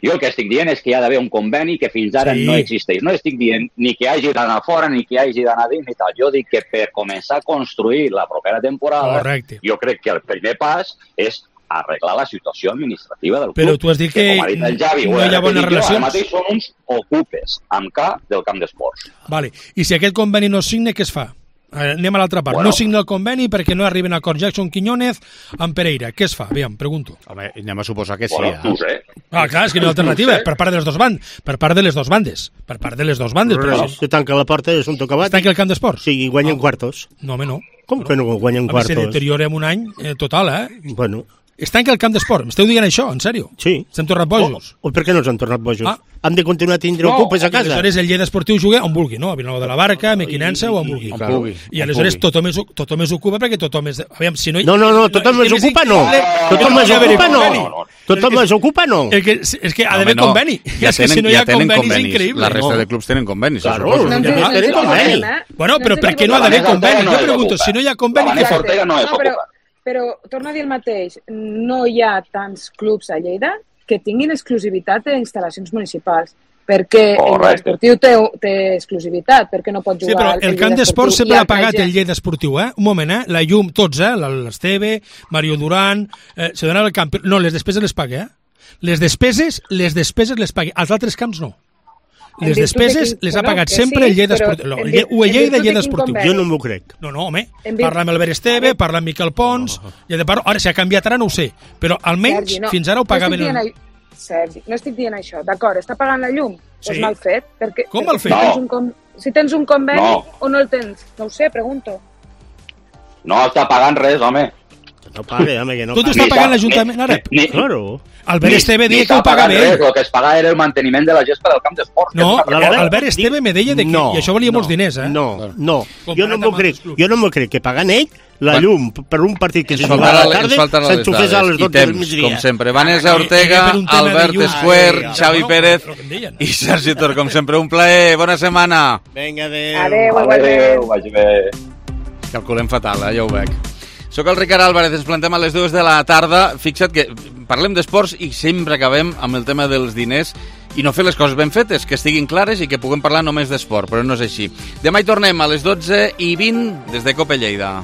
Jo el que estic dient és que hi ha d'haver un conveni que fins ara sí. no existeix. No estic dient ni que hagi d'anar fora ni que hagi d'anar dins ni tal. Jo dic que per començar a construir la propera temporada, correcte. Jo crec que el primer pas és arreglar la situació administrativa del club. Però tu has dit que, que com ha dit el Javi, no hi ha bones relacions. Ara mateix són uns ocupes amb K del camp d'esports. Vale. I si aquest conveni no es signa, què es fa? Anem a l'altra part. Bueno. No signa el conveni perquè no arriben a acord Jackson Quiñónez amb Pereira. Què es fa? Aviam, pregunto. Home, anem a suposar que sí. Bueno, no ho sé. Ah, clar, és que no hi ha alternativa. Per part de les dos bandes. Per part de les dos bandes. Per part de les dos bandes. Però Però si se tanca la porta és un tocabat. es tanca el camp d'esports. Sí, i guanyen quartos. No, home, no. Com que no guanyen A més, quartos? se deteriora en un any eh, total, eh? Bueno. Es tanca el camp d'esport. M'esteu dient això, en sèrio? Sí. S'han tornat bojos. O, o per què no s'han tornat bojos? Ah. Han de continuar tindre ocupes a casa. I aleshores el Lleida Esportiu juga on vulgui, no? A Vilanova de la Barca, a Mequinensa o on vulgui. On vulgui. I aleshores tothom es, tothom es ocupa perquè tothom és... Aviam, si no... No, no, no, tothom es ocupa no. Tothom es ocupa no. Tothom es ocupa no. El que, és que ha d'haver conveni. Ja és que si no hi ha conveni és increïble. La resta de clubs tenen convenis. Claro, tenen conveni. Bueno, però per què no ha d'haver conveni? Jo pregunto, si no hi ha conveni, què fa? No, però, però torno a dir el mateix. No hi ha tants clubs a Lleida que tinguin exclusivitat d'instal·lacions municipals. Perquè el esportiu té, té exclusivitat, perquè no pot jugar... Sí, però el camp d'esport sempre l'ha pagat el Lleida Esportiu, eh? Un moment, eh? La llum, tots, eh? L'Esteve, Mario Duran... Eh, se donava el camp... No, les despeses les paga, eh? Les despeses, les despeses les paga. Els altres camps no. Les despeses les ha pagat sempre el Lleida Esportiu. No, o el Lleida i Lleida Esportiu. Jo no m'ho crec. No, no, home. Parla amb Albert Esteve, parla amb Miquel Pons... I de part, ara, si ha canviat ara no ho sé, però almenys fins ara ho pagaven... Sergi, no estic dient això. D'acord, està pagant la llum? Sí. És mal fet? Perquè, Com mal fet? Si tens un, com, si tens un conveni no. o no el tens? No ho sé, pregunto. No està pagant res, home. No pague, home, que no pague. Tot està pagant l'Ajuntament, ara? Ni, ni, claro. Albert Esteve deia que ho pagava ell. El que es paga era el manteniment de la gespa del camp d'esport. No, Albert Esteve me deia que... No, I això valia no, molts diners, eh? No, no. Jo no m'ho crec. Jo no m'ho crec que pagant ell la llum per un partit que se juga a la tarda s'enxufés a les dotze del migdia. Com sempre, Vanessa Ortega, Albert Escuer, Xavi Pérez i Sergi Tor, com sempre, un plaer. Bona setmana. Vinga, adéu. Adéu, adéu. Vagi bé. Calculem fatal, eh? Ja ho veig. Soc el Ricard Álvarez, ens plantem a les dues de la tarda. Fixa't que parlem d'esports i sempre acabem amb el tema dels diners i no fer les coses ben fetes, que estiguin clares i que puguem parlar només d'esport, però no és així. Demà hi tornem a les dotze i vint des de Copa Lleida.